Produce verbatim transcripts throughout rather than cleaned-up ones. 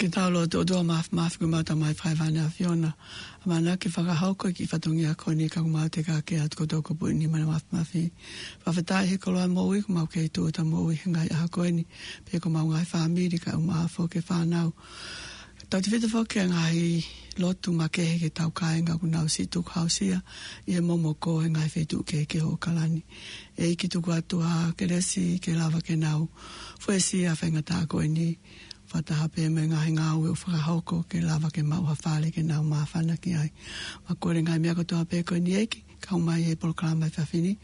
Ke tau lotu. ʻOtua Māfimafi, ko homau Tamai fakahēvani ʻa e ʻAfiona, ʻamanaki ke fakahoko e kiʻi fatongia ko eni ka ko homau teka ke atu kotoa ko e puʻi nima ʻo e Māfimafi. Fakafetaʻi he koloa moʻui, ko homau kei tuʻuta moʻui he ngaahi ʻaho ko eni, pea ko homau ngaahi fāmili kae ʻumaʻā foki e fānau. Tautefito foki ki he ngaahi lotu makehe ki heʻetau kāinga ʻoku nau siʻi tukuhausia ʻi he momoko he ngaahi feituʻu kehekehe ʻo ʻAokalani. ʻEiki, tuku atu ha kelesi ke lava ke nau fuesia e faingataʻa ko eni, fakataha pē mo e ngaahi ngāue ʻoku fakahoko ke lava ke maʻu ha fale ke nau māfana ki ai. Mau kole e ngaahi meʻa kotoa pē ko eni, ʻEiki, kau mai he polokalama he efiafi ni,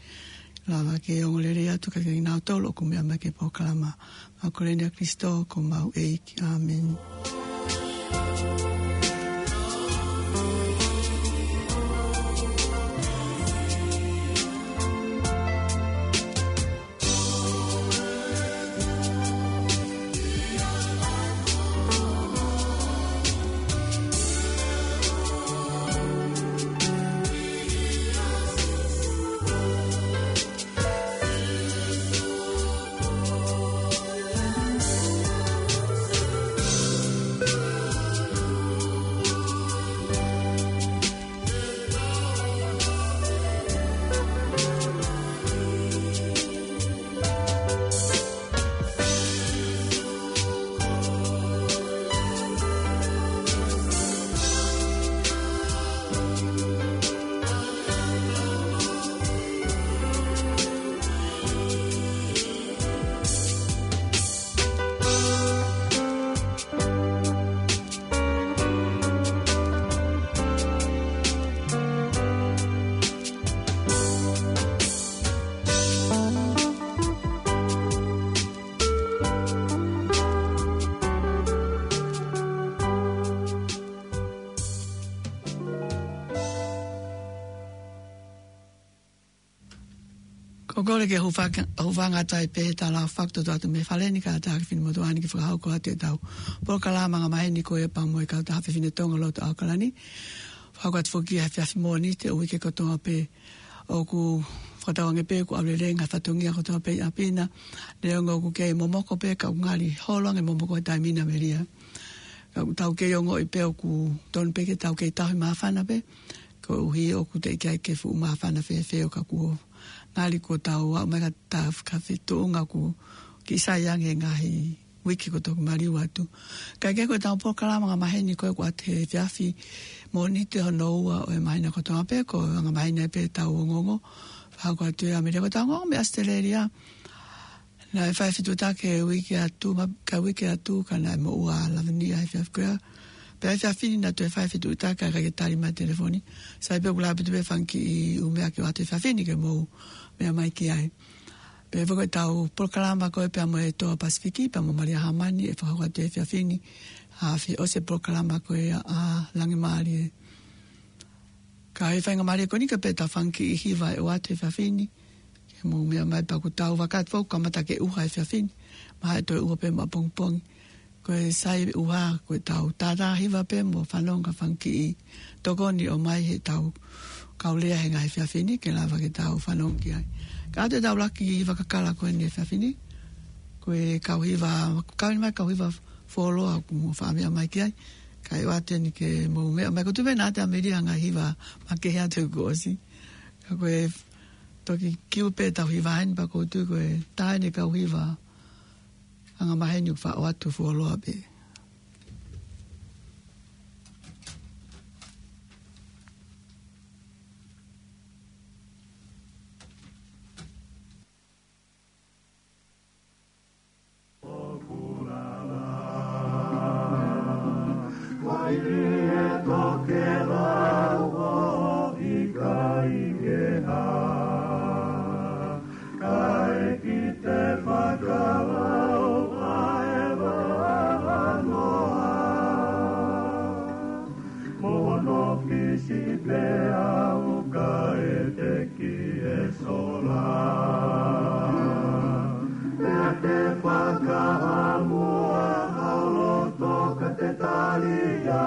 lava ke ongo lelei atu kiate kinautolu ʻoku meʻa mai ki he polokalama. Mau kole ni ʻia Kalaisi ko homau ʻEiki. ʻĀmeni. Ko e kole ke hūfanga, hūfanga atu ai pē he tala fakatoto atu mei he fale ni, kae ʻatā ki he finemotuʻa ni ke fakahoko atu ʻetau polokalama angamaheni ko ia pea mo e kautaha fefine Tonga lotu ʻAokalani. Fakahoko atu foki ia he efiafi Mōnite ʻo e uike kotoa pē. ʻOku fakatauange pē ʻoku ʻalu lelei e ngaahi fatongia kotoa pē ʻi ʻapi na. Neongo ʻoku kei momoko pē, ka ʻoku ngali holo ange e momoko he taimi ni, Melia. Ka ʻoku tau kei ongoʻi pē ʻoku tonu pē ke tau kei tauhi māfana pē, koeʻuhi ʻoku teʻeki ai ke fuʻu māfana fēfē ʻo ka kuo ngali kuo tau aʻu mai ki he taʻu ka fetuʻunga ʻoku kiʻi sai ange e ngaahi uike kotoa ʻoku maliu atu. Kae kehe, ko ʻetau polokalama angamaheni ko ē ʻoku ʻoatu he efiafi Mōnite hono ua ʻo e māhina kotoa pē, ko e angamaheni pē ʻetau ongoongo. Fakahoko atu ia, Melia, ko ʻetau ongoongo mei ʻAositelēlia. Naʻe fai e fetuʻutaki he uike atu, ma-, ka uike atu, ka naʻe moʻua ʻa Lavinia he efiafi ko ia. Pea he efiafi ni naʻa toe fai e fetuʻutaki ka ʻikai ke tali mai e telefoni. Sai pē, ʻoku ʻi ai pē ʻetau fanga kiʻi ʻū meʻa ke ʻoatu he efiafi ni ke mou meʻa mai ki ai. Pea foki ʻetau polokalama ko ē pea mo e Toa Pasifiki, pea mo Malia Hamani, ʻe fakahoko atu he efiafi ni. ʻAfioʻi e polokalama ko ē ʻa Langi Mālie. Ka ʻi he faingamālie ko eni, ka pē ʻetau fanga kiʻi hiva ʻe ʻoatu he efiafi ni. Ke mou meʻa mai pea ʻoku tau vakai atu foki, kamata ke ʻuha e efiafi ni. Mahalo ʻe toe ʻuha pē ʻapongipongi. Ko e sai ʻuha, ko ʻetau tātā hiva pē mo fanongo ki he fanga kiʻi tokoni ʻomai heʻetau kau lea he ngaahi efiafi ni ke lava ke tau fanongo ki ai. Ka ʻoatu ʻetau laki hiva kakala ko eni he efiafi ni. Ko e kau hiva, kau eni mai kau hiva fuoloa ʻoku mou faʻa meʻa mai ki ai. Kae ʻoatu eni ke mou meʻa mai, ko e tuʻu pē naʻa te Melia he ngaahi hiva makehe atu kuo ʻosi. Ka ko e toki kiu pē ʻetau hiva eni pea ʻoku ou tui ko e taha eni e kau hiva angamaheni ʻoku faʻa ʻoatu fuoloa pē. Mo hono pisi pē au kae teki e sola. Pea te fakaʻamua hao loto ka te tali ia.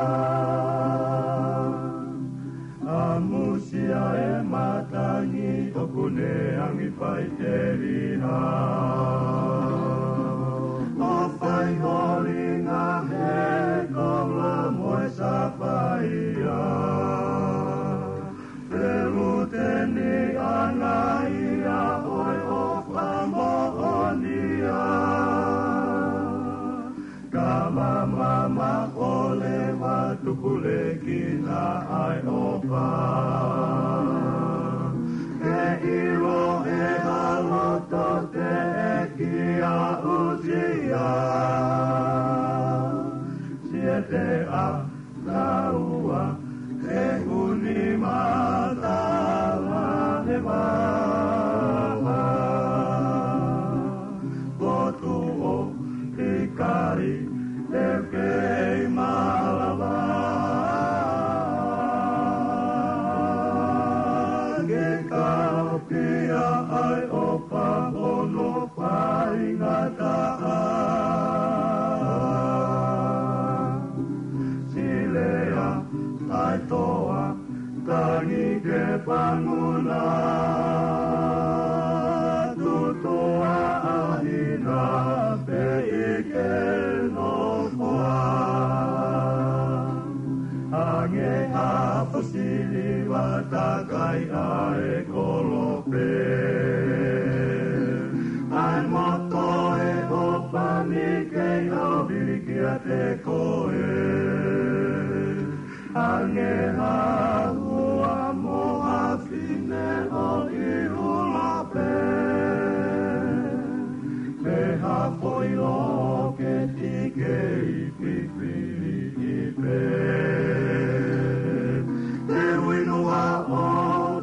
ʻAmusia e matangi ʻoku ne angi faiteliha. ʻO fai holinga he Maʻoleva tupulekina ʻa e ʻofa. Ke ʻilo ʻe he loto teʻeki aʻusia. Siete a naua he uni matala he vava. Potu ʻo ʻikai te kei malava. Ke kapia ai ʻo pahono faingataʻa. Silea ai toa tangi ke fanguna. Tutuʻa ʻahina pē ʻi ke nofoa. Ange ha fosili vata kai ʻa e kolope. ʻAi moto e ʻofa ni kei ʻaupili kiate koe. Ange ha hua mo ha fine ʻo ʻiula pē. Pe ha foʻi loketi kei fifili pē. Te uinu a o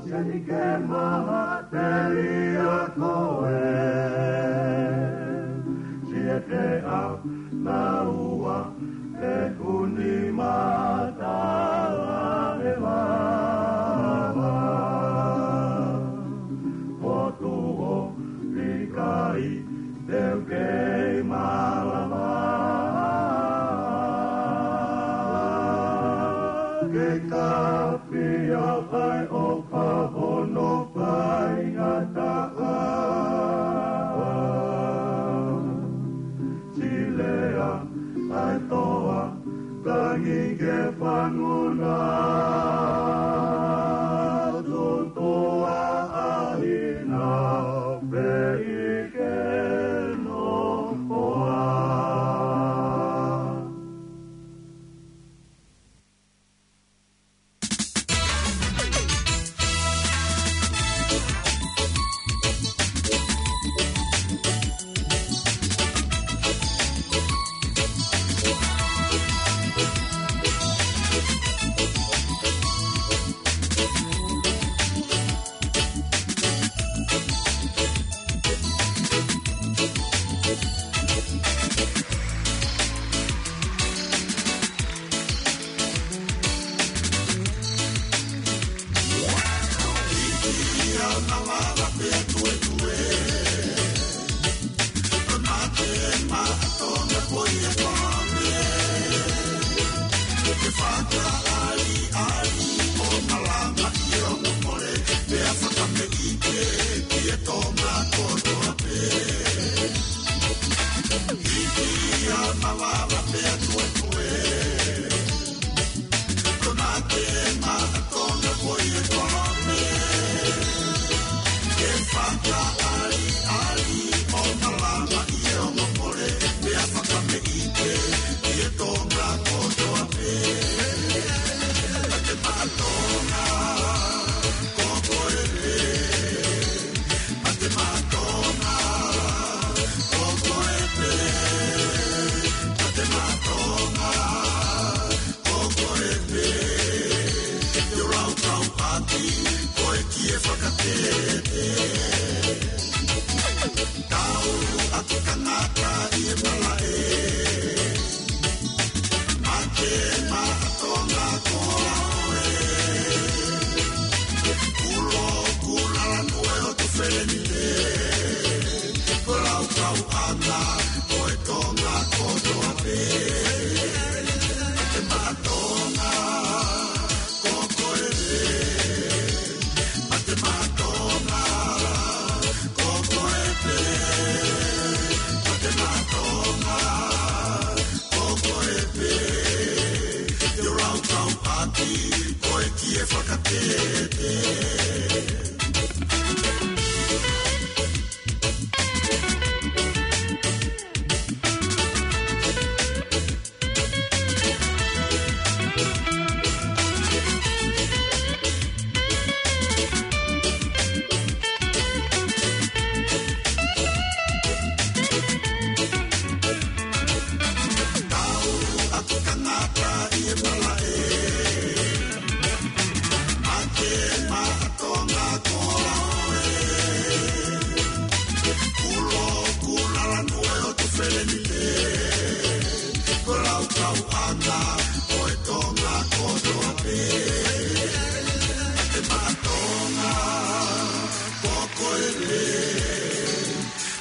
seni ke maha telia koe. Siete a naua he uni matala he vava. Potu ʻo ʻikai te u kei malava. Ke kapia ai ʻo pahono faingataʻa. Silea ai toa tangi ke fanguna. Tutuʻa ʻahina pē ʻi ke nofoa.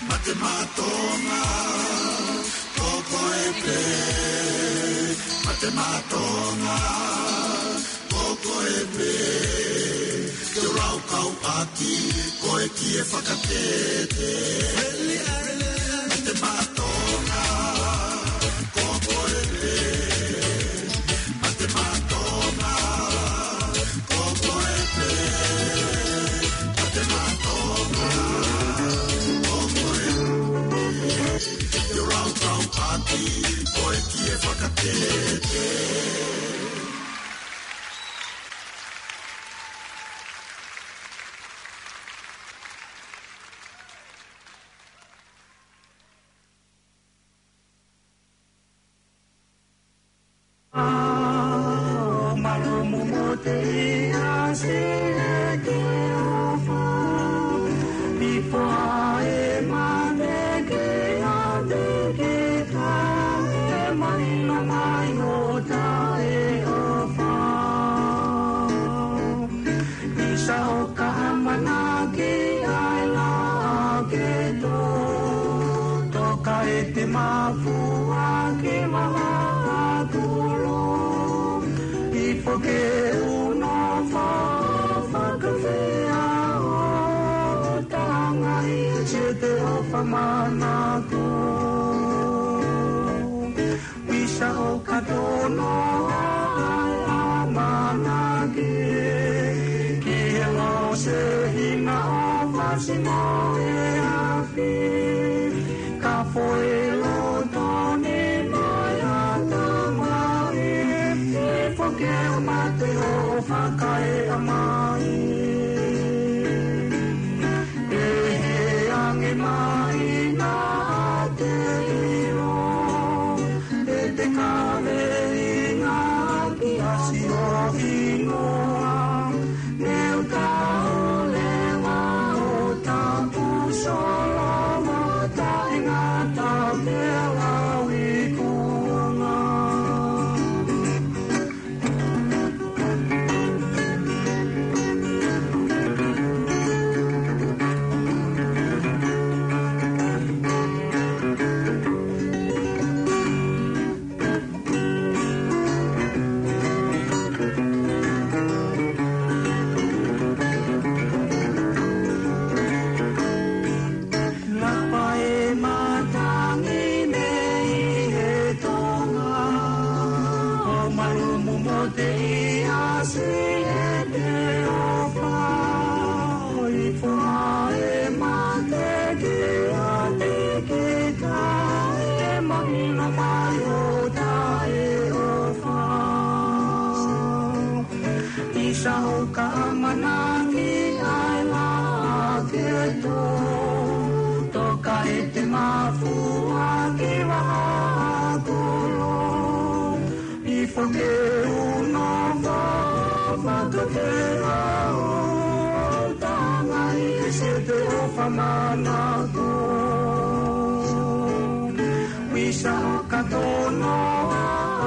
Mate Maʻa Tonga, ko koe pē. Mate Maʻa Tonga, ko koe pē. Ke u laukau ʻaki koe ki he fakatete. Mate Maʻa Tonga, ko koe pē. Mate Maʻa Tonga, ko koe pē. Mate Maʻa Tonga, ko koe pē. Ke u laukau ʻaki koe ki he fakatete. ʻO malumu mo te ia si e ke ofa. Pifo ʻa e mate ke a te ke ka, ʻe mahino mai ʻo taʻeʻofa. ʻIsa ʻoka ʻamanaki ai la ke tō, toka e te mafua ki maha kulo. ʻIfo ke u nofo fakafeʻao, tangai ʻi he te ofa manako. ʻIsa ʻoka tono ai ʻamanaki, ki he lose hina ʻo fasi mo e afi. Ka foʻi loto ni mai ʻa tamai, ʻe foke mate ʻo fakaeʻa mai. ʻE he ange mai na te ʻilo, ʻe te kaveinga ki ʻasi ʻo hingoa, ne u tau leva ʻo tapu solo ma taʻengata pela wikuonga. Lapa e matangi mei he Tonga, ʻo malumu mo te ia si e te ofa. ʻIfo ʻa e mate ke a te ke ka, ʻe mahino mai ʻo taʻeʻofa. ʻIsa ʻoka ʻamanaki ai la ke tō, toka e te mafua ki maha kulo. ʻIfo ke u nofo fakafeʻao, tangai ʻi he te ofa manako. ʻIsa ʻoka tono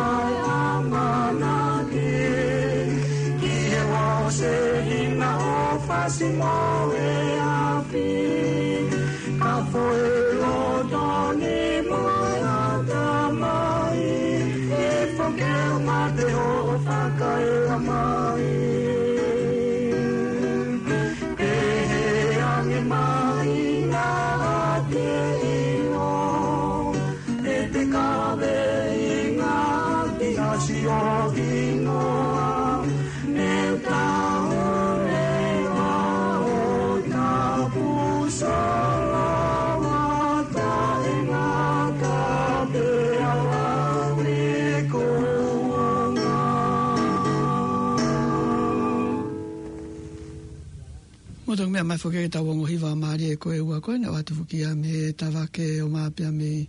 ai ʻamanaki, ki he lose hina ʻo fasi mo e afi. Ka foʻi loto ni mai ʻa tamai, ʻe foke mate ʻo fakaeʻa mai. ʻE he ange mai na te ʻilo, ʻe te kaveinga ki ʻasi ʻo hingoa, ne u tau leva ʻo tapu solo ma taʻengata pela wikuonga. Mo tau meʻa mai foki ki he tau ongo hiva mālie ko ē ʻoku ʻoatu foki ia mei he Tavake ʻo Mā pea mei he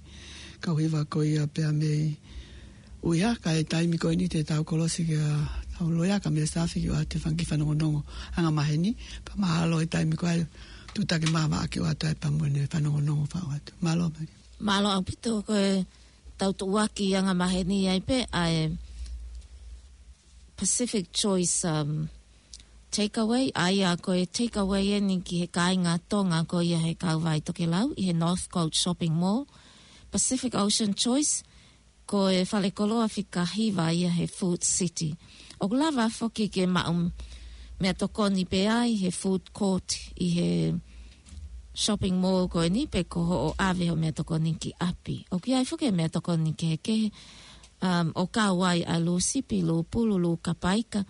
kau hiva ko ia pea mei ʻUhinga, ka ʻi he taimi ko eni te tau kolosi ki he tau loea ka Mele Safi ke ʻoatu e fanga kiʻi fanongonongo anga maheni, pea mahalo ʻi he taimi ko ia tuʻutaki māvaʻa ke ʻoatu ai pea mo ʻene fanongonongo faʻo atu. Mālō Malia. Mālō ʻaupito. Ko e tau tuʻuaki anga maheni ai pē ʻa e Pacific Choice, um, Takeaway, ʻa ia ko e takeaway eni ki he kāinga Tonga ko ia he kauvai tokelau ʻi he Northcote Shopping Mall. Pacific Ocean Choice, ko e fale koloa fika hiva ia he Food City. ʻOku lava foki ke maʻu meʻatokoni pē ai he food court ʻi he shopping mall ko eni pe ko hoʻo ʻave hoʻo meʻatokoni ki ʻapi. ʻOku ʻi ai foki e meʻatokoni kehekehe, um, ʻo kau ai ʻa e lūsipi, lūpulu, lūkapaika,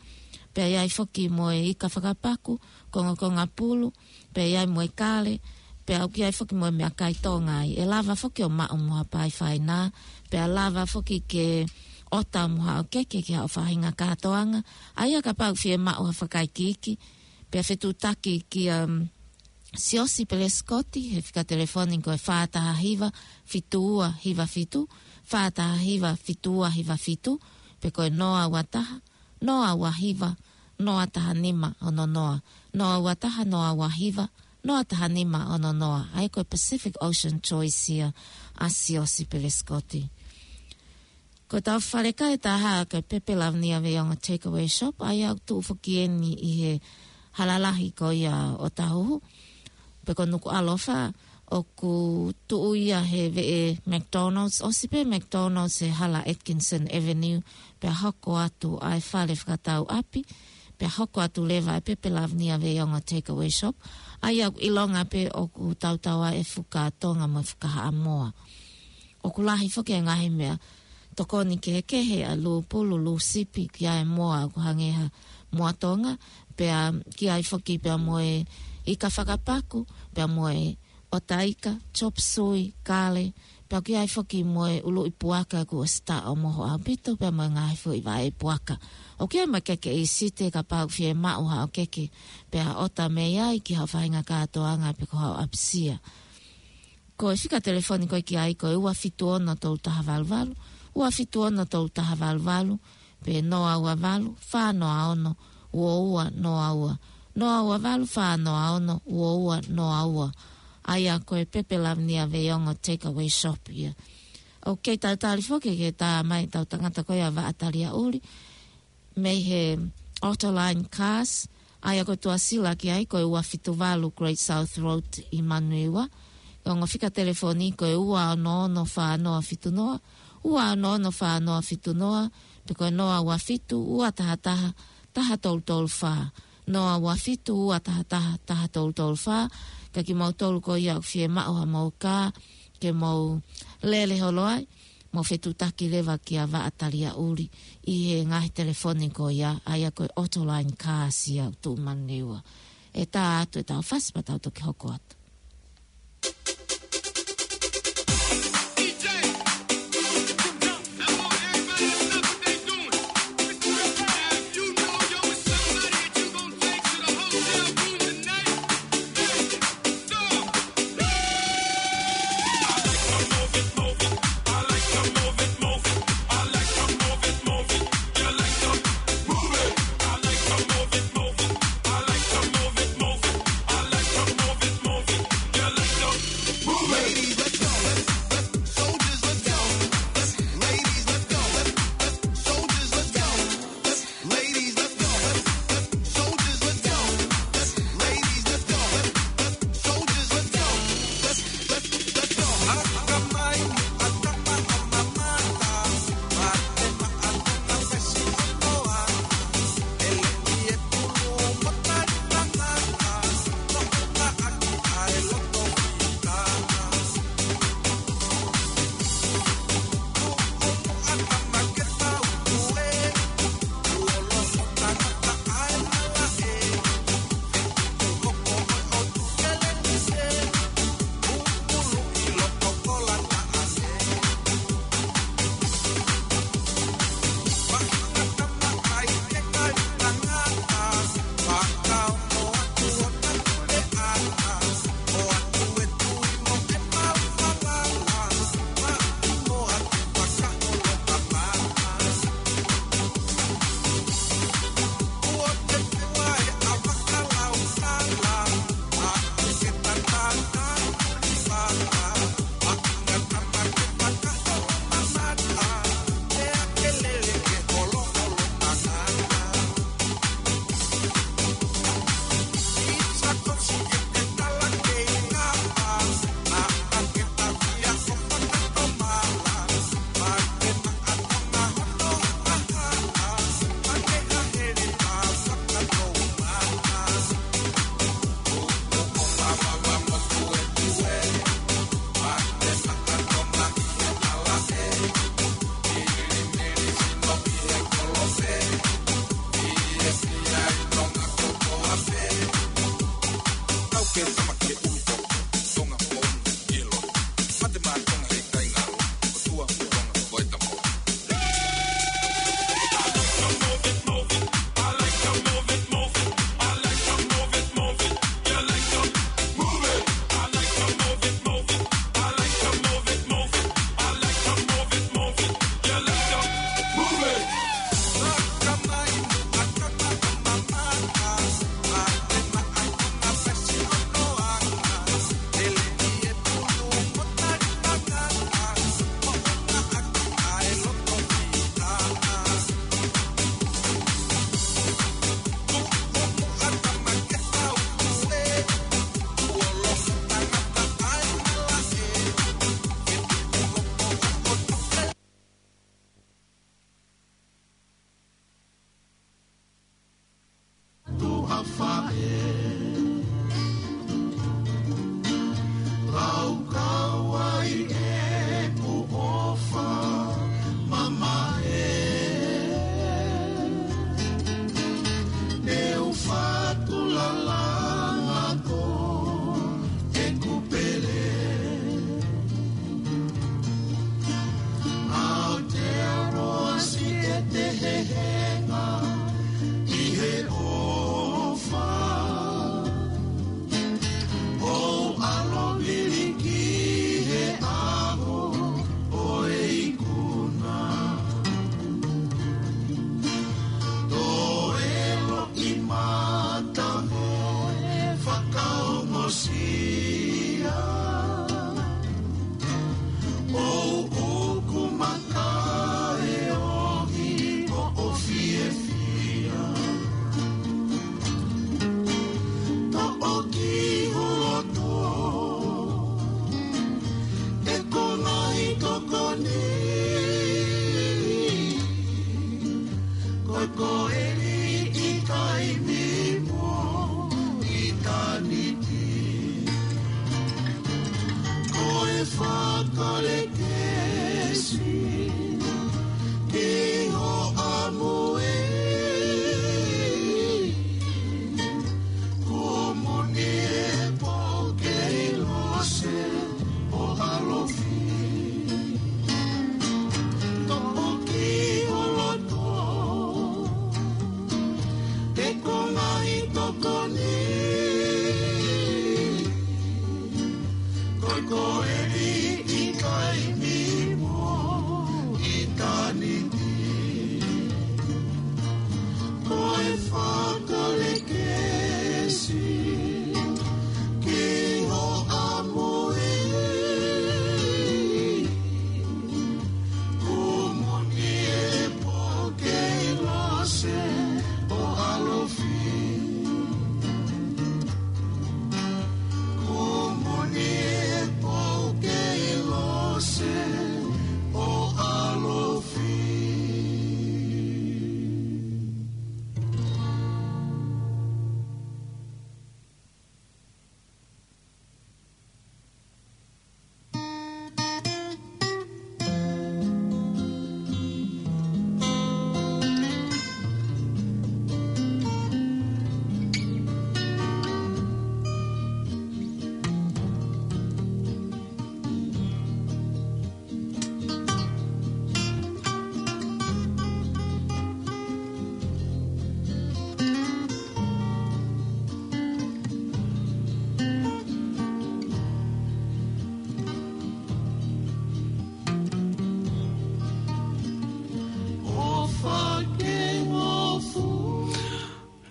pea ʻi ai foki mo e ika fakapaku, kongokonga pulu, pea ʻi ai mo e kale, pea ʻoku ʻi ai foki mo e meʻakai Tonga ai. ʻE lava foki ʻo maʻu mo ha pae faina, pea lava foki ke ʻota mo haʻo keke ki haʻo faʻahinga kātoanga, ʻa ia kapau ʻoku fiemaʻu ha fakaikiiki, pea fetuʻutaki kia, um, Siosi Pelesikoti, he fika telefoni ko e fā taha hiva, fitu ua hiva fitu, fā taha hiva, fitu ua hiva fitu, pe ko e noa ua taha, noa ua hiva, noa taha nima ono noa, noa ua taha, noa ua hiva, noa taha nima ono noa, ʻa ia ko e Pacific Ocean Choice ia ʻa Siosi Pelesikoti. Ko ʻetau falekai ʻe taha ko e Pepe Lavinia Veiongo Takeaway Shop, ʻa ia ʻoku tuʻu foki eni ʻi he hala lahi ko ia ʻo Tahuhu, pe ko Nukuʻalofa, ʻoku tuʻu ia he veʻe McDonald's, ʻosi pē McDonald's he hala Atkinson Avenue, pea hoko atu ʻa e fale fakatau ʻapi, pea hoko atu leva e Pepe Lavinia Veiongo Takeaway Shop, ʻa ia ʻoku ʻilonga pē ʻoku tautau ai e fuka Tonga mo e fuka Haʻamoa. ʻOku lahi foki e ngaahi meʻatokoni kehekehe, ʻa e lūpulu, lūsipi, ki ai e moa ʻoku hangē ha moa Tonga, pea ki ai foki pea mo e ika fakapaku, pea mo e ʻotaika, chop suey, kale, pea ki ai foki mo e ʻuluʻi puaka kuo ʻosi taʻomoho ʻaupito, pea mo e ngaahi foʻi vaʻe puaka. ʻOku ʻi ai mo e keke ʻīsite kapau ʻoku fiemaʻu haʻo keke, pea ʻota mei ai ki haʻo faʻahinga kātoanga pe ko haʻo ʻapisia. Ko e fika telefoni ko ē ki ai ko e ua fitu ono tolu taha valu valu, ua fitu ono tolu taha valu valu, pe noa ua valu, fā noa ono, ua ua noa ua, noa ua valu, fā noa ono, ua ua noa ua. ʻA ia ko e Pepe Lavinia Veiongo Takeaway Shop ia. ʻOku kei talitali foki ke tā mai ʻetau tangata ko ia Vaʻa Taliaʻuli, mei he Autoline Cars, ʻa ia ko e tuʻasila ki ai ko e ua fitu valu Great South Road ʻi Manurewa. Ko e ongo fika telefoni ko e ua ono ono fā noa fitu noa, ua ono ono fā noa fitu noa, pe ko e noa ua fitu ua taha taha taha tolu tolu fā, noa ua fitu ua taha taha taha tolu tolu fā. Ka kimoutolu ko ia ʻoku fiemaʻu haʻamou kā ke mou lele holo ai, mou fetuʻutaki leva kia Vaʻa Taliaʻuli ʻi he ngaahi telefoni ko ia, ʻa ia ko e Autoline Cars ia ʻoku tuʻu Manurewa. ʻE tā atu ʻetau fasi pea tau toki hoko atu. Ko e koeli ʻi taimi mo ʻitāniti. Ko e fakalekesi ki ho ʻamoe. Ko moni e pō kei lose ʻo ʻalofi. Toki ʻi ho loto e konga ʻi tokoni. Ko e koeli ʻi taimi mo ʻitāniti. Ko e fakalekesi ki ho ʻamoe. Ko moni e pō kei lose ʻo ʻalofi. Ko moni e pō kei lose ʻo ʻalofi.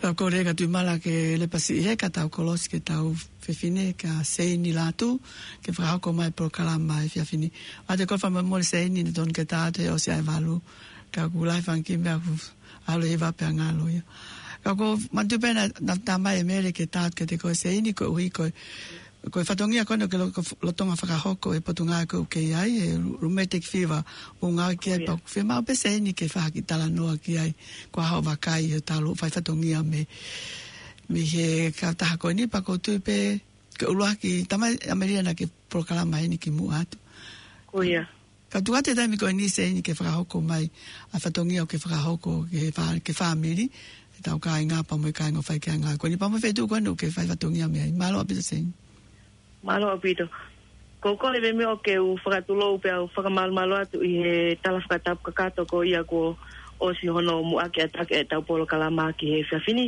Tau kole ka tui mala ke lepa siʻi he ka tau kolosi ke tau fefine ka Seini Lātū ke fakahoko mai polokalama e efiafi ni. ʻA te ko fa mamole Seini ne tonu ke tā atu he ʻosi ʻa e valu. Ka ku lai fanga kiʻi meʻa ku ʻalu ʻi he vape ʻa ngalo ia. Ka ko manatu pē naʻa, naʻa tā mai e mele ke tā atu ke te ko Seini koeʻuhi ko e, ko e fatongia ko ena ke lo-, ko f-, lolotonga fakahoko e potungāue ko ē ʻoku ke ʻi ai, e ru-, rheumatic fever, ʻoku ngāue ki ai. Ko ia. Pea ʻoku fiemaʻu pē Seini ke fai ha kiʻi talanoa ki ai, ko e hā hoʻo vakai he talu fai fatongia mei, mei he kautaha ko eni pea ʻoku ou tui pē ke ʻuluaki tā mai ʻAmelia naʻa ke polokalama eni kimuʻa atu. Ko ia. Ka tuku atu e taimi ko eni Seini ke fakahoko mai ʻa e fatongia ʻoku ke fakahoko ki he fā-, ki he fāmili, ʻetau kāinga pea mo e kāinga ʻoku fai ki ai e ngāue ko eni pea mo e feituʻu ko eni ʻoku ke fai fatongia mei ai. Mālō ʻaupito Seini. Mālō ʻaupito. Ko e kole pē meʻa ʻoku ou fakatulou pea u fakamalumalu atu ʻi he tala fakatapu kakato ko ia kuo ʻosi hono muʻaki ʻa e taki ʻetau polokalama ki he efiafi ni.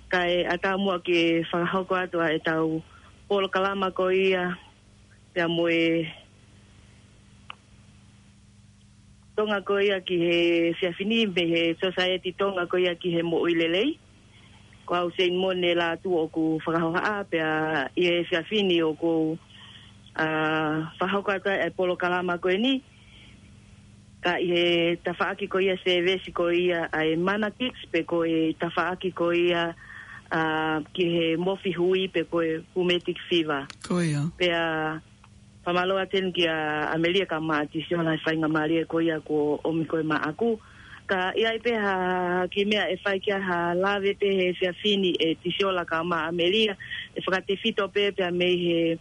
Kae ʻatā muʻa ke fakahoko atu ʻa ʻetau polokalama ko ia pea mo e Tonga ko ia ki he efiafi ni, mei he Society Tonga ko ia ki he Moʻui Lelei. Ko au Seini Mone Lātū ʻoku fakahohaʻa pea ʻi he efiafi ni ʻoku ou, ā, fakahoko atu ai e polokalama ko eni. Ka ʻi he tafaʻaki ko ia sēvesi ko ia ʻa e Mana Kids pe ko e tafaʻaki ko ia, ā, ki he mofi hui pe ko e rheumatic fever. Ko ia. Pea fakamālō atu eni kia ʻAmelia kae ʻumaʻā Tisiola he faingamālie ko ia kuo ʻomi ko ē maʻaku. Ka ʻi ai pē ha kiʻi meʻa ʻe fai ki ai ha lave pē he efiafi ni ʻe Tisiola kae ʻumaʻā ʻAmelia ʻe fakatefito pē pea mei he,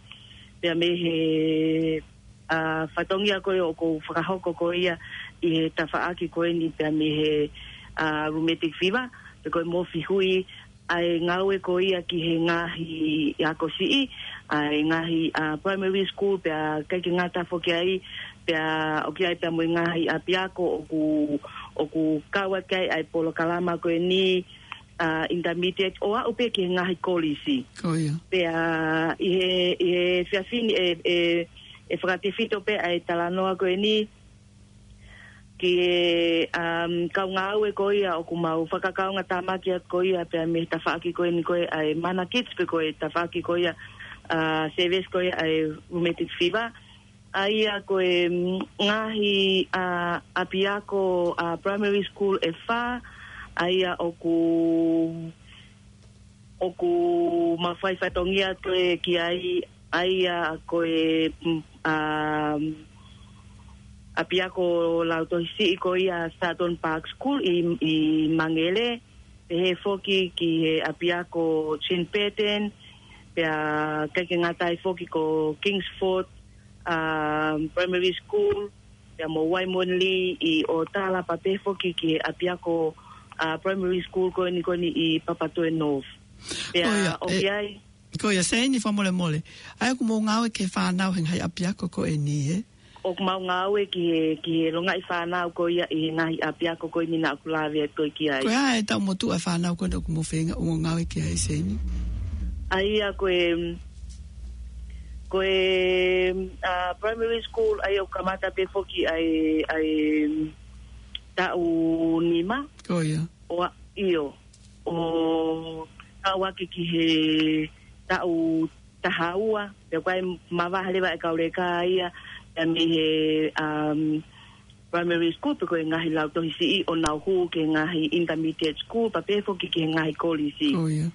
pea mei he, ā, fatongia ko ē ʻoku ou fakahoko ko ia ʻi he tafaʻaki ko eni pea mei he, ā, rheumatic fever, pe ko e mofi hui, ʻa e ngāue ko ia ki he ngaahi ako siʻi, ʻa e ngaahi, ā, primary school, pea ʻikai ke ngata foki ai, pea ʻoku ʻi ai pea mo e ngaahi ʻapiako ʻoku, ʻoku kau atu ki ai ʻa e polokalama ko eni, ā, intermediate, ʻo aʻu pē ki he ngaahi kolisi. Ko ia. Pea ʻi he, ʻi he efiafi ni ʻe, ʻe, ʻe fakatefito pē ʻa e talanoa ko eni, ki he, um, kau ngāue ko ia ʻoku mau fakakaungātāmaki atu ko ia pea mei he tafaʻaki ko eni ko ē ʻa e Mana Kids pe ko e tafaʻaki ko ia, ā, sēvesi ko ia ʻa e rheumatic fever. ʻA ia ko e, mm, ngaahi, ā, ʻapiako, ā, primary school ʻe fā, ʻa ia ʻoku ʻoku mau fai fatongia ko ē ki ai, ʻa ia ko e, mm, ā, ʻapiako lautohi siʻi ko ia Sutton Park School ʻi, ʻi Mangere, pehē foki ki he ʻapiako Jean Burton, pea ʻikai ke ngata ai foki ko Kingsford, um, Primary School, pea mo Waimonlee ʻi ʻOtala, pea pehē foki ki he ʻapiako, uh, Primary School ko eni ko eni ʻi Papatoetoe North. Pea ʻoku ʻi ai. Ko ia, Seini, fakamolemole. ʻA ia ʻoku mou ngāue ki he fānau he ngaahi ʻapiako ko eni, ē? ʻOku mau ngāue ki he, ki he longaʻi fānau ko ia ʻi he ngaahi ʻapiako ko eni naʻa ku lave atu ki ai. Ko e hā e taʻu motuʻa e fānau ko eni ʻoku mou feinga ʻo ngāue ki ai, Seini? ʻA ia ko e, ko e, uh, primary school, ʻa ia ʻoku kamata pē foki ʻa e, ʻa e taʻu nima. Ko ia. ʻO a-, ʻio, ʻo aʻu ake ki he taʻu taha ua, pea ʻoku ʻi ai e mavahe leva e kau leka ia, pea mei he, um, primary school, pe ko e ngaahi lautohi siʻi ʻo nau hū ki he ngaahi intermediate school, pea pehē foki ki he ngaahi kolisi. Ko ia.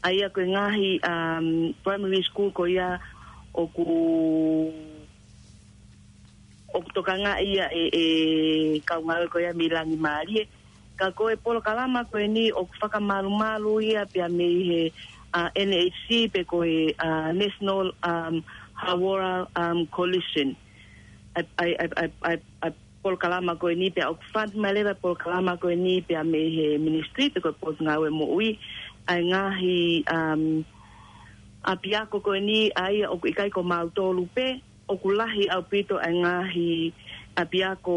ʻA ia ko e ngaahi, um, primary school ko ia ʻoku ʻoku tokangaʻi ia ʻe, ʻe kau ngāue ko ia mei Langimālie. Ka ko e polokalama ko eni ʻoku fakamalumalu ia pea mei he, uh, N H C pe ko e, uh, National, um, Hawara, um, Coalition. ʻA e, ʻa e, ʻa e, ʻa e, ʻa e, ʻa e polokalama ko eni pea ʻoku fund mai leva e polokalama ko eni pea mei he ministry pe ko e Potungāue Moʻui. ʻA e ngaahi, um, ʻapiako ko eni ʻa ia ʻoku ʻikai ko mautolu pē, ʻoku lahi ʻaupito e ngaahi ʻapiako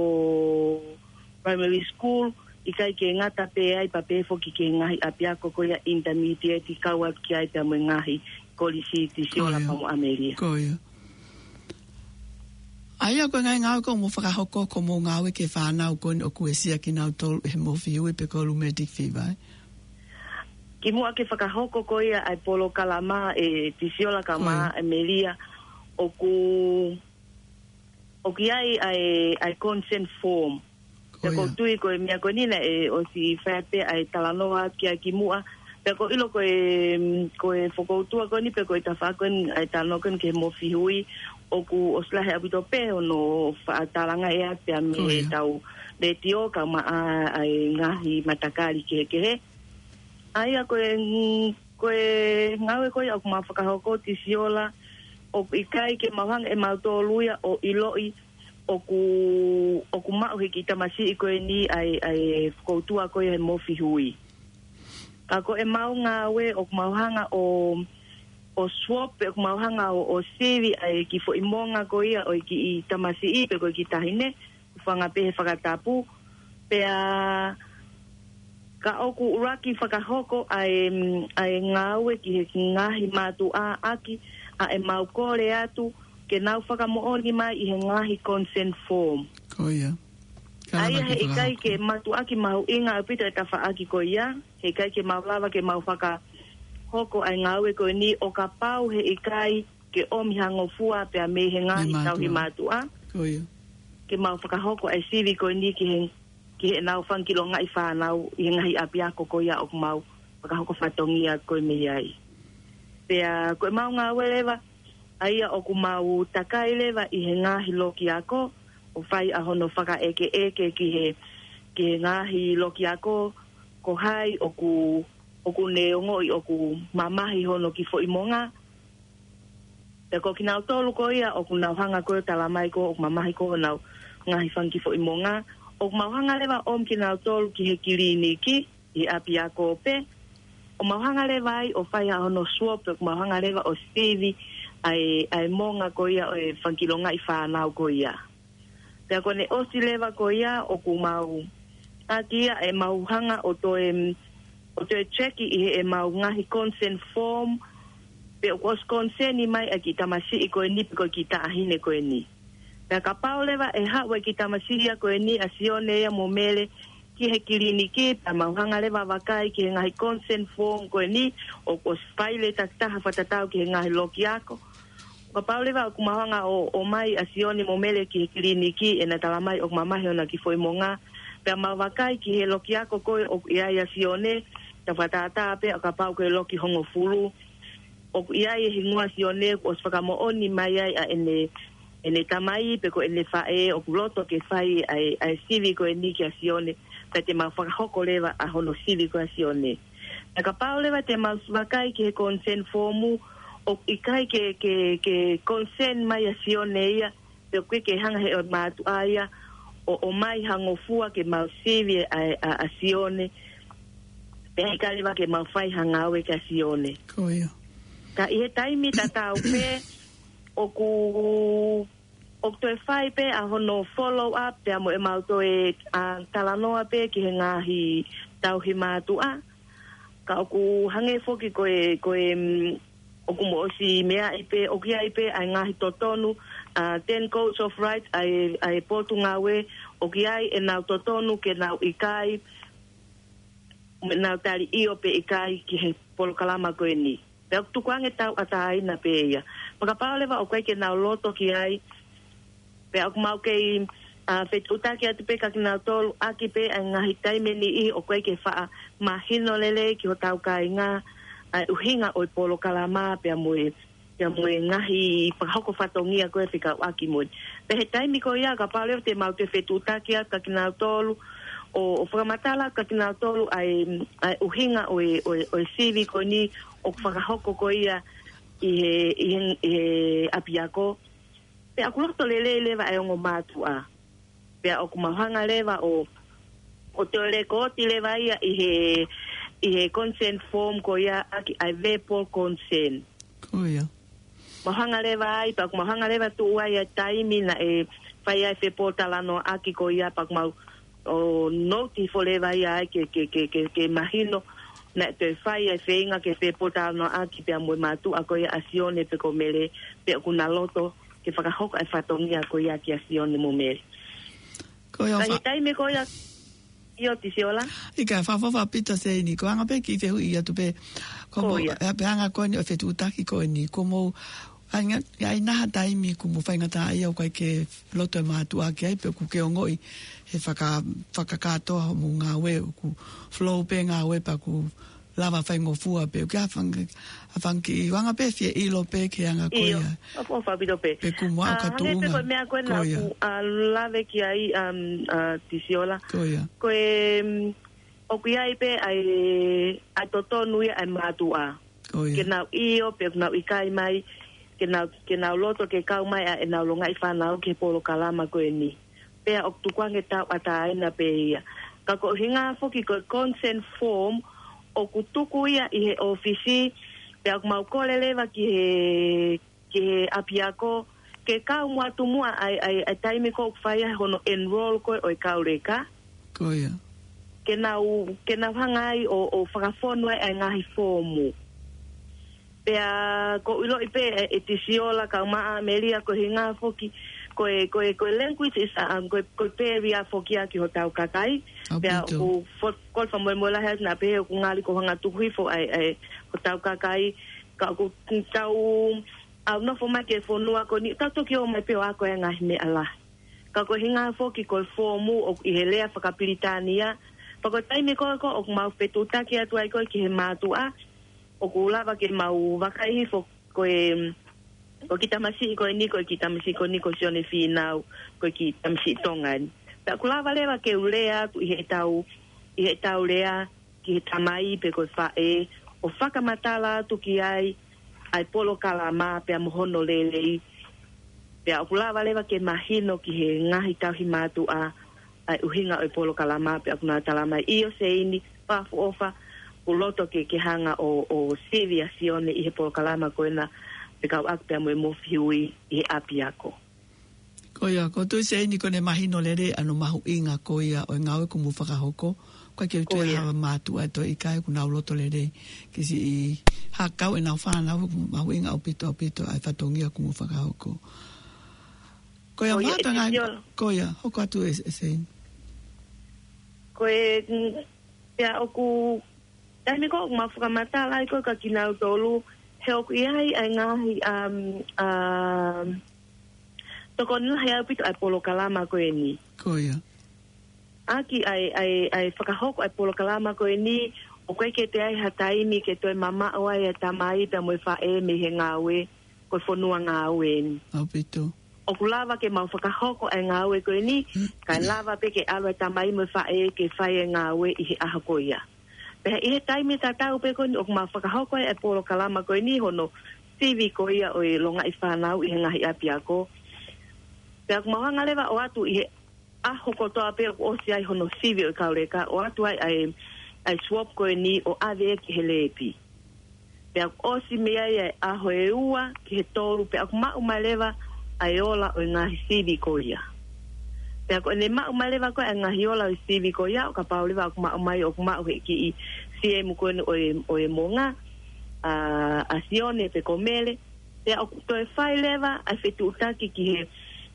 primary school, ʻikai ke ngata pē ai pea pehē foki ki he ngaahi ʻapiako ko ia intermediate kau atu ki ai pea mo e ngaahi kolisi, Tisiola, Ko ia. pea mo ʻAmelia. Ko ia. ʻA ia ko e ngaahi ngāue ʻoku mou fakahoko ʻoku mou ngāue ki he fānau ko eni ʻoku uesia kinautolu ʻe he mofihui pe ko e rheumatic fever, ē? Kimuʻa ke fakahoko ko ia ʻa e polokalama, ē, Tisiola, kau Ko ia. mo ʻAmelia, ʻoku, ʻoku ʻi ai ʻa e, ʻa e consent form. Ko Pea ʻoku ia. ou tui ko e meʻa ko eni naʻe ʻosi fai pē ʻa e talanoa ki ai kimuʻa. Pea ʻoku ou ʻilo ko e, ko e fokoutua ko eni pe ko e tafaʻaki ko eni ʻa e talanoa ko eni ki he mofihui, ʻoku ʻosi lahi ʻaupito pē hono faʻa talanga ʻe atu pea mei Ko ia. heʻetau letiō kae ʻumaʻā ʻa e ngaahi matakali kehekehe. ʻA ia ko e, ko e ngāue ko ia ʻoku mau fakahoko, Tisiola, ʻoku ʻikai ke mau hanga ʻe mautolu ia ʻo ʻiloʻi ʻoku, ʻoku maʻu ʻe he kiʻi tamasiʻi ko eni ʻa e, ʻa e fokoutua ko ia he mofihui. Ka ko ʻemau ngāue ʻoku mau hanga ʻo, ʻo swab, pe ʻoku mau hanga ʻo, ʻo sivi ʻa e kiʻi foʻi monga ko ia ʻo e kiʻi tamasiʻi pe ko e kiʻi taʻahine, fanga pē he fakatapu, pea ka ʻoku ʻuluaki fakahoko ʻa e, ʻa e ngāue ki he ngaahi mātuʻa ʻaki ʻa ʻemau kole atu ke nau fakamoʻoni mai ʻi he ngaahi consent form. Ko ia. ʻA ia he ʻikai ke mātuʻaki mahuʻinga ʻaupito e tafaʻaki ko ia, he ʻikai ke mau lava ke mau fakahoko ʻa e ngāue ko eni ʻo kapau he ʻikai ke ʻomi ha ngofua pea mei he ngaahi tauhi mātuʻa. Ko ia. Ke mau fakahoko ʻa e sivi ko eni ki he, ki heʻenau fanga kiʻi longaʻi fānau ʻi he ngaahi ʻapiako ko ia ʻoku mau fakahoko fatongia ko ē mei ai. Pea ko ʻemau ngāue leva, ʻa ia ʻoku mau takai leva ʻi he ngaahi loki ako, ʻo fai ʻa hono fakaʻekeʻeke ki he, ki he ngaahi loki ako, ko hai ʻoku, ʻoku ne ongoʻi ʻoku mamahi hono kiʻi foʻi monga, Pea ko kinautolu ko ia ʻoku nau hanga ko ē ʻo talamai ko ē ʻoku mamahi ko ē honau ngaahi fanga kiʻi foʻi monga, ʻoku mau hanga leva ʻo ʻomi kinautolu ki he kiliniki, ʻi he ʻapiako pē. ʻO mau hanga leva ai ʻo fai ʻa hono swab, ʻoku mau hanga leva ʻo sivi ʻa e, ʻa e monga ko ia ʻo e fanga kiʻi longaʻi fānau ko ia. Pea ko ʻene ʻosi leva ko ia ʻoku mau ʻaki ia ʻemau hanga ʻo toe, ʻo toe cheki ʻi heʻemau ngaahi consent form, pe ʻoku ʻosi consent mai ʻa e kiʻi tamasiʻi ko eni pe ko e kiʻi taʻahine ko eni. Pea kapau leva ʻe haʻu e kiʻi tamasiʻi ia ko eni ʻa Sione ia mo Mele ki he kiliniki, pea mau hanga leva ʻo vakai ki he ngaahi consent form ko eni, ʻoku ʻosi fai leva e takitaha fakatatau ki he ngaahi loki ako. Kapau leva ʻoku mau hanga ʻo, ʻomai ʻa Sione mo Mele ki he kiliniki, ʻena talamai ʻoku mamahi hona kiʻi foʻi monga. Pea mau vakai ki he loki ako ko ē ʻoku ʻi ai ʻa Sione, ta fakatātā pē ʻo kapau ko e loki hongofulu. ʻOku ʻi ai e hingoa ʻo Sione, kuo ʻosi fakamoʻoni mai ai ʻa ʻene ʻene tamai pe ko ʻene faʻē ʻoku loto ke fai ʻa e, ʻa e sivi ko eni kia Sione, pea te mau fakahoko leva ʻa hono sivi ko ia ʻa Sione. Pea kapau leva te mau vakai ki he consent form, ʻoku ʻikai ke, ke, ke consent mai ʻa Sione ia, pe ʻoku ʻikai ke hanga he ʻo e mātuʻa ia ʻo, ʻomai ha ngofua ke mau sivi ʻa, ʻa, ʻa Sione, pea ʻikai leva ke mau fai ha ngāue kia Sione. Ko ia. Ka ʻi he taimi tatau pē, ʻoku, ʻoku toe fai pē ʻa hono follow up pea mo ʻemau toe, ʻa, talanoa pē ki he ngaahi tauhi mātuʻa. Ka ʻoku hangē foki ko e, ko e, mm, ʻoku mou ʻosi meaʻi pē, ʻoku ʻi ai pē ʻa e ngaahi totonu, ʻa, ten codes of rights ʻa e, ʻa e potungāue, ʻoku ʻi ai ʻenau totonu ke nau ʻikai, nau tali ʻio pe ʻikai ki he polokalama ko eni. Pea ʻoku tukuange tauʻatāina pē ia. Pea kapau leva ʻoku ʻikai ke nau loto ki ai, pea ʻoku mau kei, ʻa, fetuʻutaki atu pē kia kinautolu ʻaki pē ʻa e ngaahi taimi ʻe niʻihi ʻoku ʻikai ke faʻa mahino lelei ki hotau kāinga ʻa e ʻuhinga ʻo e polokalama pea mo e, pea mo e ngaahi fakahoko fatongia ko ē fekauʻaki mo eni. Pea he taimi ko ia kapau leva te mau toe fetuʻutaki atu kia kinautolu ʻo, ʻo fakamatala atu kia kinautolu ʻa e, ʻa e ʻuhinga ʻo e, ʻo e, ʻo e sivi ko eni ʻoku fakahoko ko ia ʻi he, ʻi he, ʻi he ʻapiako. Pea ʻoku loto lelei leva ʻa e ongo mātuʻa. Pea ʻoku mau hanga leva ʻo, ʻo toe lēkooti leva ia ʻi he, ʻi he consent form ko ia ʻaki ʻa e verbal consent. Ko ia. Mau hanga leva ai, pea ʻoku mau hanga leva tuʻu ai ʻa e taimi naʻe fai ai e fepōtalanoaʻaki ko ia pea ʻoku mau ʻo note hifo leva ia ai ke, ke, ke, ke, ke mahino naʻe toe fai ʻa e feinga ke fepōtalanoaʻaki pea mo e mātuʻa ko ia ʻa Sione pe ko Mele, pe ʻoku na loto ke fakahoko ʻa e fatongia ko ia kia Sione mo Mele. Ko ia. Ka ʻi he fa- taimi ko ia, ʻio Tisiola. ʻIkai, fakaʻofoʻofa ʻaupito Seini, ko e anga pē kiʻi fehuʻi atu pē. Ko Ko ia. Pea, pea anga ko eni ʻo e fetuʻutaki ko eni, ko mou, ʻa e ngaahi, ʻa e ngaahi taimi kuo mou faingataʻaʻia ʻoku ʻikai ke loto e mātuʻa ki ai, pe ʻoku ke ongoʻi he faka-, fakakātoa hoʻomou ngāue, ʻoku flow pē ngāue pea ʻoku lava faingofua pē, ʻoku ke hanga, hanga kiʻi anga pē fie ʻilo pē ki he anga ko ia. ʻIo, ʻoku, ʻoku ʻaupito pē. Pe kuo mou aʻu ʻa, ka hangē pē tuʻunga. Ko e meʻa ko ē naʻa ku, ʻa, lave ki ai, um, ʻa, Tisiola. Ko ia. Ko e, um, ʻoku ʻi ai pē ʻa e, ʻa e totonu ia ʻa e mātuʻa. Ko ia. Ke nau ʻio, pe ʻoku nau ʻikai mai, ke nau, ke nau loto ke kau mai ʻa ʻenau longaʻi fānau ki he polokalama ko eni. Pea ʻoku tukuange tauʻatāina pē ia. Ka ko e ʻuhinga foki ko e consent form, ʻoku tuku ia ʻi he ʻōfisi, pea ʻoku mau kole leva ki he ki he ʻapiako, ke kau muʻa atu muʻa ʻa e, ʻa e, ʻa e taimi ko ē ʻoku fai ai hono enroll ko ē ʻo e kau leka. Ko ia. Ke nau, ke nau hanga ai ʻo, ʻo fakafonu ai ʻa e ngaahi foomu. Pea ʻoku ou ʻiloʻi pē ʻe, ʻe Tisiola kae ʻumaʻā Melia ko e ʻuhinga foki, ko e, ko e, ko e language is, um, ko e, ko e barrier foki ia ki hotau kakai. ʻAupito. Pea ʻoku fo-, ʻoku ou fakamolemole lahi atu naʻa pehē ʻoku ngali ko e hanga tuku hifo ʻa e, ʻa e, hotau kakai, ka ʻoku tau ʻalu nofo mai ki he fonua ko eni, tau toki ō mai pē ʻo ako e ngaahi meʻa lahi. Ka ko e ʻuhinga foki ko e foomu ʻoku ʻi he lea fakapilitānia. Pea ko e taimi ko ē ko ē ʻoku mau fetuʻutaki atu ai ko ē ki he mātuʻa, ʻoku lava ke mau vakai hifo ko e, ko e kiʻi tamasiʻi ko eni, ko e kiʻi tamasiʻi ko eni ko Sione Fīnau, ko e kiʻi tamasiʻi Tonga eni. Pea ʻoku lava leva ke u lea atu ʻi heʻetau, ʻi heʻetau lea, ki he tamai pe ko e faʻē, ʻo fakamatala atu ki ai ʻa e polokalama pea mo hono lelei. Pea ʻoku lava leva ke mahino ki he ngaahi tauhi mātuʻa ʻa e ʻuhinga ʻo e polokalama, pea ʻoku nau tala mai, ʻio Seini, fakaʻofoʻofa, ʻoku loto ke, ke hanga ʻo, ʻo sivi ʻa Sione ʻi he polokalama ko ena, fekauʻaki pea mo e Mofi Hui ʻi he ʻapiako. Ko ia, ʻoku ou tui Seini kuo ne mahino lelei ʻa hono mahuʻinga ko ia ʻo e ngāue kuo mou fakahoko. ʻOku ʻikai ke u tui Ko ia. ha mātuʻa ʻe toe ʻikai kuo nau loto lelei ke siʻi hakau ʻenau fānau, mahuʻinga ʻaupito, ʻaupito ʻa e fatongia kuo mou fakahoko. Ko ia, Ko ia, Mata, e ngai, Tisiola. ko ia, hoko atu ē, ē Seini. Ko e, mm, pea ʻoku, taimi ko ē ʻoku mau fakamatala ai ko ē kia kinautolu, he ʻoku ʻi ai ʻa e ngaahi, um, um, tokoni lahi ʻaupito ʻa e polokalama ko eni. Ko ia. ʻAki ʻa e, ʻa e, ʻa e fakahoko ʻa e polokalama ko eni, ʻoku ʻikai ke toe ʻi ai ha taimi ke toe mamaʻo ai ʻa e tamai pea mo e faʻē mei he ngāue, ko e fonua ngāue eni. ʻAupito. ʻoku lava ke mau fakahoko ʻa e ngāue ko eni, kae lava pē ke ʻalu ʻa e tamai mo e faʻē ke fai ʻa e ngāue ʻi he ʻaho ko ia. Pea ʻi he taimi tatau pē ko eni ʻoku mau fakahoko ʻa e polokalama ko eni hono sivi ko ia ʻo e longaʻi fānau ʻi he ngaahi ʻapiako. Pea ʻoku mau hanga leva ʻo ʻoatu ʻi he ʻaho kotoa pē ʻoku ʻosi ai hono sivi ʻo e kau leka, ʻoatu ai ʻa e, ʻa e swab ko eni ʻo ʻave ki he lēpi. Pea ʻoku ʻosi mei ai ʻa e ʻaho ʻe ua ki he tolu, pea ʻoku maʻu mai leva ʻa e ola ʻo e ngaahi sivi ko ia. Pea ko ʻene maʻu mai leva ko ē ʻa e ngaahi ola ʻo e sivi ko ia, ʻo kapau leva ʻoku maʻu mai, ʻoku maʻu he kiʻi siemu ko eni ʻo e, ʻo e monga, ʻa, ʻa Sione pe ko Mele, pea ʻoku toe fai leva ʻa e fetuʻutaki ki he,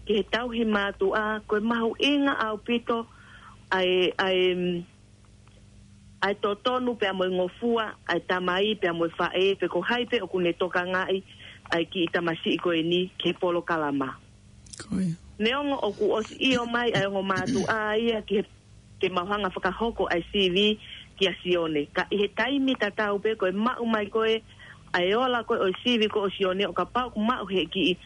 ki he tauhi mātuʻa, ko e mahuʻinga ʻaupito ʻa e, ʻa e, ʻa e totonu pea mo e ngofua ʻa e tamai pea mo e faʻē pe ko hai pē ʻoku ne tokangaʻi ʻa e kiʻi tamasiʻi ko eni ki he polokalama. Ko ia. Neongo ʻoku ʻosi ʻio mai ʻa e ongo mātuʻa ia ki he, ke mau hanga fakahoko ʻa e sivi kia Sione. Ka ʻi he taimi tatau pē ko e maʻu mai ko ē ʻa e ola ko ē ʻo e sivi ko ē ʻo Sione, ʻo kapau ʻoku maʻu he kiʻi,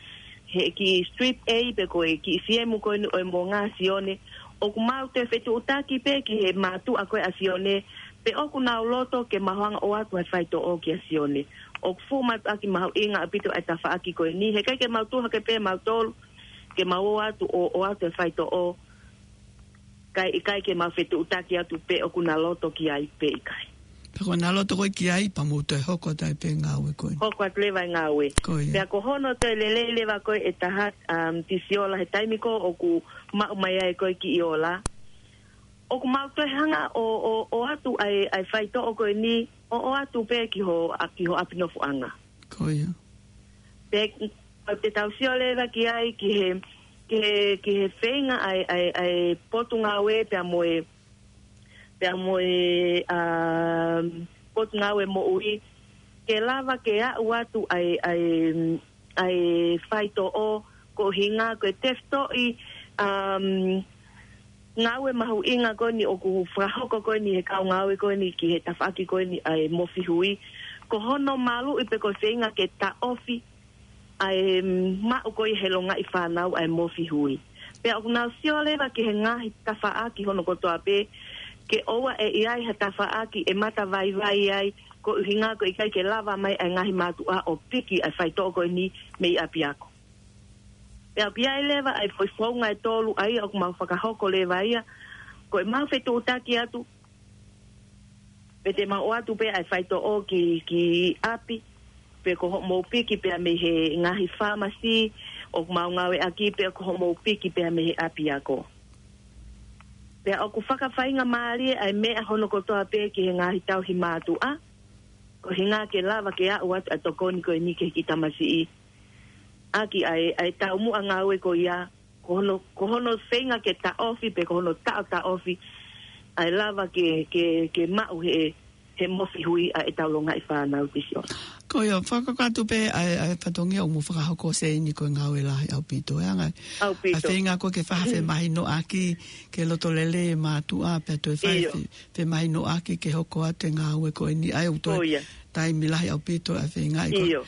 he kiʻi strip A pe ko e kiʻi siemu ko eni ʻo e monga ʻa Sione, ʻoku mau toe fetuʻutaki pē ki he mātuʻa ko ē ʻa Sione, pe ʻoku nau loto ke mau hanga ʻo ʻoatu ʻa e faitoʻo kia Sione. ʻOku fuʻu mātuʻaki mahuʻinga ʻaupito ʻa e tafaʻaki ko eni, heʻikai ke mau tuʻu hake pē mautolu ke mau ō atu ʻo, ʻoatu ʻa e faitoʻo, kae ʻikai ke mau fetuʻutaki atu pe ʻoku na loto ki ai pe ʻikai. Pe ko ʻena loto ko ē ki ai, pea mou toe hoko atu ai pē ngāue ko ē. Hoko atu leva e ngāue. Ko ia. Pea ko hono toe lelei leva ko ē ʻe taha, um, Tisiola, he taimi ko ē ʻoku maʻu mai ai ko ē kiʻi ola, ʻoku mau toe hanga ʻo, ʻo, ʻoatu ʻa e, ʻa e faitoʻo ko eni, ʻo, ʻoatu pē ki ho, ʻa, ki ho ʻapi nofoʻanga. Ko ia. Pea te tau sio leva ki ai ki he, ki he, ki he feinga ʻa e, ʻa e, ʻa e potungāue pea mo e, pea mo e, um, potungāue moʻui, ke lava ke aʻu atu ʻa e, ʻa e, ʻa e faitoʻo, ko e ʻuhinga ko e tefitoʻi, um, ngāue mahuʻinga ko eni ʻoku fakahoko ko eni he kau ngāue ko eni ki he tafaʻaki ko eni ʻa e Mofi Hui. Ko hono maluʻi pe ko e feinga ke taʻofi ʻa e maʻu ko ia he longaʻi fānau ʻa e Mofi Hui. Pea ʻoku nau sio leva ki he ngaahi tafaʻaki hono kotoa pē, ke ʻoua ʻe ʻi ai ha tafaʻaki ʻe mata vaivai ai, ko e ʻuhinga ko e ʻikai ke lava mai ʻa e ngaahi mātuʻa ʻo piki ʻa e faitoʻo ko eni mei ʻapiako. Pea ʻoku ʻi ai leva ʻa e foʻi founga ʻe tolu ʻa ia ʻoku mau fakahoko leva ia, ko e mau fetuʻutaki atu, pe te mau ʻoatu pē ʻa e faitoʻo ki, ki ʻapi, pe ko hoʻomou piki pea mei he ngaahi fāmasi ʻoku mau ngāueʻaki, pe ko hoʻomou piki pea mei he ʻapiako. Pea ʻoku fakafaingamālie ʻa e meʻa hono kotoa pē ki he ngaahi tauhi mātuʻa, ko e ʻuhinga ke lava ke aʻu atu ʻa e tokoni ko eni ki he kiʻi tamasiʻi. ʻAki ʻa e, ʻa e taumuʻa ngāue ko ia, ko hono, ko hono feinga ke taʻofi pe ko hono taʻotaʻofi ʻa e lava ke, ke, ke maʻu he, he Mofi Hui ʻa e tau longaʻi fānau, Tisiola. Ko ia, fakakakato pē ʻa e, ʻa e fatongia ʻoku mou fakahoko, Seini, ko e ngāue lahi ʻaupito, ʻe anga. ʻAupito. ʻA e feinga ko ē ke fakafemahinoʻaki, ke loto lelei e mātuʻa, pea toe fai ʻio. Fe-, femahinoʻaki ke hoko atu e ngāue ko eni, ʻa ia ʻoku toe ʻio. Taimi lahi ʻaupito ʻa e feinga ko ē. ʻIo.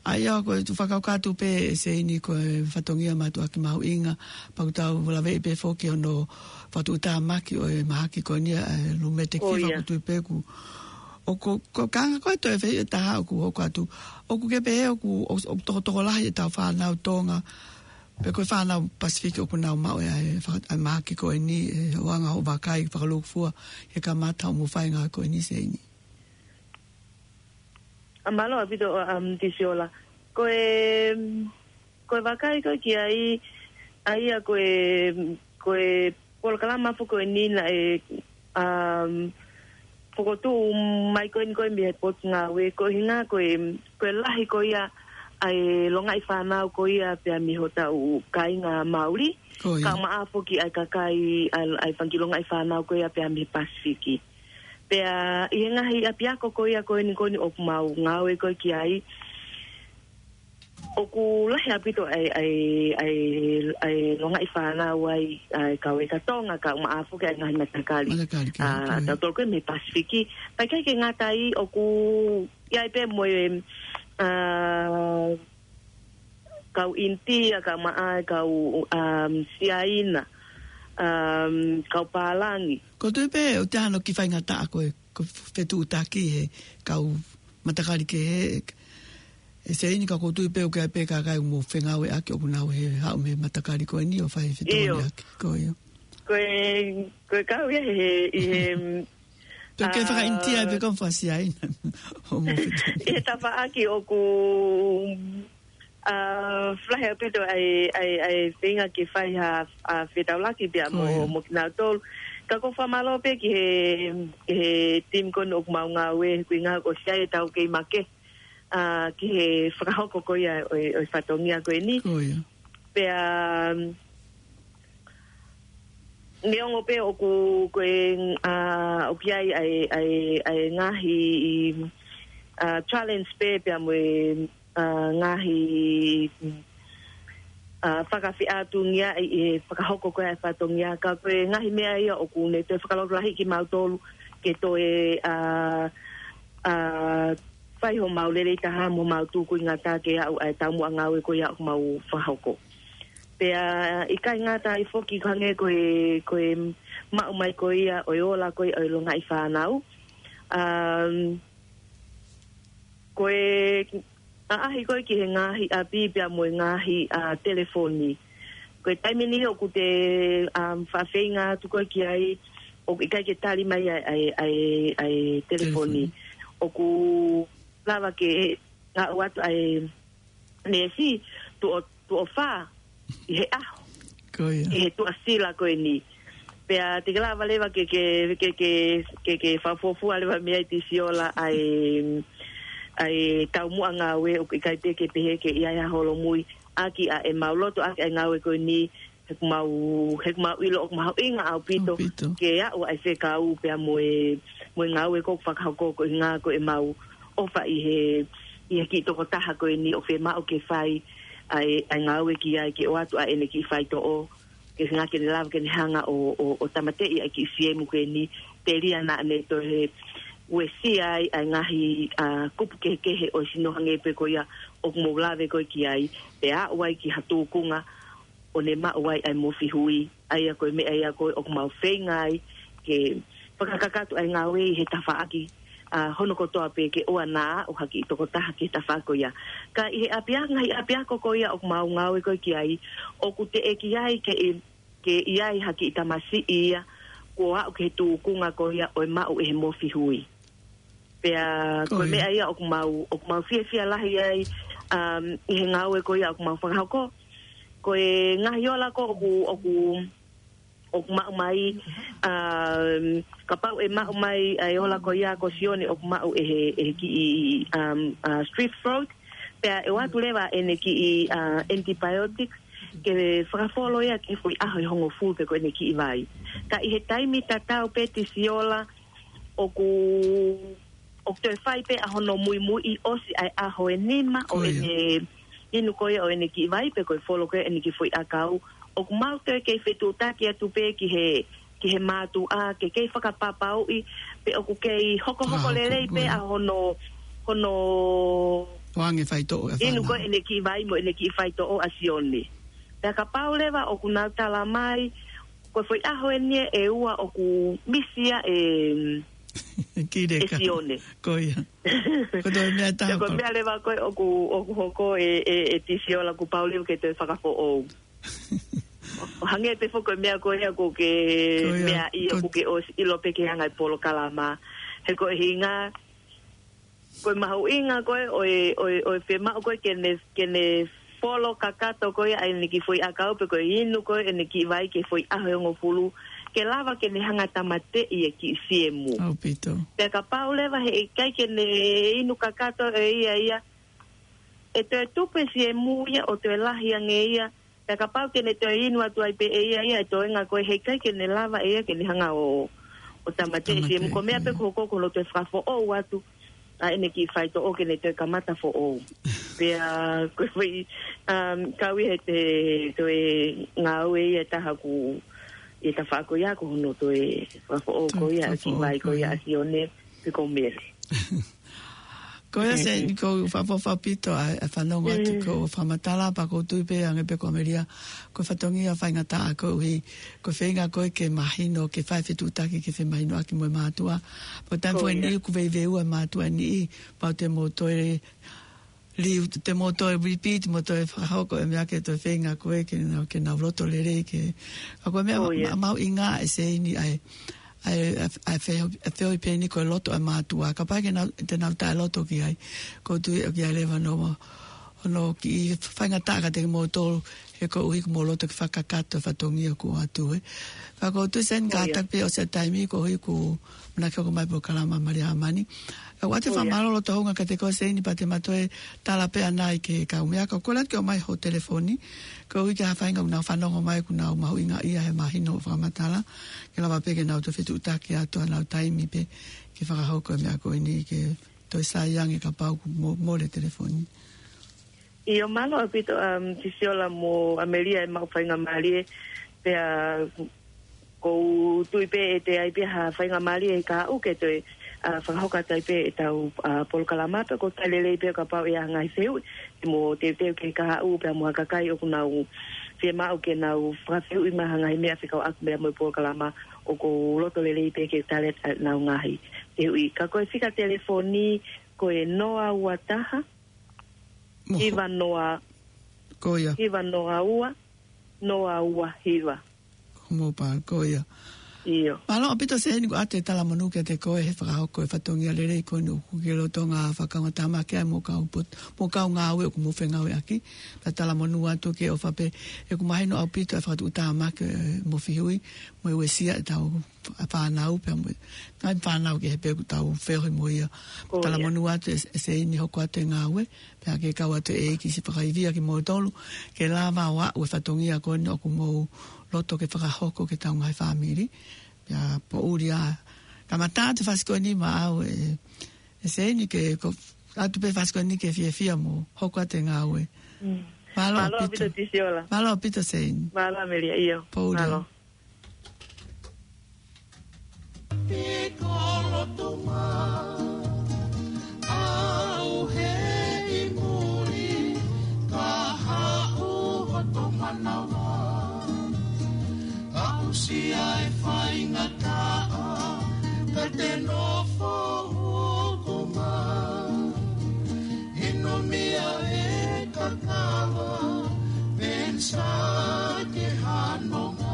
ʻA ia ko e fakakakato pē, Seini, ko e fatongia mātuʻaki mahuʻinga, pea ʻoku tau laveʻi pē foki hono fakatuʻutāmaki ʻo e mahaki ko eni ʻa e rheumatic fever, ʻio. ʻOku tui pē ʻoku, ʻoku, ko e kāinga ko ē toe fē ʻe taha ʻoku hoko atu. ʻOku ke pehē ʻoku, ʻoku, ʻoku tokotokolahi e tau fānau Tonga, pe ko e fānau Pasifiki ʻoku nau maʻu ʻa e faka-, ʻa e mahaki ko eni, ʻi he anga hoʻo vakai fakalūkufua, he kamata hoʻomou fai e ngāue ko eni, Seini. ʻA, mālō ʻaupito, um, Tisiola. Ko e, ko e vakai ko ē ki ai, ʻa ia ko e, ko e polokalama foki ko eni naʻe, um, fokotuʻu mai ko eni ko ē mei he Potungāue, ko e ʻuhinga ko e, ko e lahi ko ia ʻa e longaʻi fānau ko ia pea mei hotau kāinga Māori. Ko ia. Kae ʻumaʻā foki ʻa e kakai ʻa e, ʻa e fanga kiʻi longaʻi fānau ko ia pea mei he Pasifiki. Pea ʻi he ngaahi ʻapiako ko ia ko eni ko eni ʻoku mau ngāue ko ē ki ai, ʻoku lahi ʻaupito ʻa e, ʻa e, ʻa e, ʻa e longaʻi fānau ai ʻa e kau leka Tonga, kae ʻumaʻā foki ʻa e ngaahi matakali. Matakali, ʻa, ko ia. Tautolu ko ē mei he Pasifiki. Pea ʻikai ke ngata ai, ʻoku ʻi ai pē mo e, ʻa, kau ʻInitia, kau Maʻae, kau, um, Siaina, um, kau Pālangi. ʻOku ou tui pē ʻoku ʻi ai hano kiʻi faingataʻa ko e, ko e fetuʻutaki he kau matakali kehe ʻe Siaina, ka ʻoku ou tui pē ʻoku ʻi ai pē kakai ʻoku mou fengāueʻaki ʻoku nau haʻu mei he matakali ko eni ʻo fai e fetuʻutaki. ʻIo. Ko ia. Ko e, ko e kau ia he, ʻi he, Tau ke fakaʻinitia ai pē kau fasi ai. ʻI he tafaʻaki ʻoku, uh, flahi ʻaupito ai, ai, ai feinga ke fai ha, uh, fetaulaki pea mo, mo kinautolu. Ka ʻoku ou fakamālō pē ki he, ki he team ko eni ʻoku mau ngāue, he kuinga ʻoku ʻosi ʻi ai ʻetau kei make, uh, ki he fakahoko ko ia ʻo e, ʻo e fatongia ko eni. Pea, um, neongo pē ʻoku, ko e, uh, ʻoku ʻi ai, ai, ai, ai ngaahi, uh, challenge pē pea mo e, uh, ngaahi, uh, fakafeʻātungia ʻi he fakahoko ko ia e fatongia, ka ko e ngaahi meʻa ia ʻoku ne toe fakalotolahi kimautolu ke toe, uh, uh, fai homau lelei taha mo homau tūkuingata ke aʻu ʻa e taumuʻa ngāue ko ia ʻoku mau fakahoko. Pea ʻikai ngata ai foki, ko e hangē ko e, ko e maʻu mai ko ia ʻo e ola ko ia ʻo e longaʻi fānau. Um, ko e ʻaʻahi ko ē ki he ngaahi ʻapi pea mo e ngaahi, uh, telefoni. Ko e taimi ni ʻoku te, um, faʻa feinga atu ko ē ki ai, ʻoku ʻikai ke tali mai ʻa e, ʻa e, ʻa e, ʻa e telefoni. ʻOku lava ke aʻu atu ʻa e neesi tuʻo, tuʻo fā ʻi he ʻaho. Ko ia. ʻI he tuʻasila ko eni. Pea te ke lava leva ke, ke, ke, ke, ke, ke fakafuofua leva mei ai Tisiola ʻa e, ʻa e taumuʻa ngāue ʻoku ʻikai pē ke pehē ke ʻi ai ha holomui ʻaki ʻa ʻemau loto ʻaki ʻa e ngāue ko eni, he ʻoku mau, he ʻoku mau ʻilo ʻoku mahuʻinga ʻaupito ke aʻu ʻa e fekau pea mo e, mo e ngāue ko ē ʻoku fakahoko ko e ʻuhinga ko ʻemau ʻofa ʻi he, ʻi he kiʻi tokotaha ko eni ʻoku fiemaʻu ke fai ʻa e, ʻa e ngāue ki ai ke ʻoatu ʻa ʻene kiʻi faitoʻo, ke hanga ke ne lava ke ne hanga ʻo, ʻo, ʻo tāmateʻi ʻa e kiʻi siemu ko eni, telia naʻa ne toe uesia ai ʻa e ngaahi, uh, kupu kehekehe ʻo e sino hangē pē ko ia ʻoku mou lave ko ē ki ai, pea aʻu ai ki ha tūkunga ʻo ne maʻu ai ʻa e mofi hui, ʻa ia ko e meʻa ia ko ē ʻoku mau feinga ai ke fakakakato ʻa e ngāue ʻi he tafaʻaki, uh, hono kotoa pē ke ʻoua naʻa aʻu ha kiʻi tokotaha ki he tafaʻaki ko ia. Ka ʻi he ʻapiako, ngaahi ʻapiako ko ia ʻoku mau ngāue ko ē ki ai, ʻoku teʻeki ai ke, ke ʻi ai ha kiʻi tamasiʻi ia kuo aʻu ki he tūkunga ko ia ʻo e maʻu ʻe he mofi hui. Pea ko e meʻa ia ʻoku mau, ʻoku mau fiefia lahi ai, um, ʻi he ngāue ko ia ʻoku mau fakahoko. Ko e ngaahi ola ko ē ʻoku, ʻoku, ʻoku maʻu mai, um, kapau ʻe maʻu mai ʻa e ola ko ia ko Sione ʻoku maʻu ʻe he, ʻe he kiʻi, um, uh, strep throat. Pea ʻe ʻoatu leva ʻene kiʻi, uh, antibiotics ke fakafolo ia ki he foʻi ʻaho ʻe hongofulu pe ko ʻene kiʻi vai. Ka ʻi he taimi tatau pē Tisiola, ʻoku, ʻoku toe fai pē ʻa hono muimuiʻi ʻosi ʻa e ʻaho ʻe nima ʻo ʻene inu ko ia ʻo ʻene kiʻi vai pe ko e folo ko ia ʻene kiʻi foʻi ʻakau. ʻOku mau toe kei fetuʻutaki atu pē ki he, ki he mātuʻa ke kei fakapapauʻi pe ʻoku kei hokohoko lelei pē ʻa hono, hono inu ko ia ʻene kiʻi vai mo ʻene kiʻi faitoʻo ʻa Sione. Pea kapau leva ʻoku nau tala mai, ko e foʻi ʻaho eni ʻe ua ʻoku misi ia ʻe, ʻe Sione. Ko ia. Ko e toe meʻa taha. Ko e meʻa leva ko ē ʻoku, ʻoku hoko ʻe, ʻe, ʻe Tisiola kuo pau leva ke toe fakafoʻou. ʻO hangē pē foki ko e meʻa ko ia ʻoku ke meʻa ʻi ai ʻoku ke ʻosi ʻilo pē ke hanga ʻe he polokalama. He ko e ʻuhinga, ko e mahuʻinga ko ē ʻo e, ʻo e, ʻo e fiemaʻu ko ē ke ne, ke ne folo kakato ko ia ʻa ʻene kiʻi foʻi ʻakau pe ko e inu ko ē ʻene kiʻi vai ki he foʻi ʻaho ʻe hongofulu, ke lava ke ne hanga tāmateʻi e kiʻi siemu. ʻAupito. Pea kapau leva heʻikai ke ne inu kakato ʻe ia ia, ʻe toe tupu e siemu ia ʻo toe lahi ange ia, pea kapau ke ne toe inu atu ai pē ʻe ia ia e toenga ko ē heʻikai ke ne lava ʻe ia ke ne hanga ʻo, ʻo tāmateʻi e siemu. Ko e meʻa pē ʻoku hoko ko hono toe fakafoʻou atu ʻa ʻene kiʻi faitoʻo ke ne toe kamata foʻou. Pea ko e foʻi, um, kau ia he toe ngāue ia ʻe taha ʻoku ʻi he tafaʻaki ko ia ko hono toe fakafoʻou ko ia ʻa e kiʻi vai ko ia ʻa Sione pe ko Mele. Ko ia, Seini, ʻoku ou fakaʻapaʻapa ʻaupito ʻa e, ʻa e fanongo atu ki hoʻo fakamatala, pea ʻoku ou tui pē hangē pē ko Amelia, ko e fatongia faingataʻa koeʻuhi ko e feinga ko ē ke mahino, ke fai fetuʻutaki ke femahinoʻaki mo e mātuʻa. Pea ko e taimi foki eni ʻoku veiveiua e mātuʻa ni, pea te mou toe liu, te mou toe repeat, mou toe fakahoko e meʻa ke toe feinga ko ē ke nau, ke nau loto lelei ke. Ka ko e meʻa ma-, mahuʻinga ʻe Seini ʻa e, ʻa e, ʻa e, ʻa e feohi pē eni ko e loto ʻa e mātuʻa. Kapau ʻe ʻikai ke nau, te nau taʻeloto ki ai, ʻoku ou tui ʻoku ʻi ai leva hono, hono kiʻi faingataʻa kiate kimoutolu, he koeʻuhi ko hoʻomou loto ke fakakakato e fatongia ʻoku ʻoatu, ē. Ka ʻoku ou tui, Seini, kātaki pē ʻosi e taimi koeʻuhi ko e manako ke hoko mai e polokalama ʻa Malia Hamani. ʻOatu e fakamālō loto houngaʻia kiate koe, Seini, pea te ma toe tala pē ʻanai ki he kau meʻa, ka ko e lava ke ʻomai ho telefoni, koeʻuhi ko e hā e faʻahinga ʻoku nau fanongo mai ʻoku nau mahuʻingaʻia he mahino hoʻo fakamatala, ke lava pē ke nau toe fetuʻutaki atu ʻenau taimi pē ke fakahoko e meʻa ko eni ke toe sai ange kapau ʻoku mo-, mole e telefoni. ʻIo, mālō ʻaupito, um, Tisiola mo Amelia e maʻu faingamālie, pea ʻoku ou tui pē ʻe toe ʻi ai pē ha faingamālie ʻi he kahaʻu ke toe, ʻa, fakahoko atu ai pē ʻetau, ʻa, polokalama, pea ʻoku ou talitali lelei pē kapau ʻe ʻi ai ha ngaahi fehuʻi, ke mou teuteu ki he kahaʻu pea mo ha kakai ʻoku nau fiemaʻu ke nau fakafehuʻi mai ha ngaahi meʻa fekauʻaki pea mo e polokalama, ʻoku ou loto lelei pē ke tali atu ʻenau ngaahi fehuʻi. Ka ko e fika telefoni, ko e noa ua taha, Moho. Hiva noa, Ko ia. Hiva noa ua, noa ua hiva. Ko mobile, ko ia. ʻIo. Mālō ʻaupito, Seini, ʻoku ʻoatu e talamonū kiate koe he fakahoko e fatongia lelei ko eni ʻoku ke lolotonga fakakaungātāmaki ai mo e kau pot-, mo e kau ngāue ʻoku mou fengāueʻaki. Pea talamonū atu ke ʻofa pē, he ʻoku mahino ʻaupito e fakatuʻutāmaki, ē, mo e fehuʻi, mo e uesia ʻetau fānau pea mo e ngaahi fānau kehe pē ʻoku tau feohi mo ia. Ko ia. Talamonū atu ē, ē Seini, hoko atu e ngāue, pea ke kau atu e ʻEiki siʻi fakaivia kimoutolu, ke lava ʻo aʻu e fatongia ko eni ʻoku mou loto ke fakahoko ki heʻetau ngaahi fāmili. Pea poʻuli ā, kamata atu e fasi ko eni maʻau ē, ē Seini, ke ko atu pē fasi ko eni ke fiefia mo hoko atu e ngāue. Mm. Mālō ʻaupito. Mālō ʻaupito, Tisiola. Mālō ʻaupito, Seini. Mālō, Amelia, ʻio. Poʻuli ā. Mālō. Piko loto mā, ʻauhē ʻi muli, kahaʻu hoto manava. Aʻusia e faingataʻa, ka te nofo hoko mā. Hinomia e kakava, pensa ke hanonga.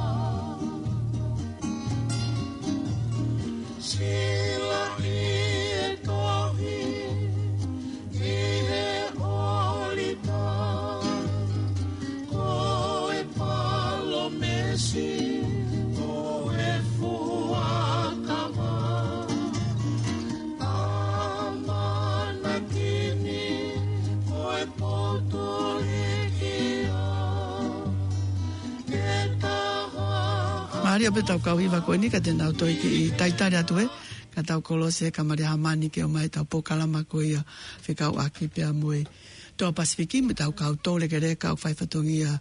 Silaʻi e tohi, ʻi he ʻolita. Ko e palōmesi, ko e fuakava. ʻAmanaki ni, ko e poto liki ā. Mālie pē ʻetau kau hiva ko eni, ka te nau toe kiʻi talitali atu ē, ka tau kolosi ē kia Malia Hamani ke ʻomai ʻetau polokalama ko ia fekauʻaki pea mo e Toa Pasifiki, mo ʻetau kau toulekeleka ʻoku fai fatongia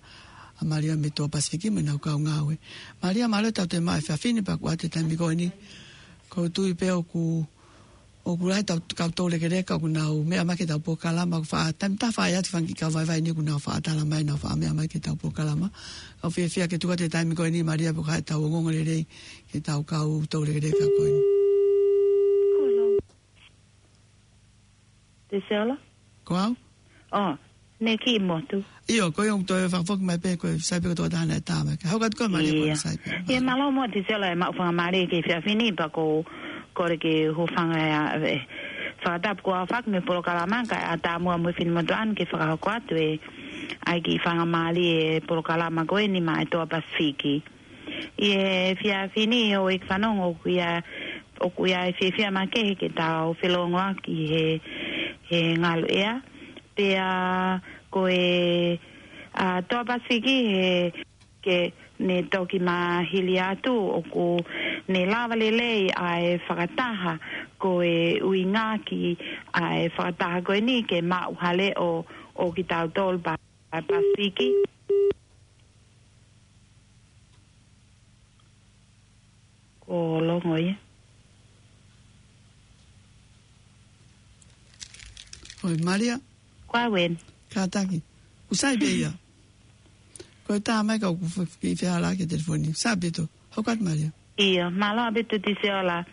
ʻa Malia mei Toa Pasifiki mo ʻenau kau ngāue. Malia, mālō ʻetau toe maʻu e efiafi ni pea ʻoku ʻoatu e taimi ko eni. ʻOku ou tui pē ʻoku ʻOku lahi ʻetau kau toulekeleka ʻoku nau meʻa mai ki heʻetau polokalama, ʻoku faʻa, taimi tatau faʻa ʻi ai atu e fanga kiʻi kau vaivai ni ʻoku nau faʻa tala mai, nau faʻa meʻa mai ki heʻetau polokalama. ʻOku ou fiefia ke tuku atu e taimi ko eni, Malia, pea ʻoku ʻi ai haʻatau ongoongolelei ki heʻetau kau toulekeleka ko eni. Hello. Tisiola? Ko au? ʻŌ, Neki Motu. ʻIo, ko ia ʻoku toe fakafoki mai pē, ko e sai pē ko e tokotaha naʻe tā mai. Ka hoko atu koe, Malia, ko e sai pē. ʻIo, mālō muʻa Tisiola e maʻu faingamālie ki he efiafi ni, pea ʻoku ou kole ke u hūfanga ē, ʻa e fakatapu kuo aofaki mei he polokalama, kae ʻatā muʻa mo e finemotuʻa ni ke fakahoko atu ē, ʻa e kiʻi faingamālie e polokalama ko eni maʻa e Toa Pasifiki. ʻI he efiafi ni, ʻoku ou fanongo ʻoku ʻi ai, ʻoku ʻi ai e fiefia makehe ke tau felōngoaki he, he ngaluʻea. Pea ko e, ʻa, Toa Pasifiki he ke ne toki mahili atu ʻoku ne lava lelei ʻa e fakataha, ko e ʻuhinga ki ʻa e fakataha ko eni ke maʻu ha leʻo ʻo kitautolu pa-, Pasifiki. Ko Longo ia. Malia. Ko au eni. Kātaki. Usai pē ia. Ko e tā mai ka ʻoku fe-, ki fea la ke telefoni. Sai pē tō. Hoko atu Malia. ʻIo, mālō ʻaupito Tisiola.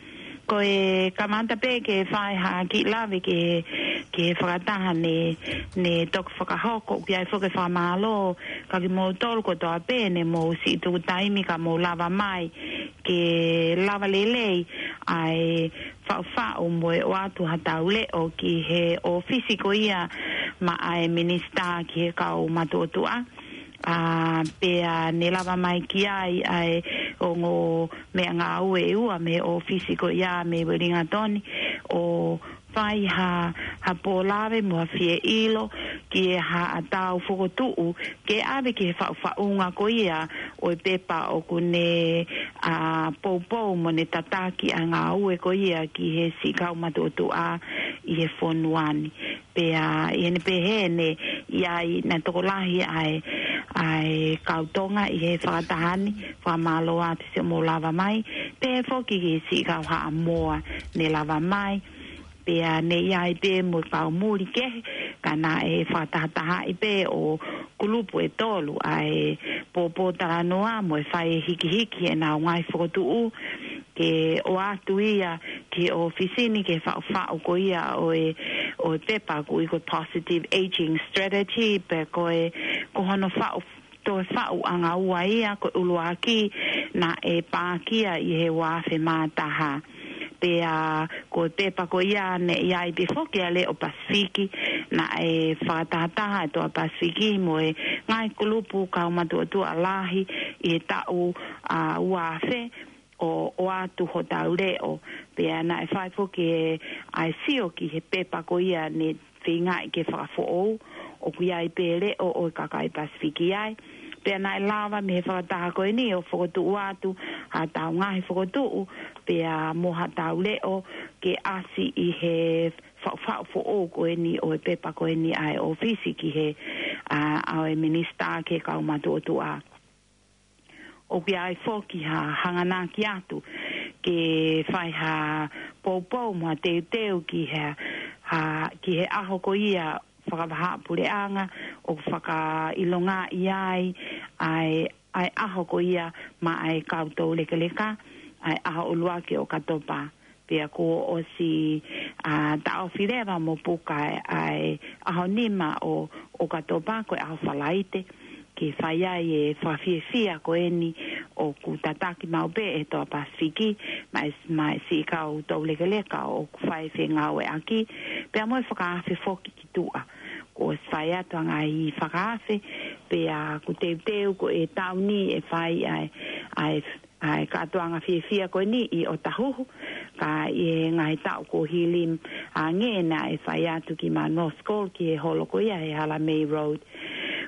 Ko e kamata pē ke fai ha kiʻi lave ki he, ki he fakataha ne, ne toki fakahoko, ʻoku ʻi ai foki e fakamālō, ka kimoutolu kotoa pē ne mou siʻi tuku taimi ka mou lava mai, ke lava lelei ʻa e faʻufaʻu mo e ʻoatu ha tau leʻo ki he ʻōfisi ko ia maʻa e minisitā ki he kau matuʻotuʻa. ʻA, pea ne lava mai ki ai ʻa e ongo meʻangāue ʻe ua mei he ʻōfisi ko ia mei Uelingatoni, ʻo fai ha, ha pōlave mo ha fie ʻilo ki he haʻa tau fokotuʻu ke ʻave ki he faʻufaʻunga ko ia ʻo e pepa ʻoku ne, ʻa, poupou mo ne tataki ʻa e ngāue ko ia ki he siʻi kau matuʻotuʻa ʻi he fonua ni. Pea ʻi heʻene pehē ne ʻi ai naʻe tokolahi ʻa e, ʻa e kau Tonga ʻi he fakataha ni, fakamālō atu siʻomou lava mai, pehē foki ki he siʻi kau Haʻamoa ne lava mai, pea ne ʻi ai pē mo e kau muli kehe, ka naʻe fakatahatahaʻi pē ʻo kulupu ʻe tolu ʻa e pōpōtalanoa mo e fai e hikihiki ʻenau ngaahi fokotuʻu, ke ʻoatu ia ki he ʻōfisi ni ke faʻufaʻu ko ia ʻo e, ʻo e pepa ʻoku ui ko e positive aging strategy, pe ko e, ko hono faʻu, toe faʻuʻanga ua ia, ko e ʻuluaki naʻe pākia ʻi he ua afe mā taha. Pea ko e pepa ko ia ne ʻi ai pē foki ʻa e Leʻo Pasifiki, naʻe fakatahataha e Toa Pasifiki mo e ngaahi kulupu kau matuʻotuʻa lahi ʻi he taʻu, ʻa, ua afe, ʻo, ʻoatu hotau leʻo. Pea naʻe fai foki e, ʻa e sio ki he pepa ko ia ne feingaʻi ke fakafoʻou, ʻoku ʻi ai pē leʻo ʻo e kakai Pasifiki ai. Pea naʻe lava mei he fakataha ko eni ʻo fokotuʻu atu haʻatau ngaahi fokotuʻu, pea mo haʻatau leʻo ke ʻasi ʻi he faʻufaʻu foʻou ko eni ʻo e pepa ko eni ʻa e ʻōfisi ki he, ʻa, ʻa e minisitā ki he kau matuʻotuʻa. ʻOku ʻi ai foki ha hanganaki atu ke fai ha poupou mo ha teuteu ki he, ha, ki he ʻaho ko ia fakavahaʻapuleʻanga ʻoku fakaʻilongaʻi ai ʻa e, ʻa e ʻaho ko ia maʻa e kau toulekeleka, ʻa e ʻaho ʻuluaki ʻo ʻOkatopa. Pea kuo ʻosi, ʻa, taʻofi leva mo puka ʻa e ʻaho nima ʻo, ʻo ʻOkatopa, ko e ʻaho Falaite, ke fai ai e fakafiefia ko eni ʻoku tataki maʻu pē ʻe he Toa Pasifiki, maʻa e, maʻa e siʻi kau toulekeleka ʻoku fai fengāueʻaki, pea mo e fakaafe foki ki tuʻa. Kuo ʻosi fai atu ʻa e ngaahi fakaafe, pea ʻoku teuteu ko e taʻu ni ʻe fai ʻa e, ʻa e ʻa e kātoanga fiefia ko eni ʻi ʻŌtahuhu, ka ʻi he ngaahi taʻu kuo hili ange naʻe fai atu ki Mount Roskill ki he holo ko ia he Halamei Road.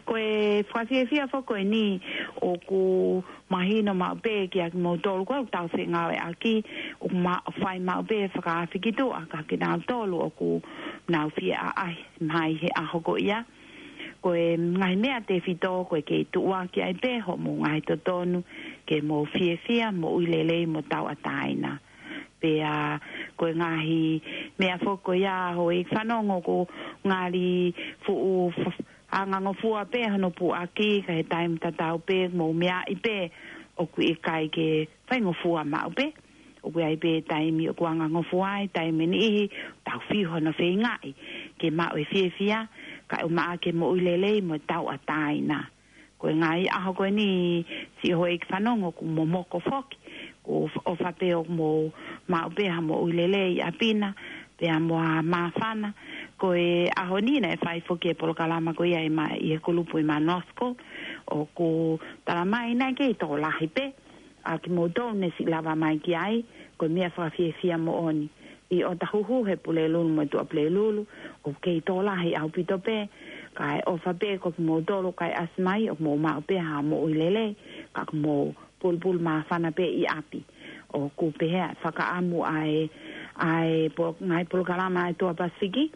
Ko e fakafiefia foki ko eni ʻoku mahino maʻu pē kiate kimoutolu ko ē ʻoku tau fengāueʻaki, ʻoku ma-, fai maʻu pē fakaafe ki tuʻa kiate kinautolu ʻoku nau fie ʻaʻahi mai he ʻaho ko ia. Ko e ngaahi meʻa tefito ko e kei tuʻuaki ai pē hoʻomou ngaahi totonu ke mou fiefia, moʻui lelei mo tauʻatāina. Pea ko e ngaahi meʻa foki ko ia ʻoku ou fanongo ʻoku ngali fuʻu f-, angangofua pē hono puʻaki, ka ʻi he taimi tatau pē mou meaʻi pē ʻoku ʻikai ke faingofua maʻu pē. ʻOku ʻi ai pē taimi ʻoku angangofua ai, taimi ʻe niʻihi tau fiu hono feingaʻi ke maʻu e fiefia, kae ʻumaʻā ke moʻui lelei mo tauʻatāina. Ko e ngaahi ʻaho ko eni siʻi houʻeiki fanongo ʻoku momoko foki, ʻoku f-, ʻofa pē ʻoku mou maʻu pē ha moʻui lelei ʻi ʻapi na, pea mo ha māfana. Ko e ʻaho ni naʻe fai foki e polokalama ko ia ʻi Ma-, ʻi he kulupu ʻi Mount Roskill, ʻoku tala mai naʻe kei tokolahi pē ʻa kimoutolu ne siʻi lava mai ki ai, ko e meʻa fakafiefia moʻoni. ʻI ʻŌtahuhu he Pulelulu mo e Tuʻapulelulu, ʻoku kei tokolahi ʻaupito pē, kae ʻofa pē ko kimoutolu kae ʻasi mai, ʻoku mou maʻu pē ha moʻui lelei, ka ʻoku mou pulupulu māfana pē ʻi ʻapi. ʻOku pehē ʻa e fakaʻamu ʻa e, ʻa e po-, ngaahi polokalama ʻa e Toa Pasifiki.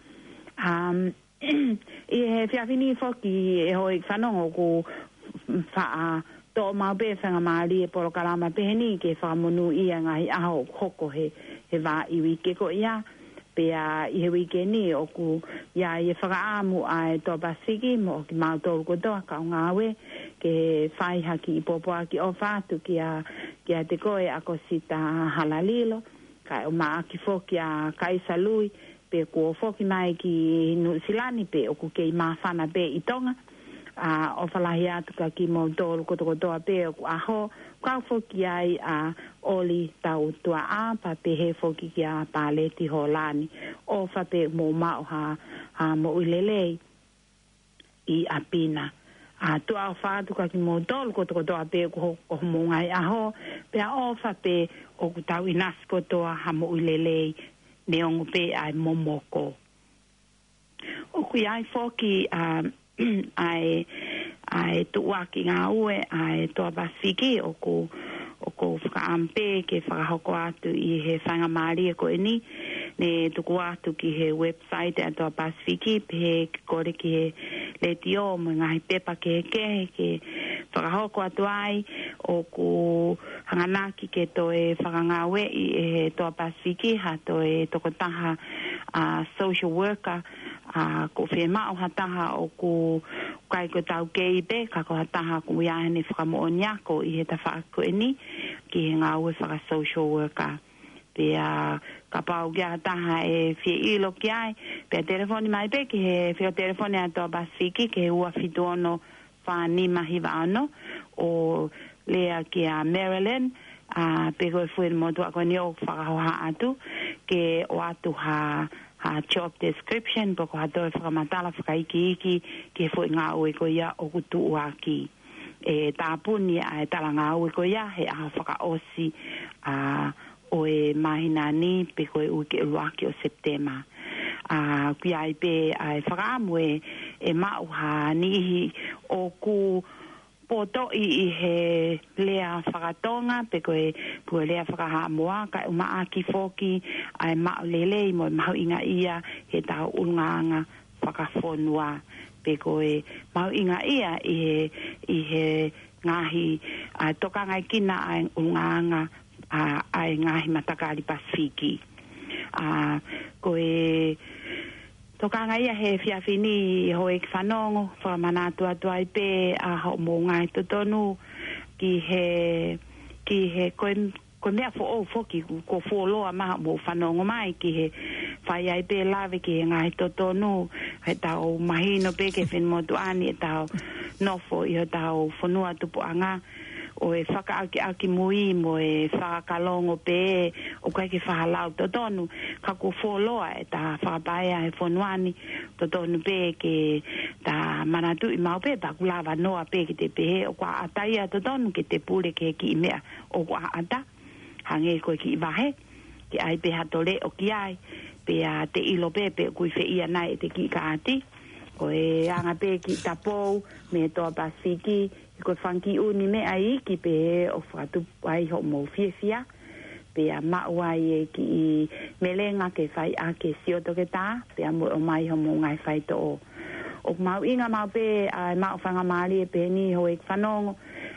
Um, ʻI he efiafi ni foki ʻe houʻeiki fanongo ʻoku faʻa toʻo maʻu pē faingamālie e polokalama pehē ni ke fakamonūʻia e ngaahi ʻaho ʻoku hoko he, he vā ʻi he uike ko ia. Pea ʻi he uike ni ʻoku ʻi ai e fakaʻamu ʻa e Toa Pasifiki mo kimautolu kotoa kau ngāue ke fai ha kiʻi pōpoaki ʻofa atu kia, kiate koe ʻa Kosita Halalilo, kae ʻumaʻā foki ʻa Kaisa Lui, pe kuo foki mai ki Nuʻusila ni pe ʻoku kei māfana pē ʻi Tonga. ʻA, ʻofa lahi atu kia kimoutolu kotokotoa pē ʻoku ʻaho, kau foki ai ʻa Oli Tautuaʻa, pea pehē foki kia Paleti Holani. ʻOfa pē mou maʻu ha, ha moʻui lelei ʻi ʻapi na. ʻA, tuʻa ʻofa atu kia kimoutolu kotokotoa pē ko, ko homou ngaahi ʻaho, pea ʻofa pē ʻoku tau ʻinasi kotoa ha moʻui lelei neongo pē ʻa e momoko. ʻOku ʻi ai foki ʻa, ʻa e, ʻa e tuʻuaki ngāue ʻa e Toa Pasifiki ʻoku, ʻoku fakaʻamu pē ke fakahoko atu ʻi he faingamālie ko eni. Ne tuku atu ki he website ʻa e Toa Pasifiki, pehē ke kole ki he letiō mo e ngaahi pepa kehekehe ke fakahoko atu ai. ʻOku hanganaki ke toe fakangāueʻi ʻe he Toa Pasifiki ha toe tokotaha ʻa social worker, ʻa, ko e fiemaʻu ha taha ʻoku ʻikai ko e taukei pē, ka ko ha taha ʻoku ʻi ai haʻane fakamoʻoni ako ʻi he tafaʻaki ko eni ki he ngāue faka-social worker. Pea kapau ʻoku ʻi ai ha taha ʻe fie ʻilo ki ai, pea telefoni mai pē ki he, fio telefoni ʻa e Toa Pasifiki ki he ua fitu ono fā nima hiva ono, ʻo lea kia Marilyn, ʻa, pe ko e fuʻu motuʻa ko eni ʻoku fakahohaʻa atu, ke ʻoatu ha, ha job description, pe ko ha toe fakamatala fakaikiiki ki he fuʻu ngāue ko ia ʻoku tuʻuaki. ʻE tāpuni ʻa e talangāue ko ia he ʻaho fakaʻosi, ʻa, ʻo e māhina ni pe ko e uike ʻuluaki ʻo Sepitema. ʻA, ʻoku ʻi ai pē ʻa e fakaʻamu ʻe, ʻe maʻu ha niʻihi ʻoku potoʻi ʻi he lea fakatonga, pe ko e, pe ko e lea fakahaʻamoa, kae ʻumaʻā foki ʻa e maʻu lelei mo e mahuʻingaʻia he tau ʻulungaanga fakafonua, pe ko e mahuʻingaʻia ʻi he, ʻi he ngaahi, ʻa, tokangaʻi kinaua ʻa e ʻulungaanga, ʻa, ʻa e ngaahi matakali Pasifiki. ʻA, ko e tokangaʻi ia he efiafi ni houʻeiki fanongo, fakamanatu atu ai pē ʻa hoʻomou ngaahi totonu ki he, ki he ko e, ko e meʻa foʻou foki kuo fuoloa mai hoʻomou fanongo mai ki he fai ai pē lave ki he ngaahi totonu, he tau mahino pē ki he finemotuʻa ni ʻetau nofo ʻi hotau fonua tupuʻanga, ʻo e fakaʻakiʻakimui mo e fakakalongo pē, ʻoku ʻikai ke fakalau totonu, ka kuo fuoloa ʻeta fakapaea he fonua ni, totonu pē ke ta manatuʻi maʻu pē, pea ʻoku lava noa pē ke te pehē, ʻoku ʻataʻatā ia totonu ke te pule ki he kiʻi meʻa ʻoku ʻataʻatā, hangē ko e kiʻi vahe, ke ʻai pē ha toe leʻo ki ai, pea te ʻilo pē pe ʻoku ʻi fē ia nai ʻete kiʻi kaati. Ko e anga pē kiʻi tapou mei he Toa Pasifiki, he ko e fanga kiʻi ʻū meʻa iiki pē ʻoku fakatupu ai hoʻomou fiefia, pea maʻu ai e kiʻi melenga ke fai ʻaki e sio toketā, pea mo e ʻomai hoʻomou ngaahi faitoʻo. ʻOku mahuʻinga maʻu pē ʻa e maʻu faingamālie pehē ni houʻeiki fanongo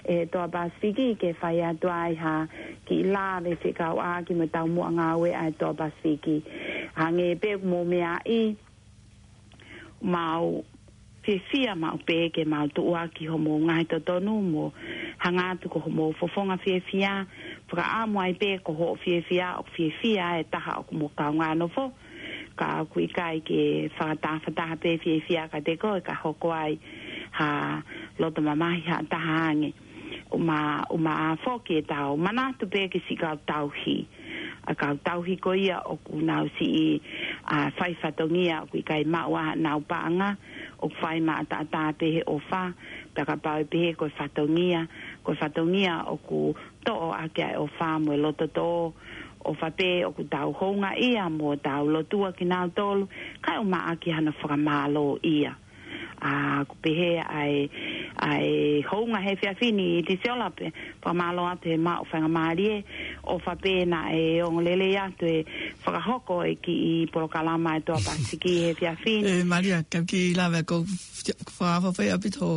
ʻe he Toa Pasifiki ke fai atu ai ha kiʻi lave fekauʻaki mo e taumuʻa ngāue ʻa e Toa Pasifiki. Hangē pē ʻoku mou meaʻi, mau fiefia maʻu pē ke mau tuʻuaki hoʻomou ngaahi totonu mo hanga atu ko hoʻomou fofonga fiefia, fakaʻamu ai pē ko hoʻo fiefia ʻoku fiefia e taha ʻoku mo kaungā nofo, ka ʻoku ʻikai ke fakatafataha pē fiefia kiate koe ka hoko ai ha loto mamahi ha taha ange. ʻUma, ʻumaʻā foki ʻetau manatu pē ki siʻi kau tauhi. ʻA e kau tauhi ko ia ʻoku nau siʻi, ʻa, fai fatongia ʻoku ʻikai maʻu ʻa honau paʻanga, ʻoku fai maʻataʻatā pē he ʻofa, pea kapau ʻe pehē ko e fatongia, ko e fatongia ʻoku toʻo ʻaki ʻa e ʻofa mo e loto tō, ʻofa pē ʻoku tau houngaʻia mo tau lotua kinautolu, kae ʻumaʻā hano fakamālōʻia. ʻA, ʻoku pehē ʻa e, ʻa e hounga he efiafi ni ʻi Tisiola pē, fakamālō atu he maʻu faingamālie, ʻofa pē naʻe ongo lelei atu e fakahoko e kiʻi polokalama ʻa e Toa Pasifiki he efiafi ni. ʻE, Malia, ka kiʻi lave ko fakaʻapaʻapa ʻaupito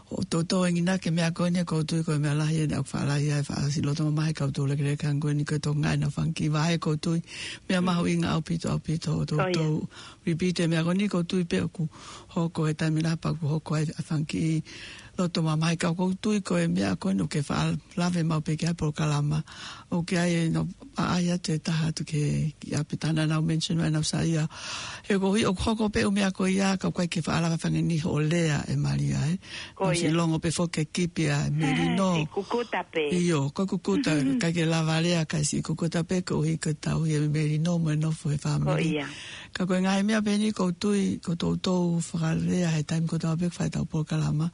ʻo toutou enginaki e meʻa ko eni, ʻoku ou tui ko e meʻa lahi eni ʻoku faʻa lahi ai, faʻa siʻi loto mamahi e kau toulekeleka ko eni, ko e toenga ʻenau fanga kiʻi vahe, ʻoku ou tui meʻa mahuʻinga ʻaupito, ʻaupito, ʻo toutou repeat e meʻa ko eni, ʻoku ou tui pē ʻoku hoko e taimi lahi pea ʻoku hoko ai e fanga kiʻi loto mamahi, ka ʻoku ou tui ko e meʻa ko eni ʻoku ke faʻa lave maʻu pē ki ai e polokalama. ʻOku ʻi ai ʻenau ʻaʻahi atu e taha atu ki he, ki ʻapi, tā naʻa nau mention mai ʻenau saiʻia. He ko e ʻuhi ʻoku hoko pē ʻū meʻa ko ia, ka ʻoku ʻikai ke faʻa lava fanga niʻihi ʻo lea ʻe Malia, ē. Ko ia. Nau siʻi longo pē foki e kipi ʻa e melino. Siʻi kukuta pē. ʻIo, ko e kukuta, ʻikai ke lava lea, kae siʻi kukuta pē, ko e ʻuhi ko e tauhi e melino mo e nofo e fāmili. Ko ia. Ka ko e ngaahi meʻa pē eni ʻoku ou tui, ʻoku toutou fakalea he taimi kotoa pē ʻoku fai ʻetau polokalama.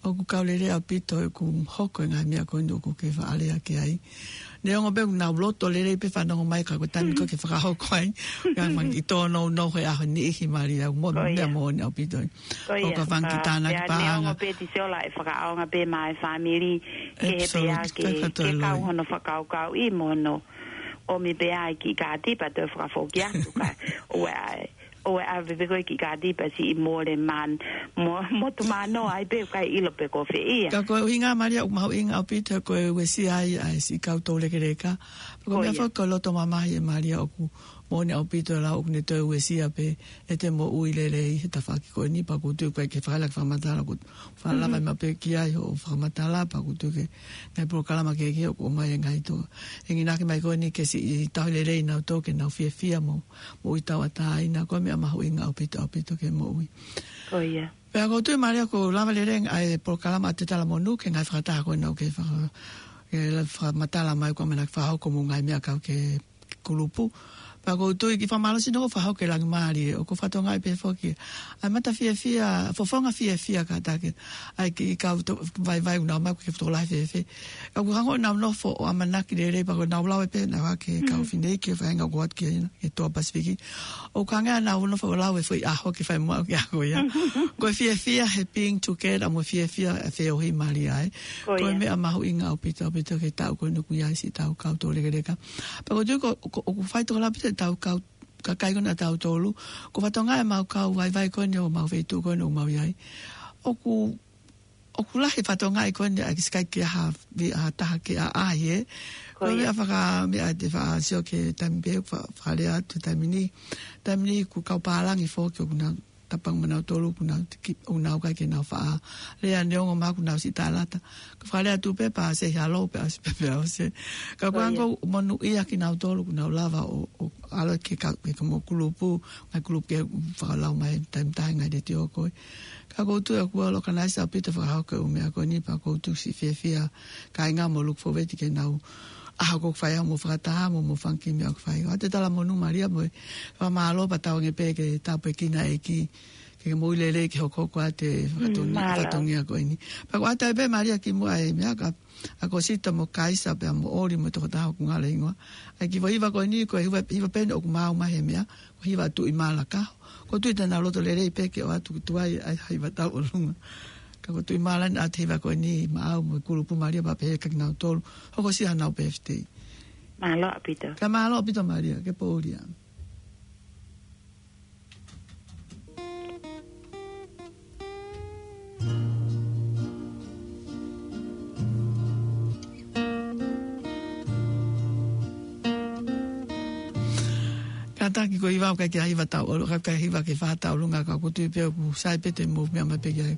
ʻOku kau lelei ʻaupito ʻeku hoko e ngaahi meʻa ko eni ʻoku ke faʻa lea ki ai. Neongo pē ʻoku nau loto lelei pē fanongo mai ka ko e taimi ko ē ke fakahoko ai, ngaahi fanga kiʻi tōnounou he ʻaho ni ʻi he Malia, mo e meʻa moʻoni ʻaupito. Ko ia. ʻOku ou fanga kiʻi tānaki paʻanga. Neongo pē ʻe Tisiola ʻe fakaʻaonga pē maʻa e fāmili, ke he pea ke, ke kau hono fakakaukauʻi mo hono ʻomi pē ʻa e kiʻi kaati pea toe fakafoki atu ka ʻoua ʻe ʻoua ʻe ʻave pē ko e kiʻi kaati pea siʻi mole man, mo, mo tō mano ai pē ʻikai ʻilo pe ko fē ia. Ka ko e ʻuhinga Malia ʻoku mahuʻinga ʻaupito ko e uesia ai ʻa e siʻi kau toulekeleka. Pea ko e meʻa foki ko e loto mamahi e Malia ʻoku moʻoni ʻaupito e lau ʻoku ne toe uesia pē ʻete moʻui lelei he tafaʻaki ko eni pea ʻoku ou tui ʻoku ʻikai ke fakalaka fakamatala ʻoku fakalava maʻu pē ki ai hoʻo fakamatala pea ʻoku ou tui ko e ngaahi polokalama kehekehe ʻoku ʻomai e ngaahi toʻu enginaki mai ko eni ke siʻi tauhi lelei nautolu ke nau fiefia mo moʻui tauʻatāina, ko e meʻa mahuʻinga ʻaupito, ʻaupito ki he moʻui. Ko ia. Pea ʻoku ou tui Malia ʻoku lava lelei ʻa e polokalama ʻa e Te Talamonū ki he ngaahi fakataha ko ena ʻoku ke faka-, ke fakamatala mai ʻoku ʻamanaki fakahoko mo e ngaahi meʻa kau ki he kulupu. Pea ʻoku ou tui kiʻi fakamālō sino ʻoku fakahoko ʻe Langimālie, ʻoku ou fakatokangaʻi pē foki ʻa e mata fiefia, fofonga fiefia kātaki ʻa e kiʻi kau tō-, vaivai ʻoku nau ō mai ʻoku ke tokolahi fēfē. ʻOku hangē ʻoku nau nofo ʻo ʻamanaki lelei pea ʻoku nau lau pē naʻa ke kau fineʻeiki ʻo feinga ʻo ʻoatu ki hena, ki he toa Pasifiki. ʻOku hangē ʻoku nau nofo ʻo lau e foʻi ʻaho ke fai muʻa ʻoku ke ako ia. Ko e fiefia he being together mo e fiefia he feohi Malia ē. Ko e meʻa mahuʻinga ʻaupito, ʻaupito ki he taʻu ko eni ʻoku ʻi ai siʻetau kau toulekeleka. Pea ʻoku ou tui ko, ko, ʻoku fai tokolahi ʻaupito ʻetau kau kakai ko ena ʻatautolu. ʻOku ou fakatokangaʻi ʻemau kau vaivai ko eni ʻo ʻemau feituʻu ko eni ʻoku mau ʻi ai. ʻOku ʻoku lahi e fakatokangaʻi ko eni ʻa e kiʻi siʻi kakai ke ʻaha, vi-, ʻaha taha ke ʻaʻahi ē. Ko ia. Ko e meʻa faka-, meʻa te faʻa sio ki he taimi pē, fa-, fakalea atu taimi ni. Taimi ni ʻoku kau pālangi foki ʻoku nau tapanga mo nautolu ʻoku nau tiki, ʻoku nau ʻikai ke nau faʻa lea neongo mahalo ʻoku nau siʻi talata. Ka fakalea atu pē pea say hello pea ʻosi pē pea ʻosi. Ka ko ia. Ko e anga ʻoku monūʻia kinautolu ʻoku nau lava ʻo, ʻo ʻalu ki he ka-, ki he kau kulupu, ngaahi kulupu ke fakalau mai he taimi taha ngaahi letiō ko ē. Ka ʻoku ou tui ʻoku ʻalu ʻo organize ʻaupito fakahoko e ʻū meʻa ko eni pea ʻoku ou tui siʻi fiefia kāinga mo look forward ki heʻenau ʻaho ʻoku fai ai hoʻomou fakataha mo hoʻomou fanga kiʻi meʻa ʻoku fai. ʻA e Te Talamonū Malia mo e fakamālō pea tauange pē ke tāpuekina e ʻEiki ke ke moʻui lelei ke hokohoko atu e fatongia, fatongia ko eni. Pea ʻoku ʻatā pē Malia kimuʻa e meʻa ka ʻa Kosita mo Kaisa pea mo ʻOli mo e tokotaha ʻoku ngalo hingoa. ʻA e kiʻi foʻi hiva ko eni, ko e hiva, hiva pē eni ʻoku maau mai he meʻa, ko e hiva Tuʻimala Kaho. ʻOku ou tui te nau loto lelei pē ke ʻoatu ki tuʻa ai ʻa e hiva tauʻolunga. Ka ko Tuʻimala eni ʻa e hiva ko eni maau mo e kulupu Malia pea pehē kia kinautolu. Hokosia hanau birthday. Mālō ʻaupito. Ka mālō ʻaupito Malia, ke pōlia. Kātaki ko e hiva ʻoku ʻikai ke ʻi ai hiva tauʻolunga, ʻikai ke ʻi ai hiva ke fā tauʻolunga ka ʻoku ou tui pē ʻoku sai pē te mou meʻa mai pē ki ai.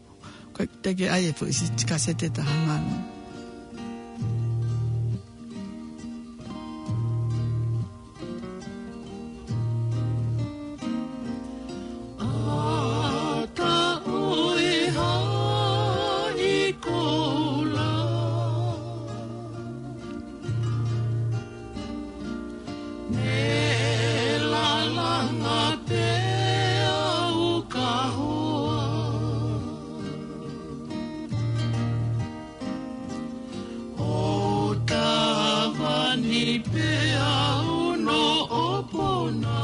Ko e teke ai e foʻi siʻi kasete taha mano. ʻA taʻu ʻi haʻi koula. Ne lalanga pē au ka hoa. ʻO tavani pē au no ʻopona.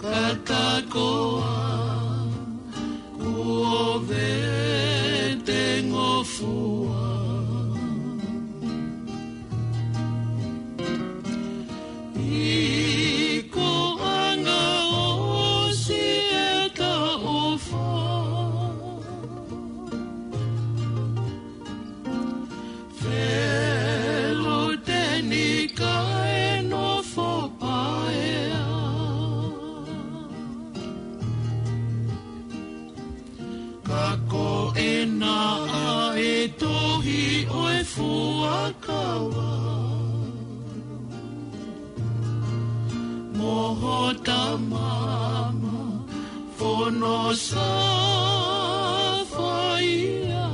Ka takoa kuo vete ngofua. ʻI ko anga ʻosi e taʻu fā. Tamama, fono sa faia.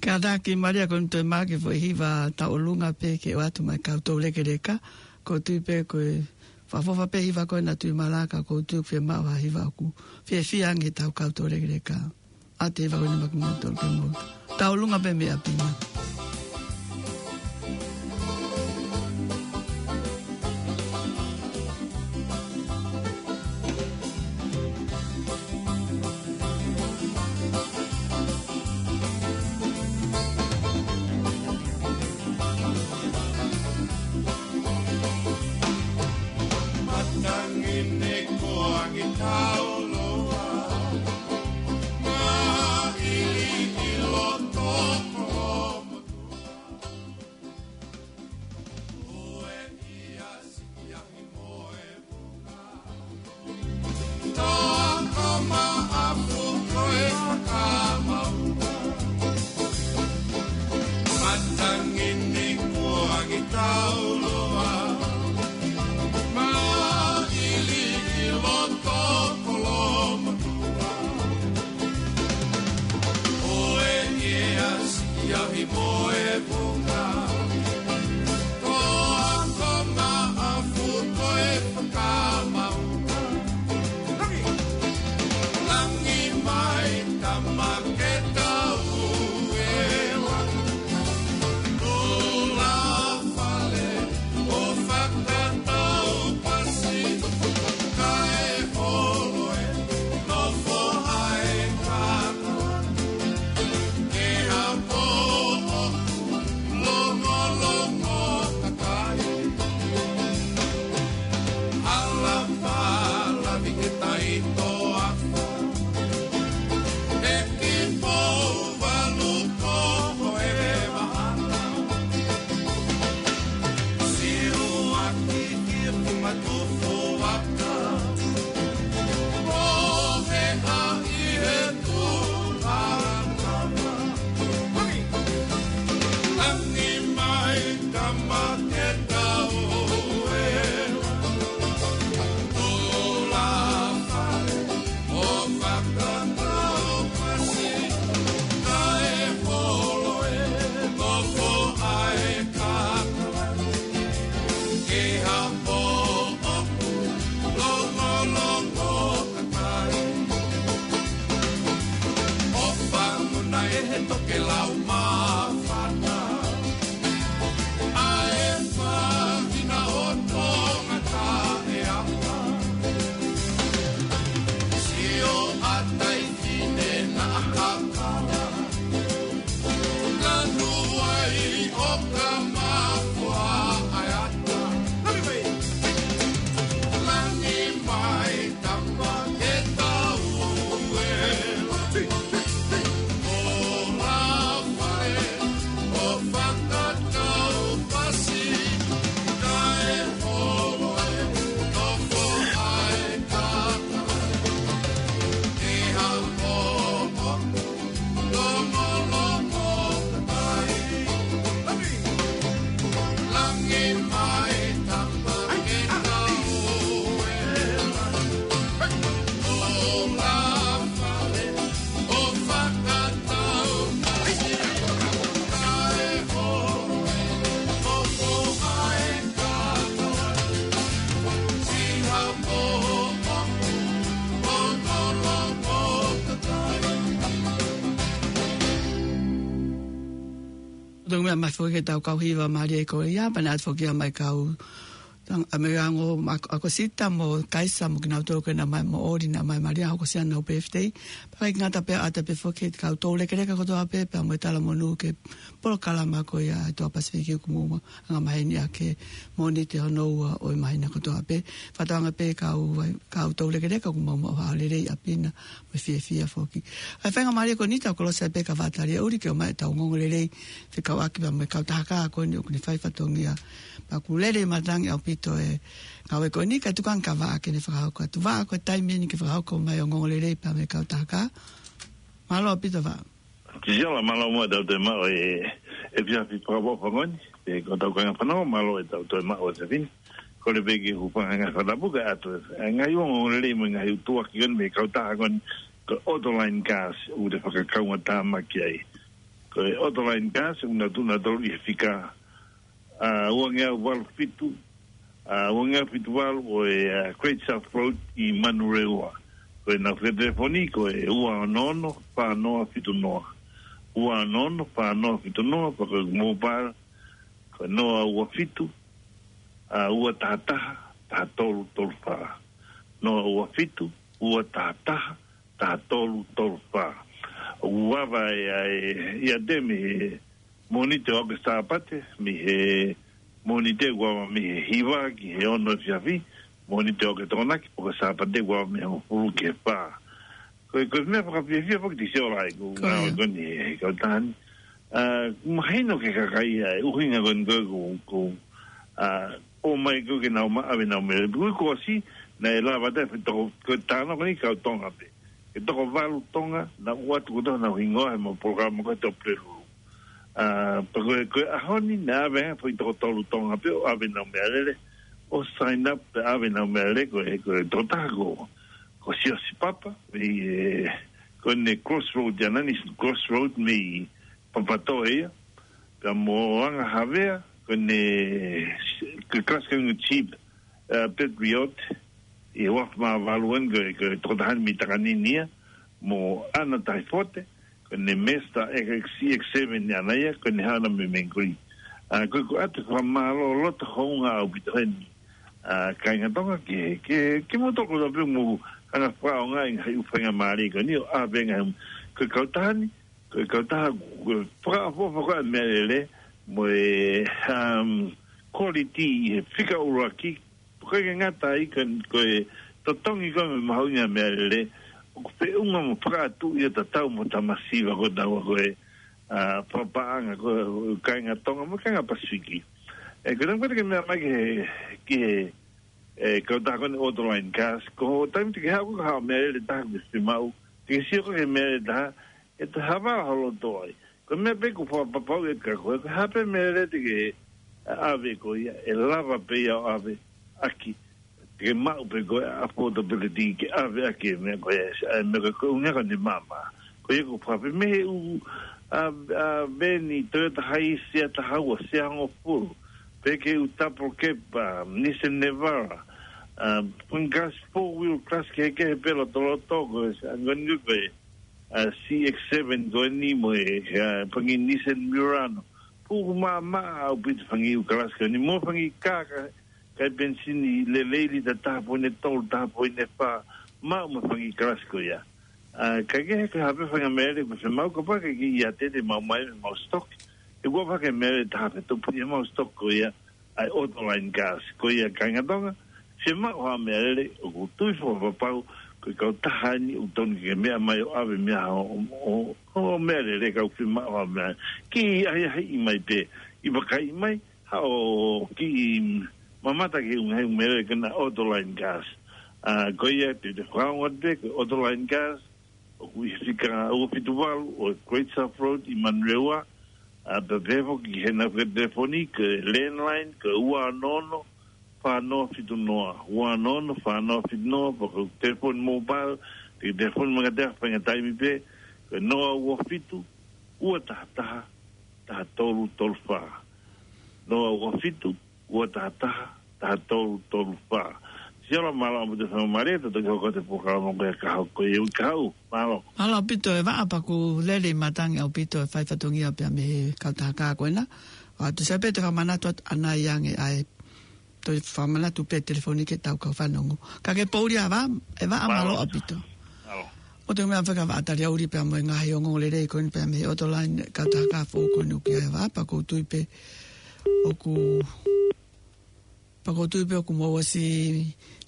Kātaki Malia, ko eni toe maʻu e foʻi hiva tauʻolunga pē ke ʻoatu mai kau toulekeleka, ʻoku ou tui pē ko e fakaʻofoʻofa pē hiva ko ena Tuʻi Malanga, ʻoku ou tui ʻoku fiemaʻu ha hiva ʻoku fiefia ange ʻetau kau toulekeleka. ʻA e hiva ko eni maʻa kimoutolu ke mou tauʻolunga pē mei ʻapi na. Matangi ne ko angi tauloa, ma ili ʻi loto ko Toa ko Maʻafu ko e fakamau. Matangi ne ko angi tauloa, ma ili ʻi loto ko Lomatua. ʻO e ʻi he asi ʻi he mo e vunga. Toa ko Maʻafu ko e fakamau. Langi mai tama ke tau ela. Tula fale ʻo fakatau pasi. Kae holo e nofo ai kaka. Ke hapo Longolongo kakai. Ala pala vike tai toafa. E ki pou valu ko ho e vahana. Siu aki ki e pumatufu aka. Ko he a ʻi he Longolongo kakai. ʻOfa mo na e he tokelau māfana. ʻA e fāhina ʻo Tonga taʻeapa. Sio ʻa Taifine na ʻakakala. Lanu ai ʻo ka mafoa ʻa e ata. Langi mai tama ke tau ela. ʻO la fale ʻo fakatau pasi. Kae holo e nofo ai kaka. Ke hapo Longolongo kakai. Langi mai tama ke tau ela. ʻO la fale ʻo fakatau pasi. Kae holo e nofo ai kaka. Siha po Tau meʻa mai foki ke tau kau hiva Malia ʻi Korea, pea naʻe ʻatu foki ia mai kau tang-, ʻa Megango ma-, ʻa Kosita mo Kaisa mo kinautolu ko ena mai mo Ori na mai Malia, hoko siana ʻo birthday. Pea ʻikai ngata pē, ʻata pē foki kau toulekeleka kotoa pē, pea mo e talamonū ki he polokalama ko ia ʻa e Toa Pasifiki ʻoku mou anga maheni ʻaki he Mōnite hono ua ʻo e māhina kotoa pē. Fakatauange pē kau, kau toulekeleka ʻoku mou maʻu ha lelei ʻapi na mo e fiefia foki. ʻA e faingamālie ko eni tau kolosi ai pē ka fakatātā uli ke ʻomai ʻetau ongoongolelei fekauʻaki pea mo e kautaha kā ko eni ʻoku ne fai fatongia. Pea ʻoku lele matangi ʻaupito e ngāue ko eni kae tuku ange kia Vaʻa ke ne fakahoko atu. Vaʻa, ko e taimi eni ke fakahoko mai ongoongolelei pea mo e kautaha kā. Mālō ʻaupito Vaʻa. Kisiola, mālō muʻa tau te mau e, efiafi fakaʻofoʻofa ko eni, pea ko hotau kāinga fanongo, mālō ʻetau toe maʻu ʻa e efiafi ni. Kole pē ke u hūfanga he ngaahi fakatapu kae ʻoatu e ngaahi ongoongolelei mo e ngaahi ʻutuʻaki ko eni mei he kautaha ko eni ko e Autoline Cars, ʻoku te fakakaungatāmaki ai. Ko e Autoline Cars, ʻoku nau tuʻu nautolu ʻi he fika, ʻa, uangeau valu fitu, ʻa, uangeau fitu valu ʻo e, ʻa, Great South Road ʻi Manurewa. Ko ʻenau fika telefoni ko e ua ono ono fā noa fitu noa. Ua ono ono fā noa fitu noa, pea ko e mobile, ko e noa ua fitu, ʻa, ua taha taha, taha tolu tolu fā. Noa ua fitu, ua taha taha, taha tolu tolu fā. ʻOku ava e, ʻa e, ʻiate mei he Mōnite ʻo aʻu ki he Sāpate, mei he Mōnite ʻoku ava mei he hiva ki he ono efiafi, Mōnite ʻo aʻu ki he Tokonaki, pea ko e Sāpate ʻoku ava mei he hongofulu ki he fā. Ko e, ko e meʻa fakafiefia foki te sio lai, ko e Ko ia. ngāue ko eni he, he kautaha ni. ʻA, mahino ki he kakai ʻa e ʻuhinga ko eni ko e, ko, ko, ʻa, ʻomai ko ē ke nau maʻu ʻenau meʻalele. Ko e kuo ʻosi, naʻe lava ʻe he toko, ko e tānaki ko eni kau Tonga pē. Ke toko valu Tonga, naʻa nau ʻoatu kotoa honau hingoa he mau polokalama ko e Tōpulelulu. ʻA, pea ko e, ko e ʻaho ni, naʻe ʻave ange foʻi toko tolu Tonga pē ʻo ʻave ʻenau meʻalele, ʻo sign up, pea ʻave ʻenau meʻalele, ko e, ko e tokotaha ko, ko Siosi Papa, mei, ē, ko ʻene Crossroad, ʻa Nanny's Crossroad, mei Papatoetoe ia. Pea mo Anga Havea, ko ʻene, ko e kalasi ko eni Jeep, ʻa, Patriot, ʻi he uafu mā valu eni ko e, ko e tokotaha ni mei Takanini ia, mo ʻAna Taifote, ko ʻene Mazda X, C X seven ʻaʻana ia, ko ʻene haʻu ia mei Mangere. ʻA, ko e, ko e ʻoatu e fakamālō loto houngaʻia ʻaupito heni. ʻA, kāinga Tonga ke, ke, ke mou tokanga pē mou hanga fakaʻaongaʻi e ngaahi ʻū faingamālie ko eni ʻo ʻave e ngaahi, ko e kautaha ni, ko e kautaha, ko e fakaʻofoʻofa ko ē ʻa e meʻalele, mo e, um, quality ʻi he fika ʻuluaki, ko e ngata ai ko e, ko e totongi ko ē mo e mahuʻinga ʻa e meʻalele, ʻoku feʻunga mo fakaʻatuʻi ʻo tatau mo e tamasiva ko ē ʻoku tau ko ē, ʻa, fakapaʻanga ko ē kāinga Tonga mo e kāinga Pasifiki. ʻE, ko e tangata ke meʻa mai ki he, ki he, ʻe, kautaha ko eni Autoline Cars, ko e taimi te ke haʻu ko ē ka haʻu e meʻalele ʻe taha ke fiemaʻu, te ke sio ko ē ki he meʻalele ʻe taha, ʻe te hava holo toʻa ai. Ko e meʻa pē ʻoku fakapapauʻi ʻe koe, ko e hā pē meʻalele te ke ʻave ko ia, ʻe lava pē ia ʻo ʻave ʻaki, te ke maʻu pē ko e affordability ke ʻave ʻaki e meʻa ko ia, ʻa e meʻa ko ē ʻoku ʻuhinga ko eni maama. Ko ia ʻoku fakape mei he ʻū, ʻa, ʻa, veni Toyota Hiace ʻe taha ua, ʻe hongofulu, pe ki he ʻū double cab, ʻa, Nissan Navara, ʻa, pangkas four wheel cars kehekehe pē lotoloto ko ē, ʻa, ngoni ko ē, ʻa, C X seven ko eni mo e, ʻa, pangi Nissan Murano. Puʻu maama ʻaupito e fanga ʻū kalasi ko eni, mo e fanga kā, kā, kā penisini lelei lita taha poini tolu, taha poini fā, maʻu mo e fanga kalasi ko ia. ʻA, ka ke he ka hape fanga meʻalele ʻoku fiemaʻu kapau ʻoku ke ʻiate te mau mai mo e mau stock. ʻE ʻoku ʻave fanga meʻalele ʻe taha pē tupu ʻi he mau stock ko ia, ʻa e Autoline Cars. Ko ia kāinga Tonga, fiemaʻu ha meʻalele ʻoku ou tui fakapapau, ko e kautaha ni ʻoku totonu ke meʻa mai ʻo ʻave meʻa ʻo, ʻo, ʻo, ʻo meʻalele ka ʻoku fiemaʻu ha meʻa. Kiʻi ʻahiʻahiʻi mai pē, ʻi vakai mai, haʻu ʻo kiʻi mamata ki he ʻū ngaahi meʻalele ko ena Autoline Cars. ʻA, ko ia te, te fakaongo pē, ko e Autoline Cars, ʻoku ʻi he fika ua fitu valu ʻo e Great South Road ʻi Manurewa, ʻa, pea pehē foki ki heʻenau fika telefoni, ko e landline, ko e ua ono ono, fā noa fitu noa, ua ono ono, fā noa fitu noa, pe ko e telefoni mobile, te ke telefoni mai kiate au he faʻahinga taimi pē, ko e noa ua fitu, ua taha taha, taha tolu tolu fā. Noa ua fitu, ua taha taha, taha tolu tolu fā. Siʻi ola, mālō ʻaupito e faingamālie, te u toki hoko atu e polokalama ko ia ka hoko ia ʻi he uike kahaʻu. Mālō. Mālō ʻaupito e Vaʻa, pea ʻoku lelei matangi ʻaupito e fai fatongia pea mei he kautaha kā ko ena. ʻOatu, sai pē te u fakamanatu atu ʻanai ange ʻa e, toe fakamanatu pē telefoni ke tau kau fanongo. Ka ke poʻuli ā Vaʻa, e Vaʻa, mālō. Mālō ʻaupito. Mālō. ʻOatu e meʻa faka Vaʻa Taliauli pea mo e ngaahi ongoongolelei ko eni pea mei he Autoline, kautaha kā foʻou ko eni ʻoku ʻi ai e Vaʻa, pea ʻoku ou tui pē ʻoku, pea ʻoku ou tui pē ʻoku mou ʻosi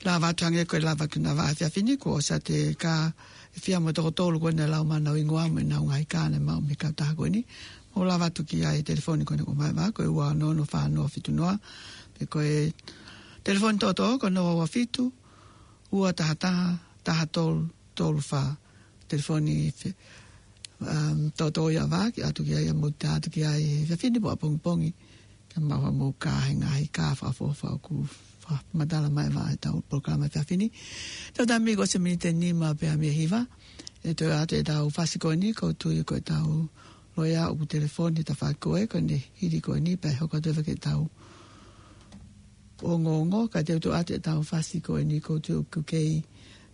lava atu hangē ko e lava atu ʻa Vaʻa he efiafi ni, kuo ʻosi ʻa e kā ʻe fiha mo e toko tolu ko ena ʻe lau mai honau hingoa mo ʻenau ngaahi kā naʻe maʻu mei he kautaha ko eni. Mou lava atu ki ai he telefoni ko ena ʻoku ʻomai ʻe Vaʻa, ko e ua ono ono fā noa fitu noa, pe ko e telefoni toʻotoʻo ko e noa ua fitu, ua taha taha, taha tolu tolu fā. Telefoni fe-, Um, toto ia vaki atu ki ai, ʻa mou tā atu ki ai he efiafi ni mo ʻapongipongi. Ka mau ha mou kā he ngaahi kā fakaʻofoʻofa ʻoku fakamatala mai ʻe he tau polokalama he efiafi ni. Tau tā mai ko e miniti ʻe nima pea mei he hiva. ʻE toe ʻoatu ʻetau fasi ko eni, ʻoku ou tui ko ʻetau loea ʻoku telefoni he tafaʻaki ko ē, ko ʻene hili ko eni, pea hoko atu ʻa e fake ʻetau ongoongo, ka te u toe ʻoatu ʻetau fasi ko eni ʻoku ou tui ʻoku kei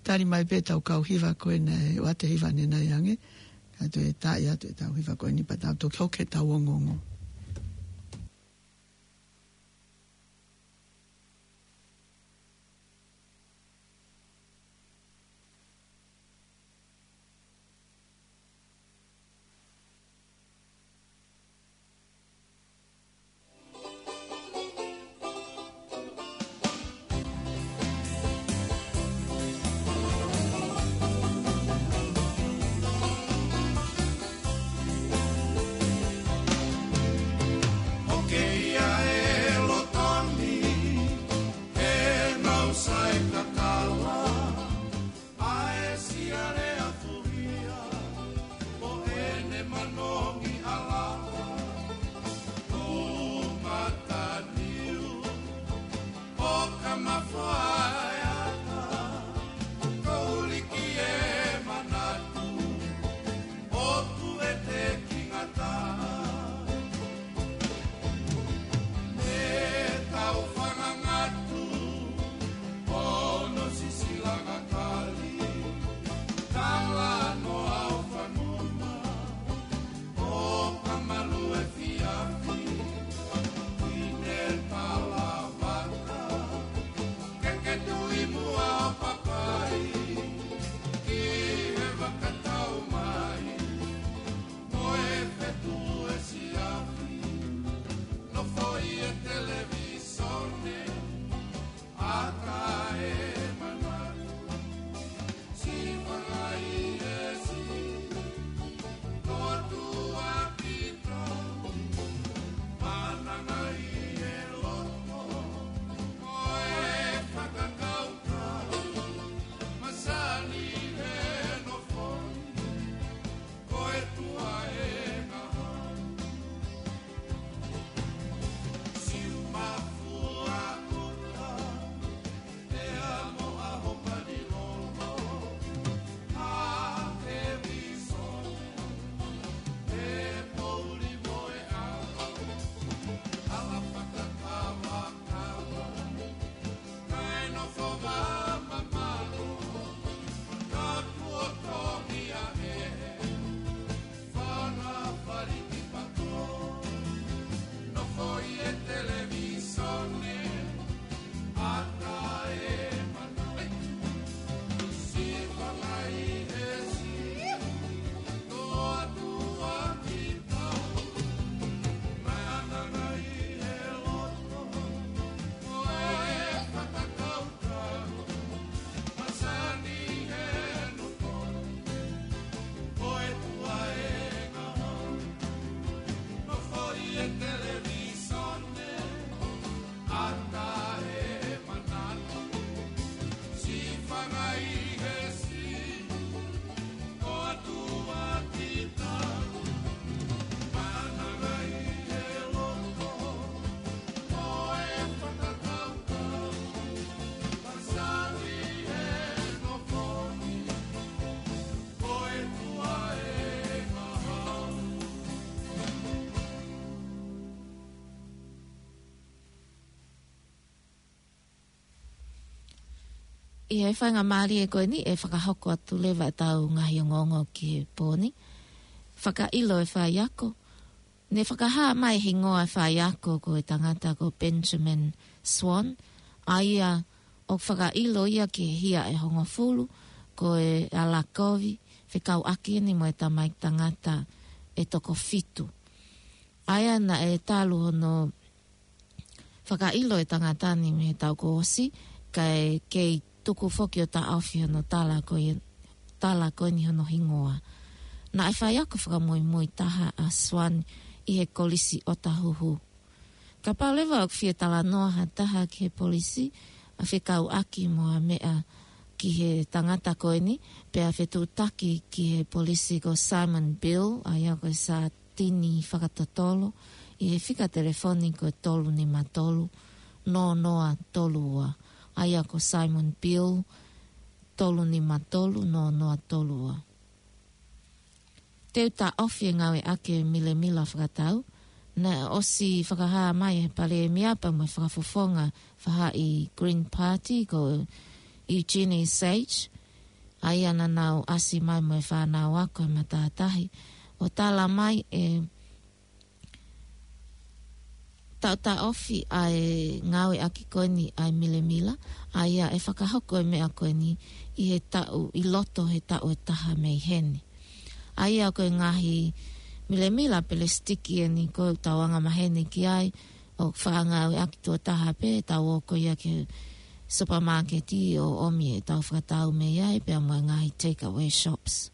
tali mai pē ʻetau kau hiva ko ena ʻe ʻoatu e hiva ʻanenai ange, ka te u taaʻi atu ʻetau hiva ko eni pea tau toki hoko ki heʻetau ongoongo. ʻOku ʻi ai e loto ni, he nau sai kakala, ʻa e siale a fuhia, ʻo ʻene manongi ʻalava, ʻumataniu, ʻo ka mafoa e ata, ko uliki e manatu, ʻo tuete ki ngata. ʻE tau fangangatu, ʻono sisilanga kali, talanoa ʻo fanguna, ʻo ka malu e efiafi, ʻi he talavata, ke ke tui muʻa ʻo papai, ki he vaka tau mai. Mo e fetuʻu e siafi, nofo ʻi he televīsone, ʻata e manatu, siʻi fanga ʻi he siʻi, ko atu ʻa kita, mananga ʻi he loto, mo e fakakaukau, masani he nofo ni, ko e tuʻa e ngaahi. Siu mafua ʻuta, ʻe amo ʻa ho pani lolo, ʻa e vīsone, ʻe pouli mo e ʻa, ʻa la fakakava kava. Kae nofo vā mamalo, ka kuo tohi ʻa e fana faliki pato. Nofo ʻi he televīsone, ʻata e manatu, siʻi fanga ʻi he siʻi, ko atu ʻa kita, mananga ʻi he loto, ko e fakakaukau, masani he nofo ni, ko e tuʻa e ngaahi. Nofo ʻi he televīsone, ʻata e manatu, siʻi fanga ʻi he siʻi, ko atu ʻa kita, mananga ʻi he loto, ko e fakakaukau, masani he nofo ni, ko e tuʻa e ngaahi. ʻI he faingamālie ko eni ʻe fakahoko atu leva ʻetau ngaahi ongoongo ki he pō ni. Fakaʻilo e faiako. Ne fakahā mai e hingoa e faiako ko e tangata ko Benjamin Swan, ʻa ia ʻoku fakaʻilo ia ki he hia ʻe hongofulu, ko e ʻalakovi, fekauʻaki eni mo e tamaiki tangata ʻe toko fitu. ʻA ia naʻe talu hono fakaʻilo e tangata ni mei he taʻu kuo ʻosi, kae kei tuku foki ʻo taʻofi hono tala ko ia, tala ko eni hono hingoa. Naʻe faiako fakamuimui taha ʻa Swan ʻi he Kolisi ʻOtahuhu. Kapau leva ʻoku fie talanoa ha taha ki he polisi, ʻa fekauʻaki mo ha meʻa ki he tangata ko eni, pea fetuʻutaki ki he polisi ko Simon Beale, ʻa ia ko e sātini fakatotolo, ʻi he fika telefoni ko e tolu nima tolu, noa noa tolu ua. ʻA ia ko Simon Beale, tolu nima tolu, noa noa tolu ua. Te u taʻofi e ngāueʻaki e milemila fakatau. Naʻe ʻosi fakahā mai ʻe he Palēmia pea mo e fakafofonga faʻahi Green Party ko Eugenie Sage, ʻa ia naʻa nau ʻasi mai mo e fānau ako he matātahi, ʻo tala mai ʻe taʻotaʻofi ʻa e ngāueʻaki ko eni ʻa e milemila, ʻa ia ʻe fakahoko e meʻa ko eni ʻi he taʻu, ʻi loto he taʻu ʻe taha mei heni. ʻA ia ko e ngaahi milemila pelesitiki eni ko ʻetau angamaheni ki ai, ʻoku faʻa ngāueʻaki tuʻo taha pē, tau ō ko ia ki he supermarket ʻo ʻomi ʻetau fakatau mei ai, pea mo e ngaahi take away shops.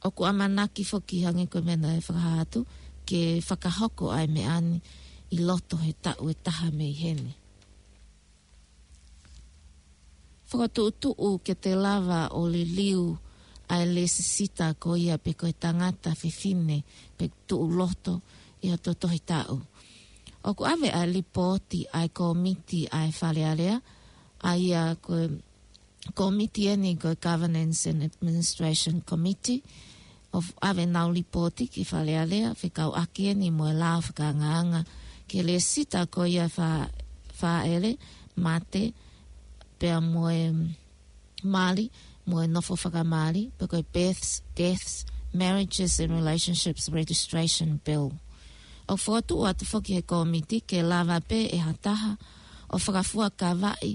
ʻOku ʻamanaki foki, hangē ko e meʻa naʻe fakahā atu, ke fakahoko ʻa e meʻa ni ʻi loto he taʻu ʻe taha mei heni. Fakatuʻutuʻu ke te lava ʻo liliu ʻa e lēsisita ko ia pe ko e tangata fefine pe tuʻu loto ʻi hoto tohi taʻu. ʻOku ʻave ʻa e lipooti ʻa e kōmiti ʻa e Fale Alea, ʻa ia ko e kōmiti eni ko e Governance and Administration Committee, ʻo ʻave ʻenau lipooti ki Fale Alea, fekauʻaki eni mo e lao fakaangaanga ki he lēsisita ko ia e fā, fāʻele, mate, pea mo e mali, mo e nofo fakamali, pe ko e births, deaths, marriages and relationships registration bill. ʻOku fokotuʻu atu foki ʻe he kōmiti ke lava pē ʻe ha taha ʻo fakafuakavaʻi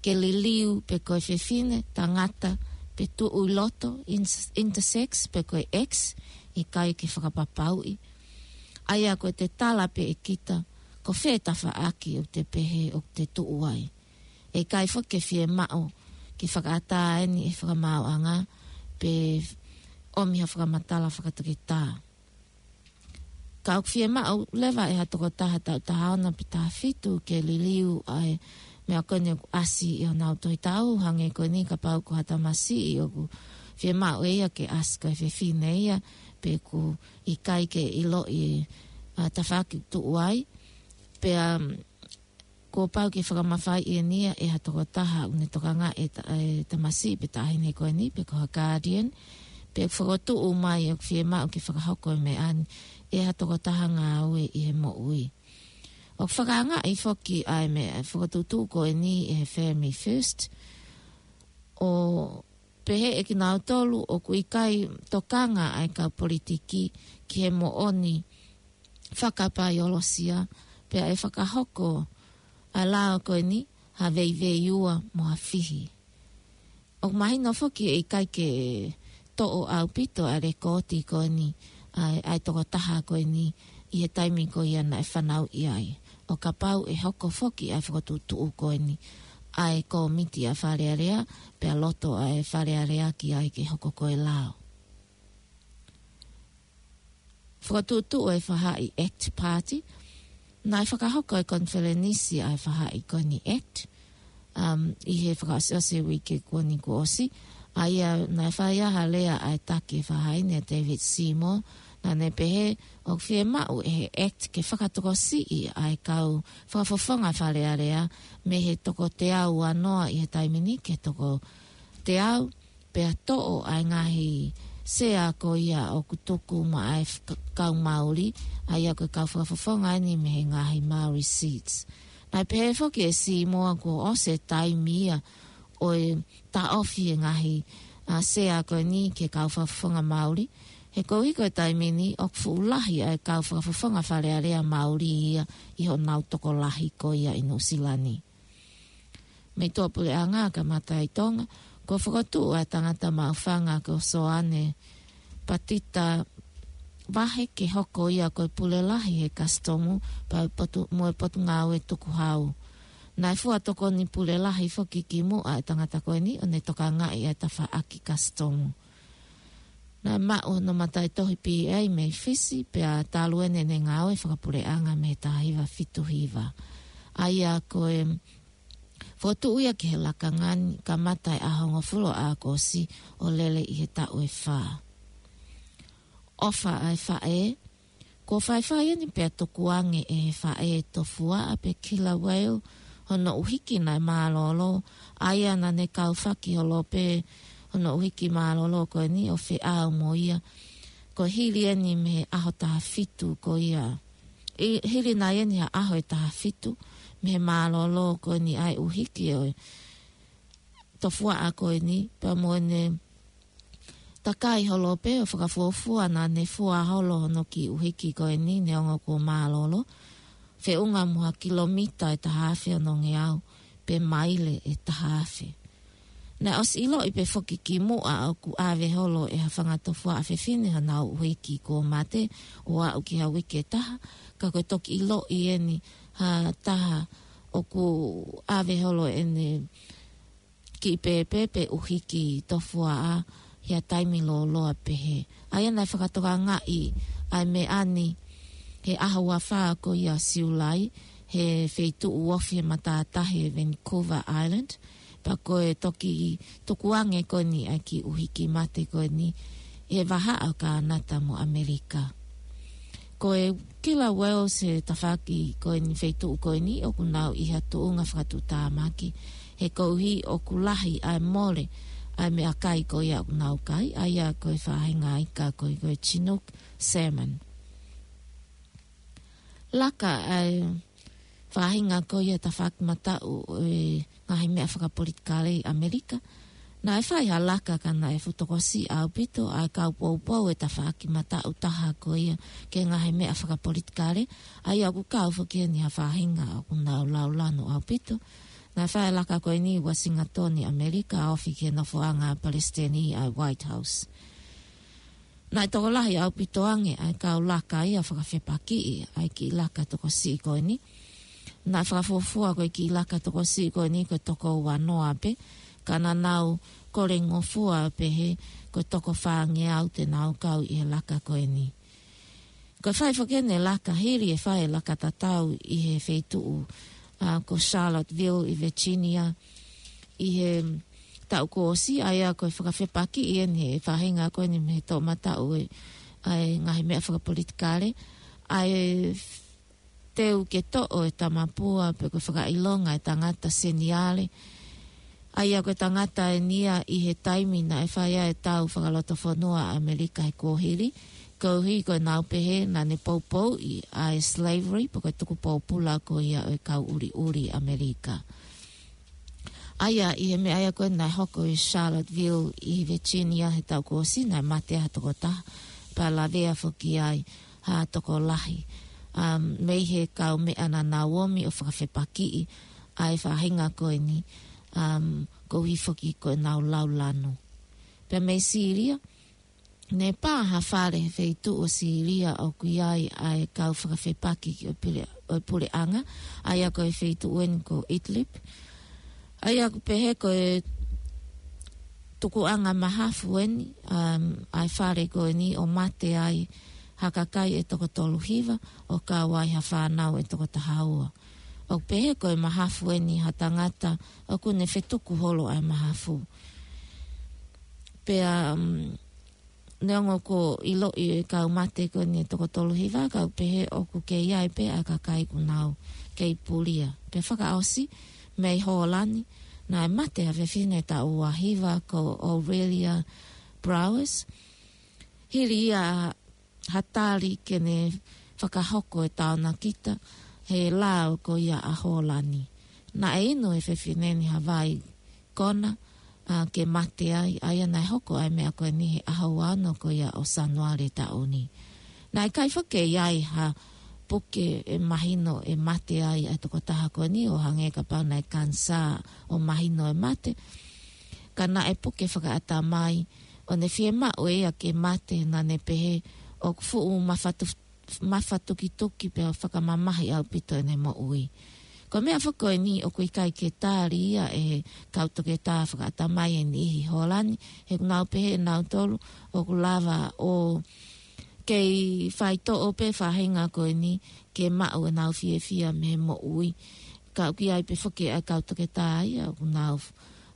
ke liliu pe ko e fefine, tangata, pe tuʻu ʻi loto, in-, intersex, pe ko e X, ʻikai ke fakapapauʻi. ʻA ia ko e te tala pē ʻe kita, ko fē tafaʻaki ʻoku te pehē ʻoku te tuʻu ai. ʻE ʻikai foki ke fiemaʻu ke fakaʻatā eni ʻe he fakamaauʻanga, pe ʻomi ha fakamatala fakatoketā. Ka ʻoku fiemaʻu leva ʻe ha tokotaha taʻu taha ono pe taha fitu ke liliu ʻa e meʻa ko eni ʻoku ʻasi ʻi honau tohi taʻu, hangē ko eni kapau ko ha tamasiʻi ʻoku fiemaʻu ʻe ia ke ʻasi ko e fefine ia, pe ʻoku ʻikai ke ʻiloʻi ʻa e tafaʻaki tuʻu ai, pea kuo pau ke fakamafaiʻi eni ia ʻe ha tokotaha ʻoku ne tokangaʻi e ta-, e tamasiʻi pe taʻahine ko eni, pe ko ha guardian, pe ʻoku fokotuʻu mai ʻoku fiemaʻu ke fakahoko e meʻa ni ʻe ha tokotaha ngāue ʻi he moʻui. ʻOku fakaangaʻi foki ʻa e meʻa fakatuʻutuʻu ko eni ʻe he Family First, ʻo pehē ʻe kinautolu ʻoku ʻikai tokanga ʻa e kau politiki ki he moʻoni fakapaiolosia, pea ʻe fakahoko ʻa e lao ko eni ha veiveiua mo ha fihi. ʻOku mahino foki ʻe ʻikai ke toʻo ʻaupito ʻa e lekooti ko eni ʻa e, ʻa e tokotaha ko eni ʻi he taimi ko ia naʻe fanauʻi ai. ʻO kapau ʻe hoko foki ʻa e fakatuʻutuʻu ko eni ʻa e kōmiti ʻa e Fale Alea, pea loto ʻa e Fale Alea ki ai ke hoko ko e lao. Fakatuʻutuʻu e faʻahi ACT Party, naʻe fakahoko e konifelenisi ʻa e faʻahi ko eni ACT, um, ʻi he fakaʻosiʻosi e uike ko eni kuo ʻosi, ʻa ia naʻe fai ai ha lea ʻa e taki faʻahi ni ʻa David Seymour, naʻa ne pehē ʻoku fiemaʻu ʻe he ACT ke fakatokosiʻi ʻa e kau fakafofonga Fale Alea mei he toko teau uanoa ʻi he taimi ni ki he toko teau, pea toʻo ʻa e ngaahi sea ko ia ʻoku tuku maʻa e f-, k-, kau Māori, ʻa ia ko e kau fakafofonga eni mei he ngaahi Māori seats. Naʻe pehē foki ʻe Seymour kuo ʻosi e taimi ia ʻo e taʻofi e ngaahi, ʻa, sea ko eni ki he kau fakafofonga Māori, he koeʻuhi ko e taimi ni ʻoku fuʻu lahi ʻa e kau fakafofonga Fale Alea Māori ia ʻi honau tokolahi ko ia ʻi Nuʻusila ni. Mei tuʻapuleʻanga, kamata ʻi Tonga, kuo fakatuʻu ʻa e tangata maʻufanga ko Soane Patita Vahe ke hoko ia ko e pule lahi he kasitomu pea potu-, mo e potungāue tukuhau. Naʻe fua tokoni pule lahi foki kimuʻa ʻa e tangata ko eni ʻo ne tokangaʻi ʻa e tafaʻaki kasitomu. Naʻe maʻu hono mataʻitohi B A mei Fisi, pea talu eni ʻene ngāue fakapuleʻanga mei he taha hiva fitu hiva. ʻA ia ko e Fokotuʻu ia ki he lakanga ni, kamata ʻi he ʻaho hongofulu ʻo ʻAokosi ʻo lele ʻi he taʻu ʻe fā. ʻOfa ʻa e faʻē. Kuo faifai eni pea tukuange ʻe he faʻē Tofuaʻa pe Killawell hono ʻuhiki naʻe mālōlō, ʻa ia naʻa ne kaufaki holo pē hono ʻuhiki mālōlō ko eni ʻo feʻao mo ia. Ko e hili eni mei he ʻaho taha fitu ko ia. ʻI, hili nai eni ha ʻaho ʻe taha fitu mei he mālōlō ko eni ʻa e ʻuhiki ʻo e Tofuaʻa ko eni, pea mo ʻene takai holo pē ʻo fakafuofua naʻa ne fua holo hono kiʻi ʻuhiki ko eni neongo kuo mālōlō, feʻunga mo ha kilomita ʻe taha afe onongeau, pe maile ʻe taha afe. Naʻe ʻosi ʻiloʻi pē foki kimuʻa ʻoku ʻave holo ʻe ha fanga Tofuaʻa fefine honau ʻuhiki kuo mate ʻo aʻu ki ha uike ʻe taha, ka ko e toki ʻiloʻi eni ha taha ʻoku ʻave holo ʻene kiʻi pēpē pe ʻuhiki Tofuaʻa ʻi ha taimi lōloa pehē. ʻA ia naʻe fakatokangaʻi ʻa e meʻa ni he ʻaho ua fā ko ia Siulai, he feituʻu ofi he matātahi ʻi Vancouver Island, pea ko e toki tukuange ko eni ʻa e kiʻi ʻuhiki mate ko eni ʻi he vahaʻa ʻo Kānata mo ʻAmelika. Ko e Killawells he tafaʻaki ko eni, feituʻu ko eni, ʻoku nau ʻi ha tuʻunga fakatuʻutāmaki, he koeʻuhi ʻoku lahi ʻa e mole ʻa e meʻakai ko ia ʻoku nau kai, ʻa ia ko e faʻahinga ika ko ē ko e Chinook salmon. Laka ʻa e faʻahinga ko ia tafaʻaki mataʻu ʻo e ngaahi meʻa fakapolitikale ʻi ʻAmelika. Naʻe fai ha laka ka naʻe fuʻu tokosiʻi ʻaupito ʻa e kau poupou ʻo e tafaʻaki mataʻu taha ko ia ki he ngaahi meʻa fakapolitikale, ʻa ia ʻoku kau foki eni ha faʻahinga ʻoku nau laulanu ʻaupito. Naʻe fai e laka ko eni ʻi Uasingatoni, ʻAmelika, ofi ki he nofoʻanga Palesiteni ʻa e White House. Naʻe tokolahi ʻaupito ange ʻa e kau laka ia fakafepakiʻi ʻa e kiʻi laka tokosiʻi ko eni. Naʻe fakafuofua ko e kiʻi laka tokosiʻi ko eni ko e toko uanoa pē, ka naʻa nau kole ngofua pehē ko e toko fāngeau te nau kau ʻi he laka ko eni. Ko e fai foki eni e laka hili e fai e laka tatau ʻi he feituʻu, ʻa, ko Charlottesville ʻi Virginia ʻi he taʻu kuo ʻosi, ʻa ia ko e fakafepakiʻi eni he faʻahinga ko eni mei he toʻomataʻu ʻo e, ʻa e ngaahi meʻa fakapolitikale, ʻa e teu ke toʻo e tamapua pe ko e fakaʻilonga e tangata seniale, ʻa ia ko e tangata eni ia ʻi he taimi naʻe fai ai e tau fakalotofonua ʻa ʻAmelika he kuohili, koeʻuhi ko ʻenau pehē naʻa ne poupouʻi ʻa e slavery pe ko e tuku pōpula ko ia ʻo e kau ʻuliʻuli ʻAmelika. ʻA ia ʻi he meʻa ia ko ē naʻe hoko ʻi Charlottesville ʻi Virginia he taʻu kuo ʻosi, naʻe mate ha tokotaha, pea lavea foki ai ha tokolahi, um, mei he kau meʻa naʻa nau ōmi ʻo fakafepakiʻi ʻa e faʻahinga ko eni, um, koeʻuhi foki ko ʻenau laulanu. Pea mei Sīlia, ne pā ha fale he feituʻu ʻo Sīlia ʻoku ʻi ai ʻa e kau fakafepaki ki ʻo e pule-, ʻo e puleʻanga, ʻa ia ko e feituʻu eni ko Idlib. ʻA ia ʻoku pehē ko e tukuʻanga mahafu eni, um, ʻa e fale ko eni ʻo mate ai ha kakai ʻe toko tolu hiva, ʻo kau ai ha fānau ʻe toko taha ua. ʻOku pehē ko e mahafu eni ha tangata ʻoku ne fetuku holo ʻa e mahafu. Pea, um, neongo kuo ʻiloʻi e kau mate ko eni ʻe toko tolu hiva, ka ʻoku pehē ʻoku kei ʻi ai pē ʻa e kakai ʻoku nau kei pulia. Pea fakaʻosi mei Hōlani, naʻe mate ha fefine taʻu ua hiva ko Aurelia Brouwers. Hili ia ha tali ke ne fakahoko e taonakita he lao ko ia ʻa Hōlani. Naʻe inu e fefine ni ha vai kona, ʻa, ke mate ai, ʻa ia naʻe hoko ʻa e meʻa ko eni he ʻaho ua ono ko ia ʻo Sānuali taʻu ni. Naʻe ʻikai foki ke ʻi ai ha puke ʻe mahino ʻe mate ai ʻa e tokotaha ko eni, ʻo hangē kapau naʻe kanisā ʻo mahino e mate. Ka naʻe puke fakaʻatamai, ʻo ne fiemaʻu ʻe ia ke mate, naʻa ne pehē ʻoku fuʻu mafatu-, mafatukituki pea fakamamahi ʻaupito ʻene moʻui. Ko e meʻa foki ko eni ʻoku ʻikai ke tali ia ʻe he kau toketā fakaʻatamai ʻe niʻihi Hōlani, he ʻoku nau pehē ʻenautolu ʻoku lava ʻo kei faitoʻo pē faʻahinga ko eni ke maʻu ʻenau fiefia mei he moʻui. Ka ʻoku ʻi ai pē foki ʻa e kau toketā ia ʻoku nau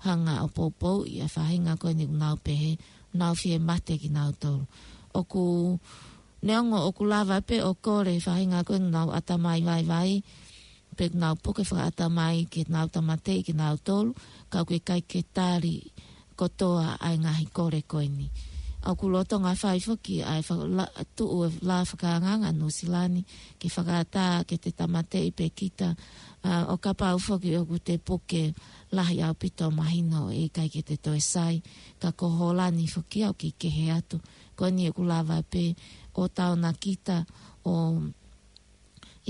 hanga ʻo poupouʻi ʻa e faʻahinga ko eni ʻoku nau pehē ʻoku nau fie mate kinautolu. ʻOku neongo ʻoku lava pē ʻo kole ʻa e faʻahinga ko eni ʻoku nau ʻatamai vaivai, pe ʻoku nau puke fakaʻatamai ke nau tāmateʻi kinautolu, ka ʻoku ʻikai ke tali kotoa ʻa e ngaahi kole ko eni. ʻOku lolotonga fai foki ʻa e faka-, la-, tuʻu ʻa e lao fakaangaanga Nuʻusila ni ke fakaʻatā ke te tāmateʻi pē kita, ʻa, ʻo kapau foki ʻoku te puke lahi ʻaupito mahino ʻe ʻikai ke te toe sai, ka ko Hōlani foki ʻoku kei kehe atu. Ko eni ʻoku lava pē ʻo taona kita ʻo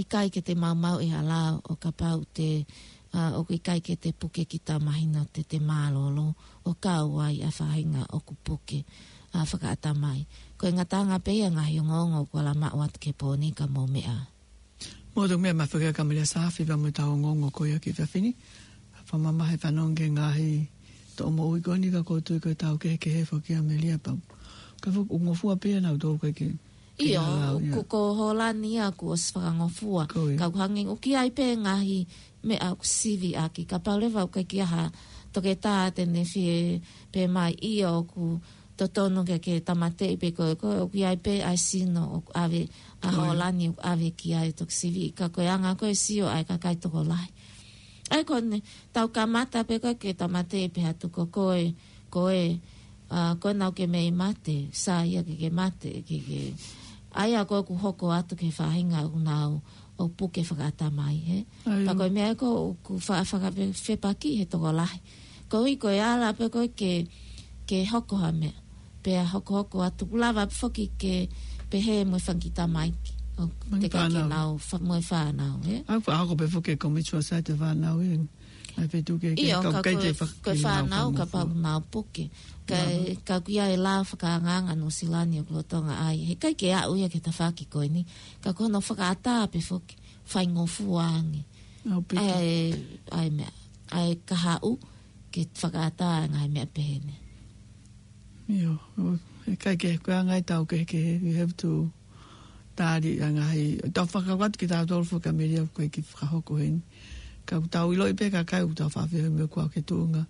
ʻikai ke te maumauʻi ha lao ʻo kapau te, ʻa, ʻoku ʻikai ke te puke kita mahino te te mālōlō ʻo kau ai ʻa e faʻahinga ʻoku puke, ʻa, fakaʻatamai. Ko e ngataʻanga pē ia ngaahi ongoongo ʻoku ala maʻu atu ki he pō ni ka mou meʻa. Mou toki meʻa mai foki ʻa Kamelia Saafi pea mo ʻetau ongoongo ko ia ki he efiafi ni. Fakamamahi e fanongo ki he ngaahi toʻo moʻui ko eni ka ʻoku ou tui ko e tau kehekehe foki ʻa Melia pau. Ka fuʻu ngofua pē ia nautolu ʻikai ke ʻIo, ʻikai lau, ia. Ko, ko Hōlani ia kuo ʻosi fakangofua. Ko ia. Ka ʻoku hangē ʻoku ʻi ai pē ngaahi meʻa ʻoku sivi ʻaki. Kapau leva ʻoku ʻikai ke ʻi ai ha toketā te ne fie pehē mai ʻio ʻoku totonu ke, ke tāmateʻi pē koe, ko ʻoku ʻi ai pē ʻa e sino ʻoku ʻave ʻa Ko ia. Hōlani ʻoku ʻave ki ai toki sivi. Ka ko e anga ko e sio ʻa e kakai tokolahi. ʻA ia ko eni, tau kamata pē ko e ke tāmateʻi pē atu ko koe, ko e, ʻa, ko e naʻa ke mei mate, sai ia ke ke mate, ke ke. ʻA ia ko ʻeku hoko atu ki he faʻahinga ʻoku nau ʻo puke fakaʻatamai, hē? ʻA ia. Pea ko e meʻa ko ʻoku fa-, faka-, fe-, fepaki he tokolahi. Ko e ʻuhi ko e ala pē ko e ke, ke hoko ha meʻa. Pea hokohoko atu ʻoku lava pē foki ke pehē mo e fanga kiʻi tamaiki. ʻO Mo e te ka ke fānau. Nau fa-, mo e fānau, hē? ʻA ia, ʻoku hoko pē foki ko e mutual side ʻa e fānau, ē. ʻA ia pē tuku ke, ke ʻIo, kau ka kai ko te e, fa-, ko e ke nau fānau, ka pau fakangofua. Nau puke. Ka, Nā. Ka ʻoku ʻi ai e lao fakaangaanga Nuʻusila ni ʻoku lolotonga ai. Heʻikai ke aʻu ia ki he tafaʻaki ko eni. Ka ko hono fakaʻatā pē foki, faingofua ange. ʻAupito. ʻA e, ʻa e meʻa, ʻa e kahaʻu, ke fakaʻatā ngaahi meʻa pehē ni. ʻIo, ʻo, heʻikai ke, ko e anga ia ʻetau kehekehe, we have to tali ʻa e ngaahi, tau fakakaukau atu kitautolu foki Kamelia ʻoku ʻikai ke fakahoko heni. Ka ʻoku tau ʻiloʻi pē kakai ʻoku tau faʻa feohi mo e kau ki he tuʻunga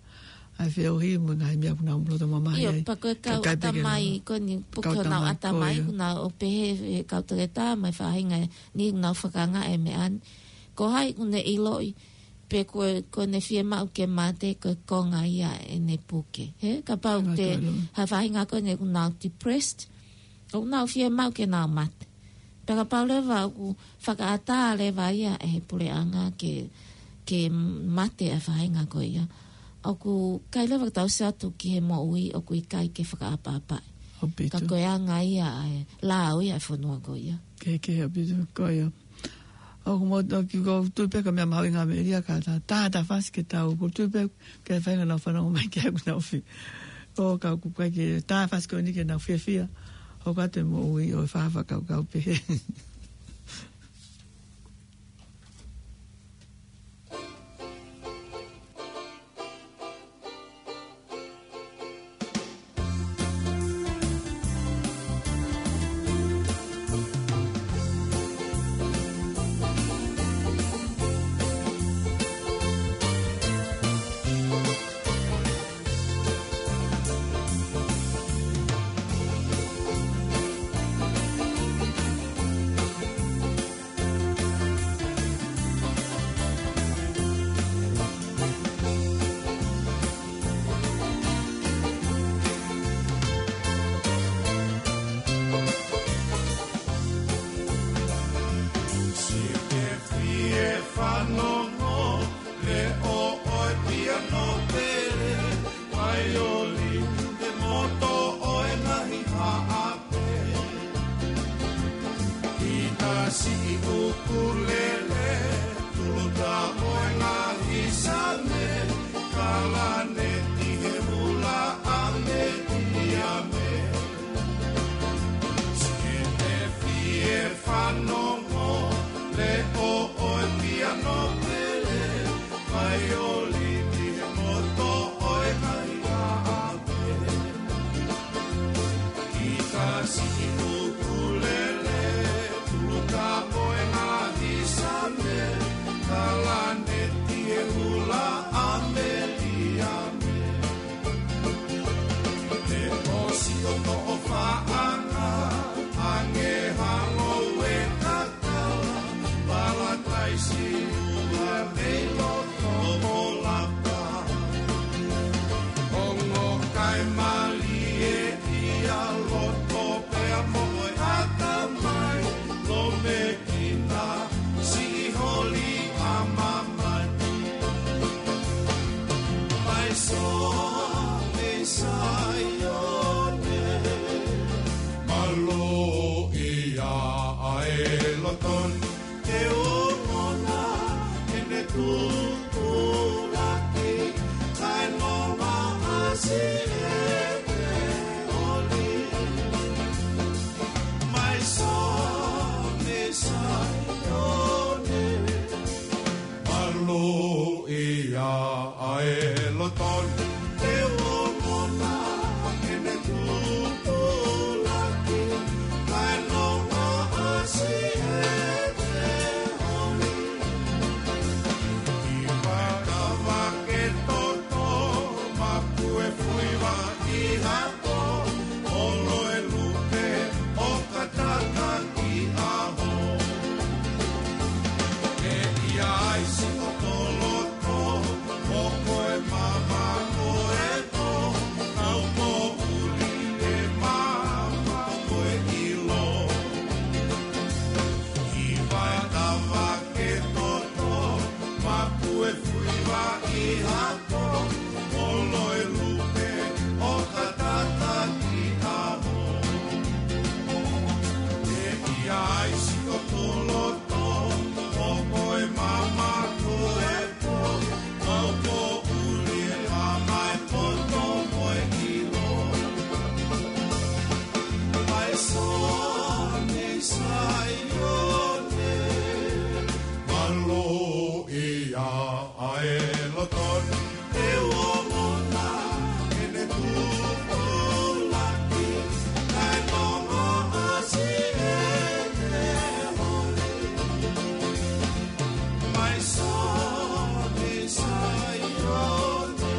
ʻa e feohi mo e ngaahi meʻa ʻoku nau loto mamahi ʻIo, ai. Pea ko e kau Kakai pē ke ʻatamai, nau, ko eni puke kau honau ʻatamai, ʻatamai, ko ia. Honau ʻo pehē, he kau toketā mo e faʻahinga ni ʻoku nau fakaangaʻi e meʻa ni. Ko hai ʻoku ne ʻiloʻi, pe ko, ko ʻene fiemaʻu ke mate, ko e konga ia ʻene puke. Hē, kapau Ko e te, tolu. Ha faʻahinga ko eni ʻoku nau depressed, ʻoku nau fiemaʻu ke nau mate. Pea kapau leva ʻoku fakaʻatā leva ia ʻe he puleʻanga ke, ke mate ʻa e faʻahinga ko ia. ʻOku ʻikai leva ke tau sio atu ki he moʻui ʻoku ʻikai ke fakaʻapaʻapaʻi. ʻAupito. Ka ko e anga ia ʻa e lao ia ʻa e fonua ko ia. Kehekehe ʻaupito, ko ia. ʻOku mou toki ʻoku ou tui pē ko e meʻa mahuʻinga Kamelia ka ta, ta, ta fasi ke tau, ʻoku ou tui pē ke fai ngā nau fanongo mai ke aku nau fi. ʻO ka ʻoku ʻikai ke ta fasi ko eni ke nau fiefia. ʻO ka te moʻui ʻo e faʻa fakakaukau pehē. Sike fie fanongo, leʻo ʻo e piano pele, vaiolini, he moto ʻo e ngaahi haʻa. Kita siʻi ʻukulele, tuluta ʻo e ngaahi same, kalaneti he hula ʻa Metiame. Sike fie fanongo, leʻo ʻo e piano pele, vaiolini he moto ʻo e ngaahi haʻape. Kita siʻi ʻukulele, tuluta ʻo e ngaahi same, kalaneti ʻE lotoni, ʻe ongona, ʻene tupulaki, kae nonga ʻasi ʻe te holi. Mai Sione, Saione, mālōʻia ʻa e lotoni, ʻe ongona, ʻene tupulaki, kae nonga ʻasi ʻe te holi. ʻI Vaitavake toto, mapue fuiva ʻi hato, olo e lupe, ʻoka tata ki ʻaho. ʻE ʻi ai siʻoto loto, ʻo ko e maama ko e pō, kau poʻuli e maama ko e ʻilo. ʻI Vaitavake toto, mapue fuiva ʻi hato, olo e lupe, ʻoka tata ki ʻaho. ʻE ʻi ai siʻoto loto, ʻo ko e maama ko e pō, kau poʻuli e maama e poto mo e ʻilo. Mai Sione, Saione, mālōʻia ʻa e lotoni, ʻe ongona, ʻene tupulaki, kae nonga ʻasi ʻe te holi. Mai Sione, Saione,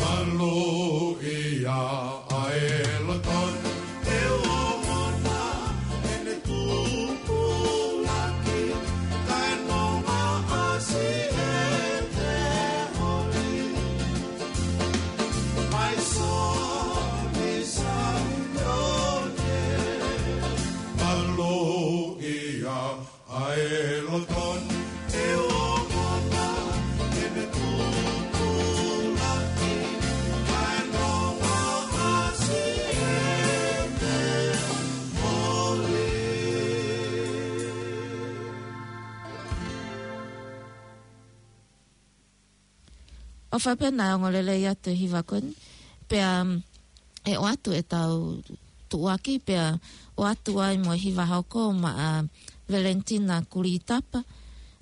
mālōʻia ʻa e lotoni, ʻe ongona, ʻene tupulaki, kae nonga ʻasi ʻe te holi. Mai Sione, Saione, mālōʻia ʻa e lotoni, ʻe ongona, ʻene tupulaki, kae nonga ʻasi ʻe te holi. ʻOfa pē naʻe ongo lelei atu e hiva ko eni, pea, um, ʻe ʻoatu ʻetau tuʻuaki, pea ʻoatu ai mo e hiva hoko maʻa Valentina Kulitapa,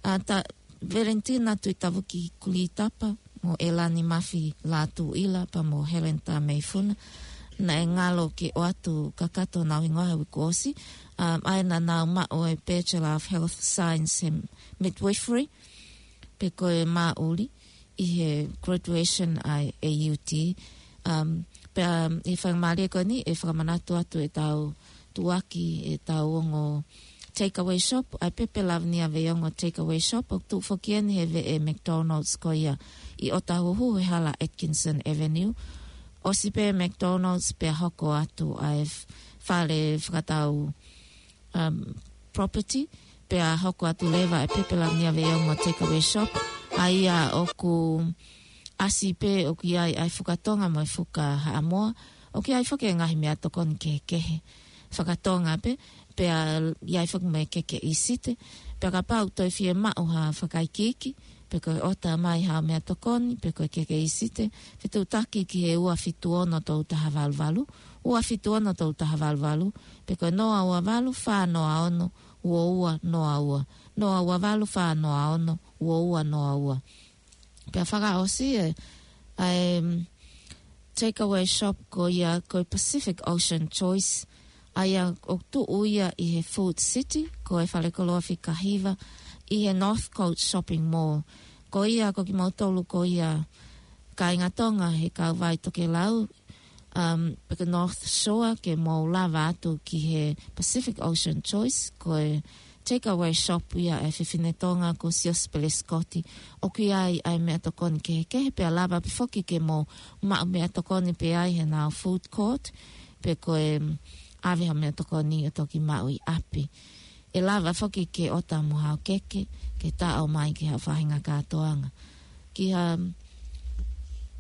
ʻa ta, Valentina Tuitavuki Kulitapa, mo ʻElani Mafi Lātūʻila, pea mo Helen Tameifuna. Naʻe ngalo ke ʻoatu kakato honau hingoa he uike kuo ʻosi, um, ʻa ia naʻa nau maʻu e Bachelor of Health Science he midwifery, pe ko e māʻuli, ʻi he graduation ʻa e A U T. Um, pea, um, ʻi he faingamālie ko eni, ʻe fakamanatu atu ʻetau tuʻuaki, ʻetau ongo Takeaway Shop, ʻa e Pepe Lavinia Veiongo Takeaway Shop, ʻoku tuʻu foki eni he veʻe McDonald's ko ia ʻi ʻŌtāhuhu he hala Atkinson Avenue. ʻOsi pē McDonald's pea hoko atu ʻa e f-, fale fakatau, um, property, pea hoko atu leva e Pepe Lavinia Veiongo Takeaway Shop, ʻa ia ʻoku ʻasi pē ʻoku ʻi ai ʻa e fuka Tonga mo e fuka Haʻamoa, ʻoku ʻi ai foki e ngaahi meʻatokoni kehekehe faka-Tonga pē, pea ʻi ai foki mo e keke ʻīsite, pea kapau ʻoku toe fiemaʻu ha fakaikiiki, pe ko e ʻota mai haʻo meʻatokoni, pe ko e keke ʻīsite, fetuʻutaki ki he ua fitu ono tolu taha valu valu, ua fitu ono tolu taha valu valu, pe ko e noa ua valu fā noa ono ua ua noa ua, noa ua valu fā noa ono ua ua noa ua. Pea fakaʻosi e, ʻa e, um, Takeaway Shop ko ia ko e Pacific Ocean Choice, ʻa ia ʻoku tuʻu ia ʻi he Food City, ko e falekoloa fika hiva, ʻi he Northcote Shopping Mall. Ko ia ko kimoutolu ko ia kāinga Tonga he kauvai tokelau, um, pe ko e North Shore, ke mou lava atu ki he Pacific Ocean Choice, ko e Takeaway Shop ia ʻa e fefine Tonga ko Siosiua Pelesikoti. ʻOku ʻi ai ʻa e meʻatokoni kehekehe, pea lava pē foki ke mou maʻu meʻatokoni pē ai he ʻenau food court, pe ko e, um, ʻave ha meʻatokoni ʻo toki maʻu ʻi ʻapi. ʻE lava foki ke ʻota mo haʻo keke, ke taʻo mai ki haʻo faʻahinga kātoanga. Ki ha, um,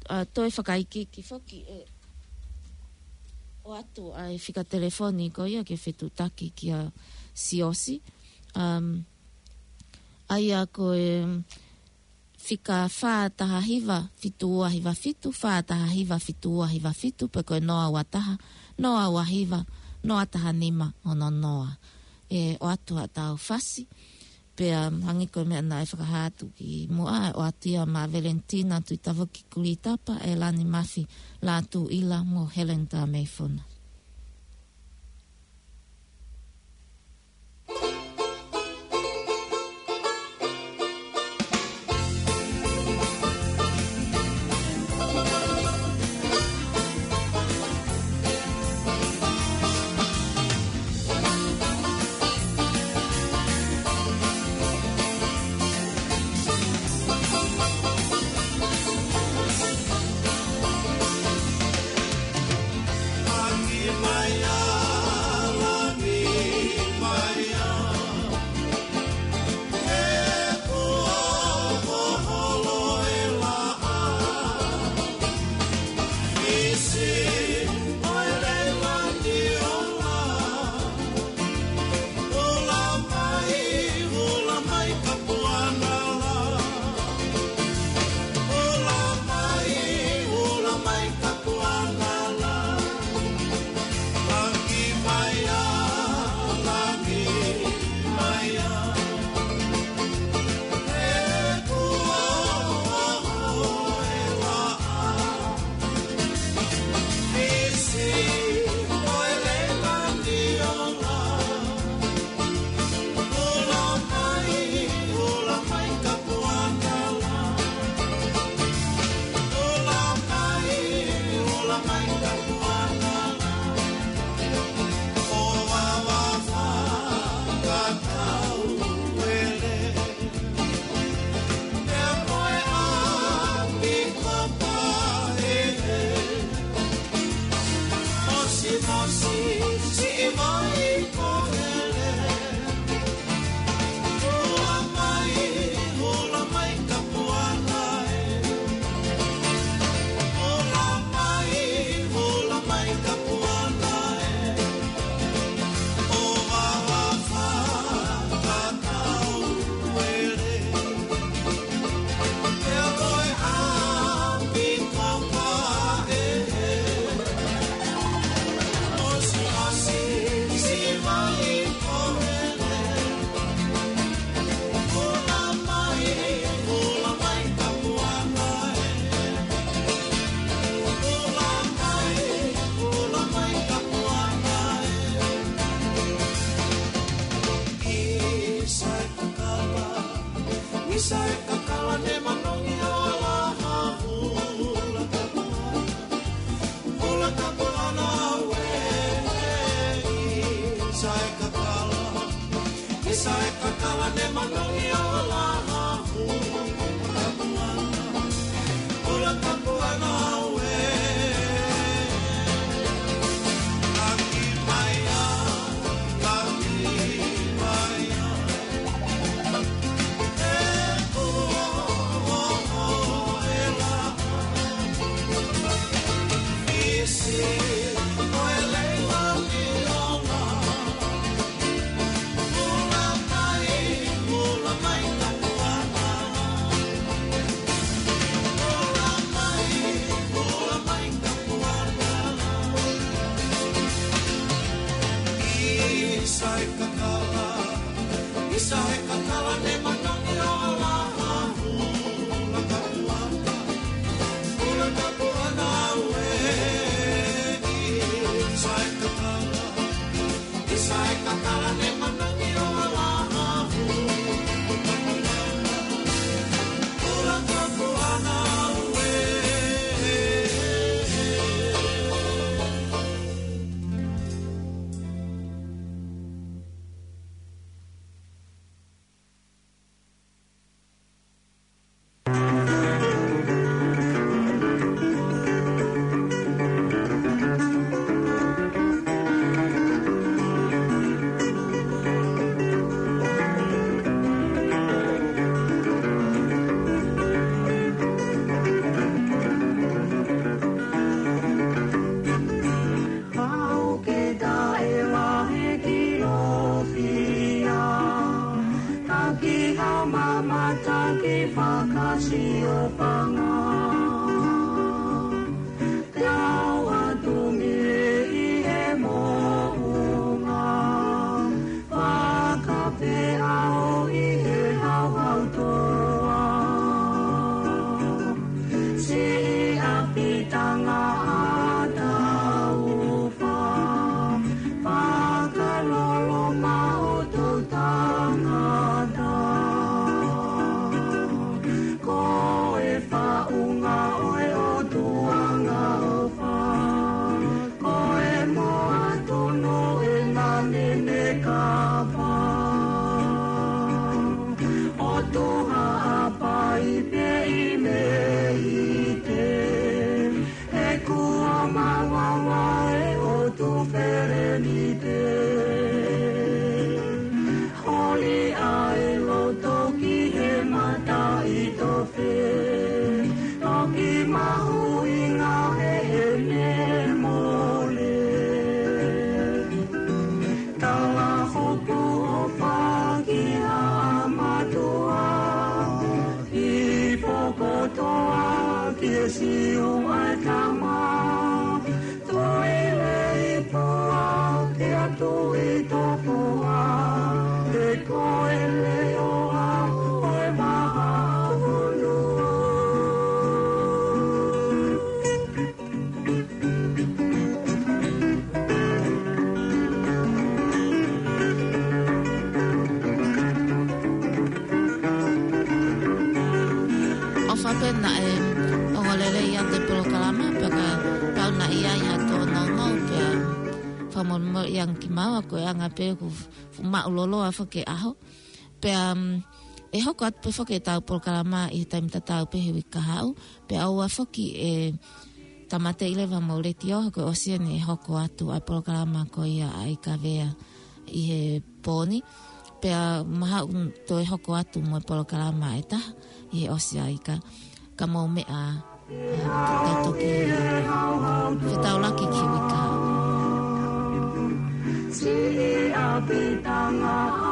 ʻa, toe fakaikiiki foki ʻe ʻoatu ʻa e fika telefoni ko ia ke fetuʻutaki kia Siaosi. Um, ʻa ia ko e fika fā taha hiva fitu ua hiva fitu, fā taha hiva fitu ua hiva fitu, pe ko e noa ua taha, noa ua hiva, noa taha nima, ono noa. ʻE ʻoatu haʻatau fasi, pea hangē ko e meʻa naʻe fakahā atu kimuʻa, ʻe ʻoatu ia maʻa Valentina Tuʻitavoki Kulitapa, ʻElani Mafi Lātūʻila mo Helen Tameifuna. Fakasiofanga, te u ʻatu mei he moʻunga, fakapē au ʻi he hauhau toa. Siʻi ʻapi tangaʻa taufa, fakalolo maʻu tangata. Ko e faʻunga ʻo e ʻOtua ʻofa, ko e moa tunu ʻi he nene kapa. ʻOtua ʻa Paipe ʻi Meite, he kuo mavahe ʻo Tuʻi Felenite. Holi ʻa e loto ki he mataʻitofe, toki mahuʻinga he ʻene mole. Tala hoku ʻofa ki haʻa mātuʻa, ʻi Fokotoa ki he Siu ʻa e tama. Tuʻi Leipua ki ha Tuʻi Tupua, he ko e leʻo ʻo e maha ʻunu. ʻOfa pē naʻe ongo lelei ʻa e polokalama, pea ka tau naʻe ʻi ai ha tōnounou, pea fakamolemole ange kimaua ko e anga pē ʻoku fuʻu maʻuloloa foki e ʻaho. Pea, um, ʻe hoko atu pē foki ʻetau polokalama ʻi he taimi tatau pē he uike kahaʻu. Pea ʻoua foki ʻe tāmateʻi leva mo e letiō, he ko e ʻosi eni ʻe hoko atu ʻa e polokalama ko ia ʻa ʻIkavea ʻi he pō ni. Pea mahalo toe hoko atu mo e polokalama ʻe taha ʻi he ʻosi ʻa ʻIka. Ka mou meʻa, ʻa, tau toki fetaulaki ki he uike kahaʻu. Siʻi ʻapi tangaʻa